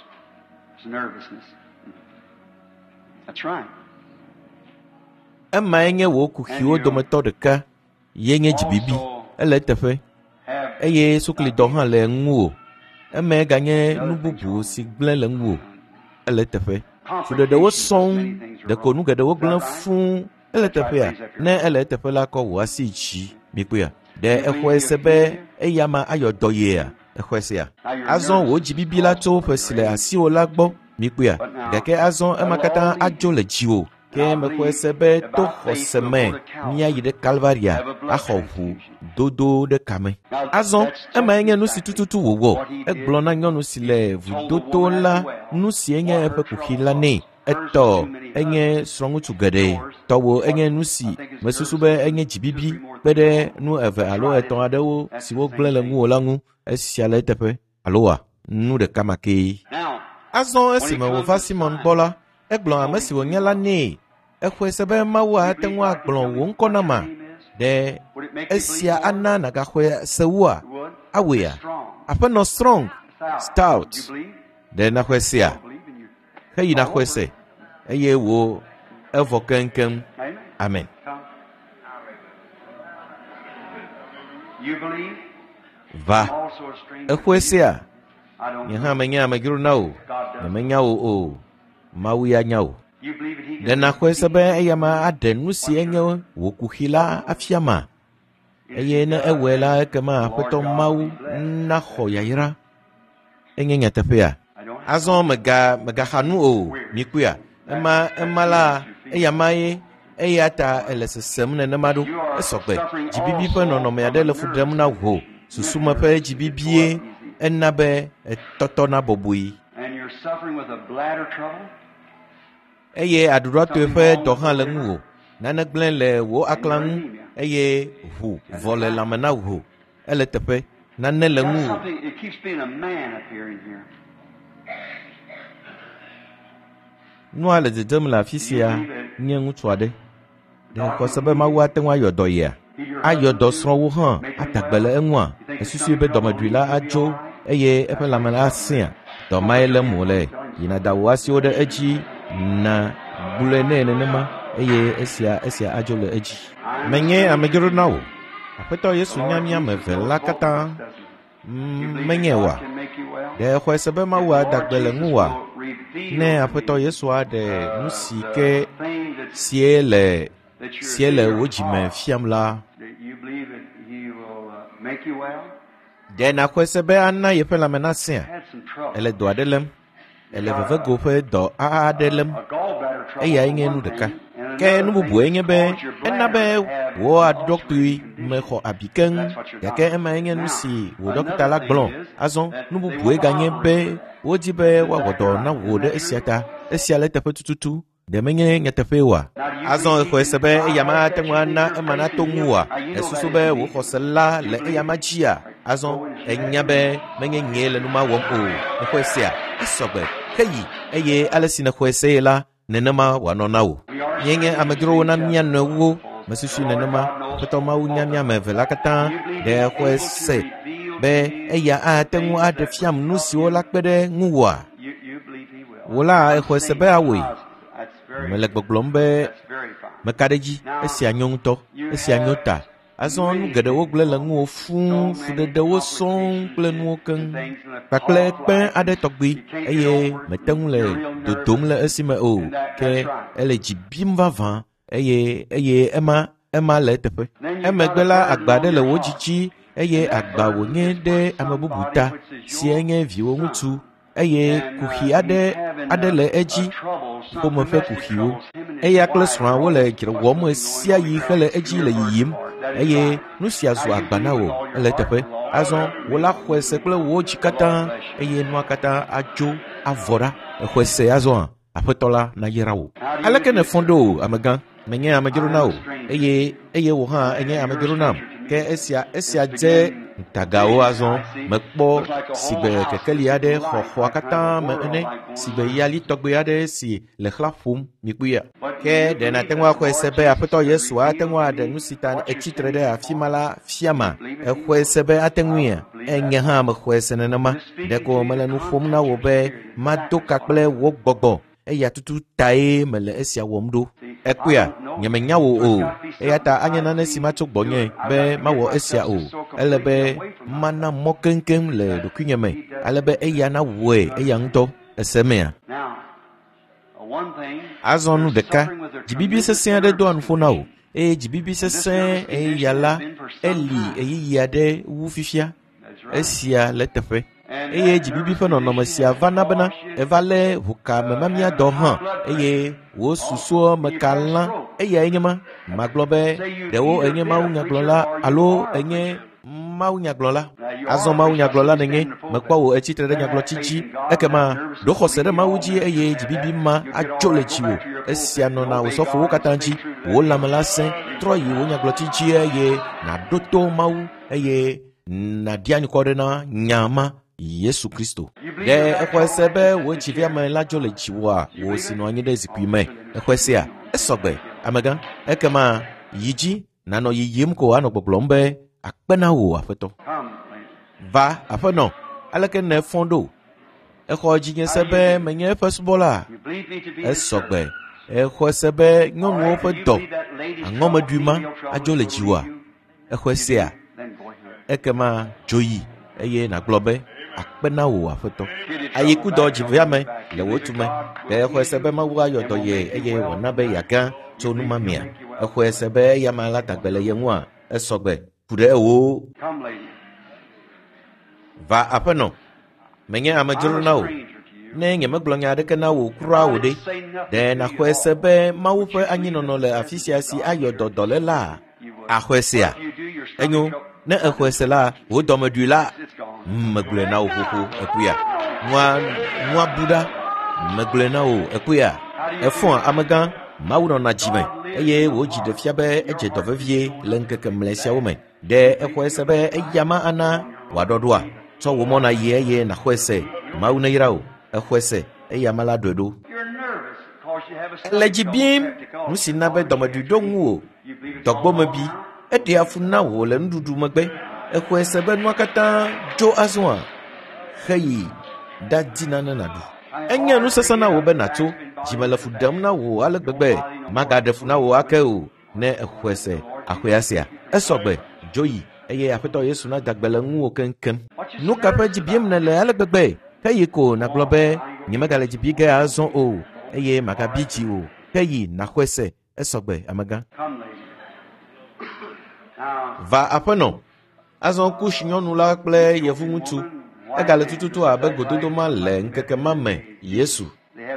It's nervousness. That's right. Emae nye wò kuxiwo dometɔ ɖeka ye nye dzibibi. Ele eteƒe Have eye suklidɔ hã le ŋuwò. Eme ganye nu bubu si gblẽ le ŋuwò. Ele eteƒe. Fuɖeɖewo sɔŋ, ɖeko nu geɖewo gblẽ fũu. Ele eteƒea? Ne ele eteƒe la, kɔ wò asi dzi. Mikpɔea? Ɖe exɔe se be eya ma ayɔ dɔ yea? Exɔe sea? Azɔ wò dzibibi la tso ƒe si le asiwò la gbɔ. Mikpɔea? Gake azɔ ema katã adzo le dziwò. Ke mexɔe se be to xɔse me míayi ɖe Kalvaria axɔ ʋu dodo ɖe kame. Azɔ emae nye nu si tututu wòwɔ. Egblɔ na nyɔnu si le vudoto la nu si nye eƒe kuxi la nɛ. Etɔ enye srɔ̃ŋutsu geɖe. Tɔwò enye nu si mesusu be enye dzibibi kpe ɖe nu eve alo etɔ̃ aɖewo siwo gblẽ le ŋuwò la ŋu. Esia le eteƒe. Alo wa? Nu ɖeka ma kee. Now, Azɔ esime wòva Simɔn gbɔ la, egblɔ ame si wònye la nɛ. Exɔe se be Mawu ate ŋu agblɔ wò ŋkɔ nama. Ɖe would it make you esia believe more? ana nàgaxɔe se wua? It would. Awɔea? Strong. Aƒenɔ Strong Stout. Stout. You believe? Ɖe nàxɔe sea? I believe in you. Heyi nàxɔe se eye wò evɔ keŋkeŋ. Amen. Amen. Come. You believe? Va. I'm also a stranger. Exɔe sea? I don't Nye know. hã menye amedzro na wò. God does. Nyemenya wò o. Mawu ya nya wò. You believe that He Ɖe can nàxɔe se be eya ma aɖe nu si enye wò kuxi la afia ma? Eye ne ewɔe la, ekema Aƒetɔ Mawu naxɔ yayra. Enye nyateƒea? I don't have Azɔ mega megaxa nu o. Mikpɔea? Ema ema la eya ma ye Eya ta ele sesem nenema ɖo. Esɔgbe. Dzibibi ƒe nɔnɔme aɖe le fu ɖem na wò. Susume ƒe dzibibie ena be etɔtɔna bɔbɔe. And you're suffering with a bladder trouble? Eye aɖuɖɔtoe ƒe dɔ hã le ŋuwò. Nane gblẽ le wò aklã ŋu eye ʋu vɔ le lãme na wò. Ele teƒe. Nane le Got ŋuwò. something, it keeps being a man up here in here. Nua le dzedzem le afi sia nye ŋutsu aɖe. Ɖe xɔse be Mawu ate ŋu ayɔ dɔ yea? Ayɔ dɔ srɔ̃wo hã ada gbe le eŋua? Esusui be dɔmeɖui la adzo eye eƒe lãme la asẽa? Dɔ mae lém wòle. Yina da wò asiwo ɖe edzi na gblɔe nɛ nenema eye esia esia adzo le edzi. Menye amedzro na wò. Aƒetɔ Yesu nya mía ame eve la katã. Mm, Menye oa? Ɖe exɔe se be Mawu ada gbe le ŋuwòa? Ne Aƒetɔ Yesu aɖe nu si ke sie le sie le wò dzime fiam la, You believe that he will uh, make you well? ɖe nàxɔe se be ana yeƒe lãme nasẽa? Had some trouble. Ele dɔ aɖe lém. Ele vevego ƒe dɔ aɖe lém. A gallbladder trouble. Eyae for nye one nu ɖeka. thing, and Ke another nu bubue thing nye be caused your ena be bladder to have wò an aɖuɖɔkpui ulcerated mexɔ condition. abi keŋ That's what your gake doctor emae nye nu Now, si wò dɔkita la another gblɔ. thing is Azɔ that nu they bubue want to ganye be operate for that. wodi be woawɔ dɔ na wò ɖe esia ta. Esia le teƒe tututu. Ɖe menye nyateƒee oa? Azɔ exɔe se be eya ma ate ŋu ana ema nato ŋuwòa? Esusu be wò xɔse la le eya ma dzia? Azɔ enya be menye nyee le nu ma wɔm o. Exɔe sea? Esɔgbe. Heyi eye ale si nèxɔe see la, nenema wòanɔ na wò. Míenye amedzrowo na mía nɔewo. Mesusui nenema. Aƒetɔ Mawu nya mía ame eve la katã. Ɖe exɔe se be eya ate ŋu aɖe fiam nu siwo la kpe ɖe ŋuwòa? You, you believe he will. Wò la exɔe se be awɔe. That's very, Mele gbɔgblɔm be that's very fine. meka ɖe edzi. Esia nyo ŋutɔ. Esia nyo ta. Azɔ nu geɖewo gblẽ le ŋuwò fũu, fuɖeɖewo sɔŋ kple nuwo keŋ kpakple kpẽ aɖe tɔgbi eye mete ŋu le dodom le esime o. Ke ele dzi bim vavã eye eye ema ema le eteƒe. Emegbe la agba aɖe le wò dzi dzi eye agba wònye ɖe ame bubu ta si enye viwò ŋutsu eye kuxi aɖe aɖe le edzi ƒome ƒe kuxiwo. Eya kple srɔ̃a wole dzre wɔm ɣe sia ɣi hele edzi le yiyim eye nu sia zu agba na wò ele eteƒe. Azɔ wò la xɔe se kple wò dzi katã eye nua katã adzo avɔ ɖa. Exɔe se azɔa? Aƒetɔ la nayra wò. Aleke nèfɔ ɖo o, amegã? Menye amedzro na wò eye eye wò hã enye amedzro nam. Ke esia esia dze ŋutagawo azɔ mekpɔ sigbe kekeli aɖe xɔ xɔa katã me ene sigbe yali tɔgbe aɖe si le xlã ƒom mikpɔea. Ke ɖe nàte ŋu axɔe se be Aƒetɔ Yesu ate ŋu aɖe nu si ta etsi tre ɖe afi ma la fiama? Exɔe se be ate ŋuia? Enye hã mexɔe se nenema. Ɖeko mele nu ƒom na wò be mado ka kple wò gbɔgbɔ. Eya tutu tae mele esia wɔm ɖo. Ekpɔea, nyemenya wò o. Eya ta anye nane si matso gbɔnye be mawɔ esia o. Ele be mana mɔ keŋkeŋ le ɖokuinye me ale be eya nawɔe eya ŋutɔ. Ese mea? Now, uh, one thing, Azɔ nu you're ɖeka, suffering with a dzibibi tremendous sesẽ aɖe doa nervous nuƒo na wò condition. eye dzibibi sesẽ eya la eli ɣeyiɣi aɖe wu fifia. That's right. Esia le teƒe. And Eye that dzibibi nervous ƒe nɔnɔme condition sia has va na bena caused you eva lé ʋukamemamia dɔ hã eye wò susuɔ me ka lã. Eyae nye ma. Magblɔ be ɖewo enye mawunyagblɔla alo enye mawunyagblɔla. Azɔ mawunyagblɔla nènye. Mekpɔ wò etsi tre ɖe nyagblɔtsi dzi. Ekema ɖo xɔse ɖe Mawu dzi eye dzibibi ma adzo le dziwò. Esia nɔna wò sɔfowo katã dzi. Wò lãme la sẽ. Trɔ yi wò nyagblɔtsi dzi eye nàɖo to Mawu eye nàɖi anukware na nya ma Yesu Kristo. Ɖe exɔe se be wò dziviame la dzo le dziwòa wò si nɔ anyi ɖe zikpui me. Exɔe sea? Esɔgbe, amegã. Ekema yi dzi nànɔ yiyim ko anɔ gbɔgblɔm be akpe na wò aƒetɔ. Come, lady. Va aƒenɔ, aleke nèfɔ ɖo? Exɔ dzinye se be menye eƒe subɔla. You believe me to be his Esɔgbe. servant. Exɔe se be nyɔnuwo All right, ƒe do you dɔ believe that lady's trouble, aŋɔmeɖui ma female trouble adzo le is gonna dziwòa? leave you? Exɔe You sea? do? Then go ahead. Ekema dzo yi eye nàgblɔ be akpe na wò aƒetɔ. Kidney trouble, Ayikudɔ back trouble, dziviame back. le You wò believe tume. God Ɖe will exɔe heal se be you Mawu ayɔ and dɔ will ye make you eye well wòana be tonight. yeagã tso You nu believe ma he'll mea? make you well Exɔe se tonight. be eya ma la da gbe le ye ŋua? Esɔgbe. Ku ɖe ewò. Come, lady. Va aƒenɔ. Menye I'm amedzro a na wò stranger to you. Ne nyemegblɔ nya aɖeke na wò kura o ɖe, ɖe nàxɔe se be Mawu ƒe anyinɔnɔ le afi sia si ayɔ dɔ dɔléla? Axɔe sea? Enyo, ne exɔe se la, wò dɔmeɖui la, megblɔe na wò xoxo, ekpɔea? Nua, nua bu ɖa, megblɔe na wò, ekpɔea? Efɔa amegã, Mawu nɔna dzime, eye wò dzi ɖe fia be edze dɔ vevie le ŋkeke mlɛ siawo me. Ɖe exɔe se be eya ma ana wòaɖɔ ɖoa? Tsɔ wò mɔ nàyi eye nàxɔe se. Mawu neyra wò. Exɔe se, eya ma la ɖɔe ɖo. Ele dzi bim, nu si na be dɔmeɖui ɖo ŋuwò, dɔgbɔmebi, eɖea fu na wò le nuɖuɖu megbe. Exɔe se be nua katã dzo azɔa? Xeyi ɖadi nane nàɖu. Enye nu sesẽ na wò be nàtso. Dzime le fu ɖem na wò ale gbegbe. Magaɖe fu na wò ake o. Ne exɔe se, axɔe asia. Esɔgbe, dzo yi, eye Aƒetɔ Yesu nada gbe le ŋuwò keŋkeŋ. Nu ka ƒe dzi bim nèle ale gbegbe? Xeyi ko nàgblɔ be nyemegale dzi bi ge azɔ o, eye magabi dzi o. Xeyi nàxɔe se, esɔgbe, amegã. Va aƒenɔ. Azɔ Kush nyɔnu la kple yevu ŋutsu. Egale tututu abe gododo ma le ŋkeke ma me, Yesu.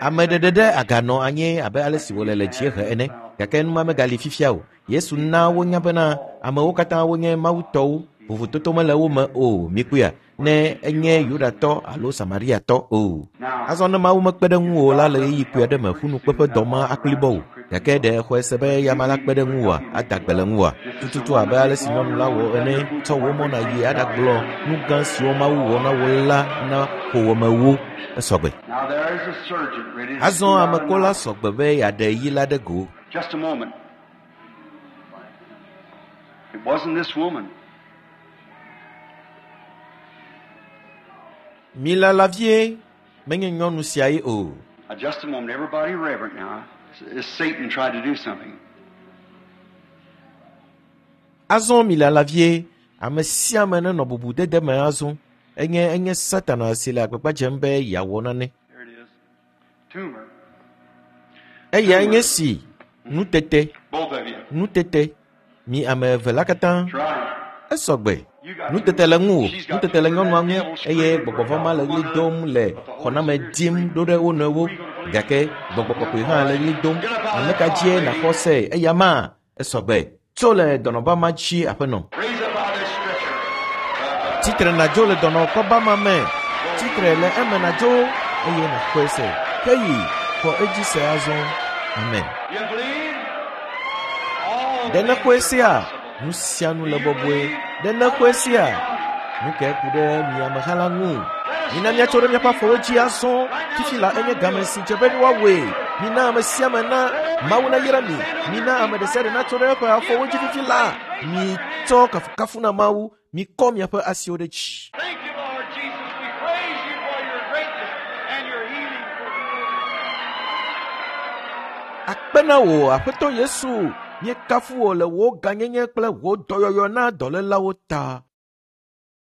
Ame ɖeɖe ɖe aganɔ anyi abe ale si wòle le dziehe ene, gake numa megali fifia o. Yesu na wonya bena amewo katã wonye Mawu tɔwo, vovototo mele wo me o, mikpɔea, ne enye Yudatɔ alo Samariatɔ o. Azɔ ne Mawu mekpe ɖe ŋuwò la le ɣeyiɣi kpui aɖe me ƒunukpeƒe dɔ ma akplibɔ o. Gake ɖe exɔe se be ya ma la kpe ɖe ŋuwòa, ada gbe le ŋuwòa? Tututu abe ale si nyɔnu la wɔ ene, tsɔ wò mɔ nàyi aɖagblɔ nu gã siwo Mawu wɔ na wò la na ƒowòmewo. Esɔgbe. Azɔ amekola sɔgbe be yeaɖe yi la ɖe go. Just a moment. It wasn't this woman. Milala vie, menye nyɔnu sia ye o. Now, just a moment. Everybody reverent now. It's Satan tried to do something. Azɔ milala vie, ame sia ame nenɔ bubudede me azɔ. Enye enye Satana si le agbagba dzem be yeawɔ nane. There it is. Tumor. Eya nye si nutete, Both of you. nutete. Mi ame eve la katã. That's right. Esɔgbe. Nutete le ŋuwò, nutete le nyɔnua ŋu, eye gbɔgbɔvɔ̃ ma le ɣli dom le xɔname dim ɖo ɖe wo nɔewo. Gake gbɔgbɔ kɔkɔe hã le ɣli dom. Ame ka dzie nàxɔ se eya ma? Esɔgbe. Tso le dɔnɔba ma dzi aƒenɔ. Raise up out of this stretcher. Tsitre nàdzo le dɔnɔkɔba ma me. Tsitre le eme nàdzo eye nàxɔe se. Ke yi, xɔ edzi se azɔ. Amen. You believe? All Ɖe nexɔe things sea? are possible. Nu sia nu le bɔbɔe. Ɖe nexɔe sea? Nu kae ku ɖe mi ameha la ŋu? Mina míatso ɖe míaƒe afɔwo dzi azɔ. Fifi la enye game si dze be woawɔe. Mina ame sia ame na Mawu nayra mi. Mina ame ɖe sia ɖe natso ɖe eƒe afɔwo dzi fifi la. Mitsɔ kafukafu na Mawu. Mikɔ miaƒe asiwo ɖe dzi. Thank you, Lord Jesus. We praise you for your greatness and your healing. Akpe na wò, Aƒetɔ Yesu. Míekafu wò le wò gãnyenye kple wò dɔyɔyɔ na dɔlélawo ta.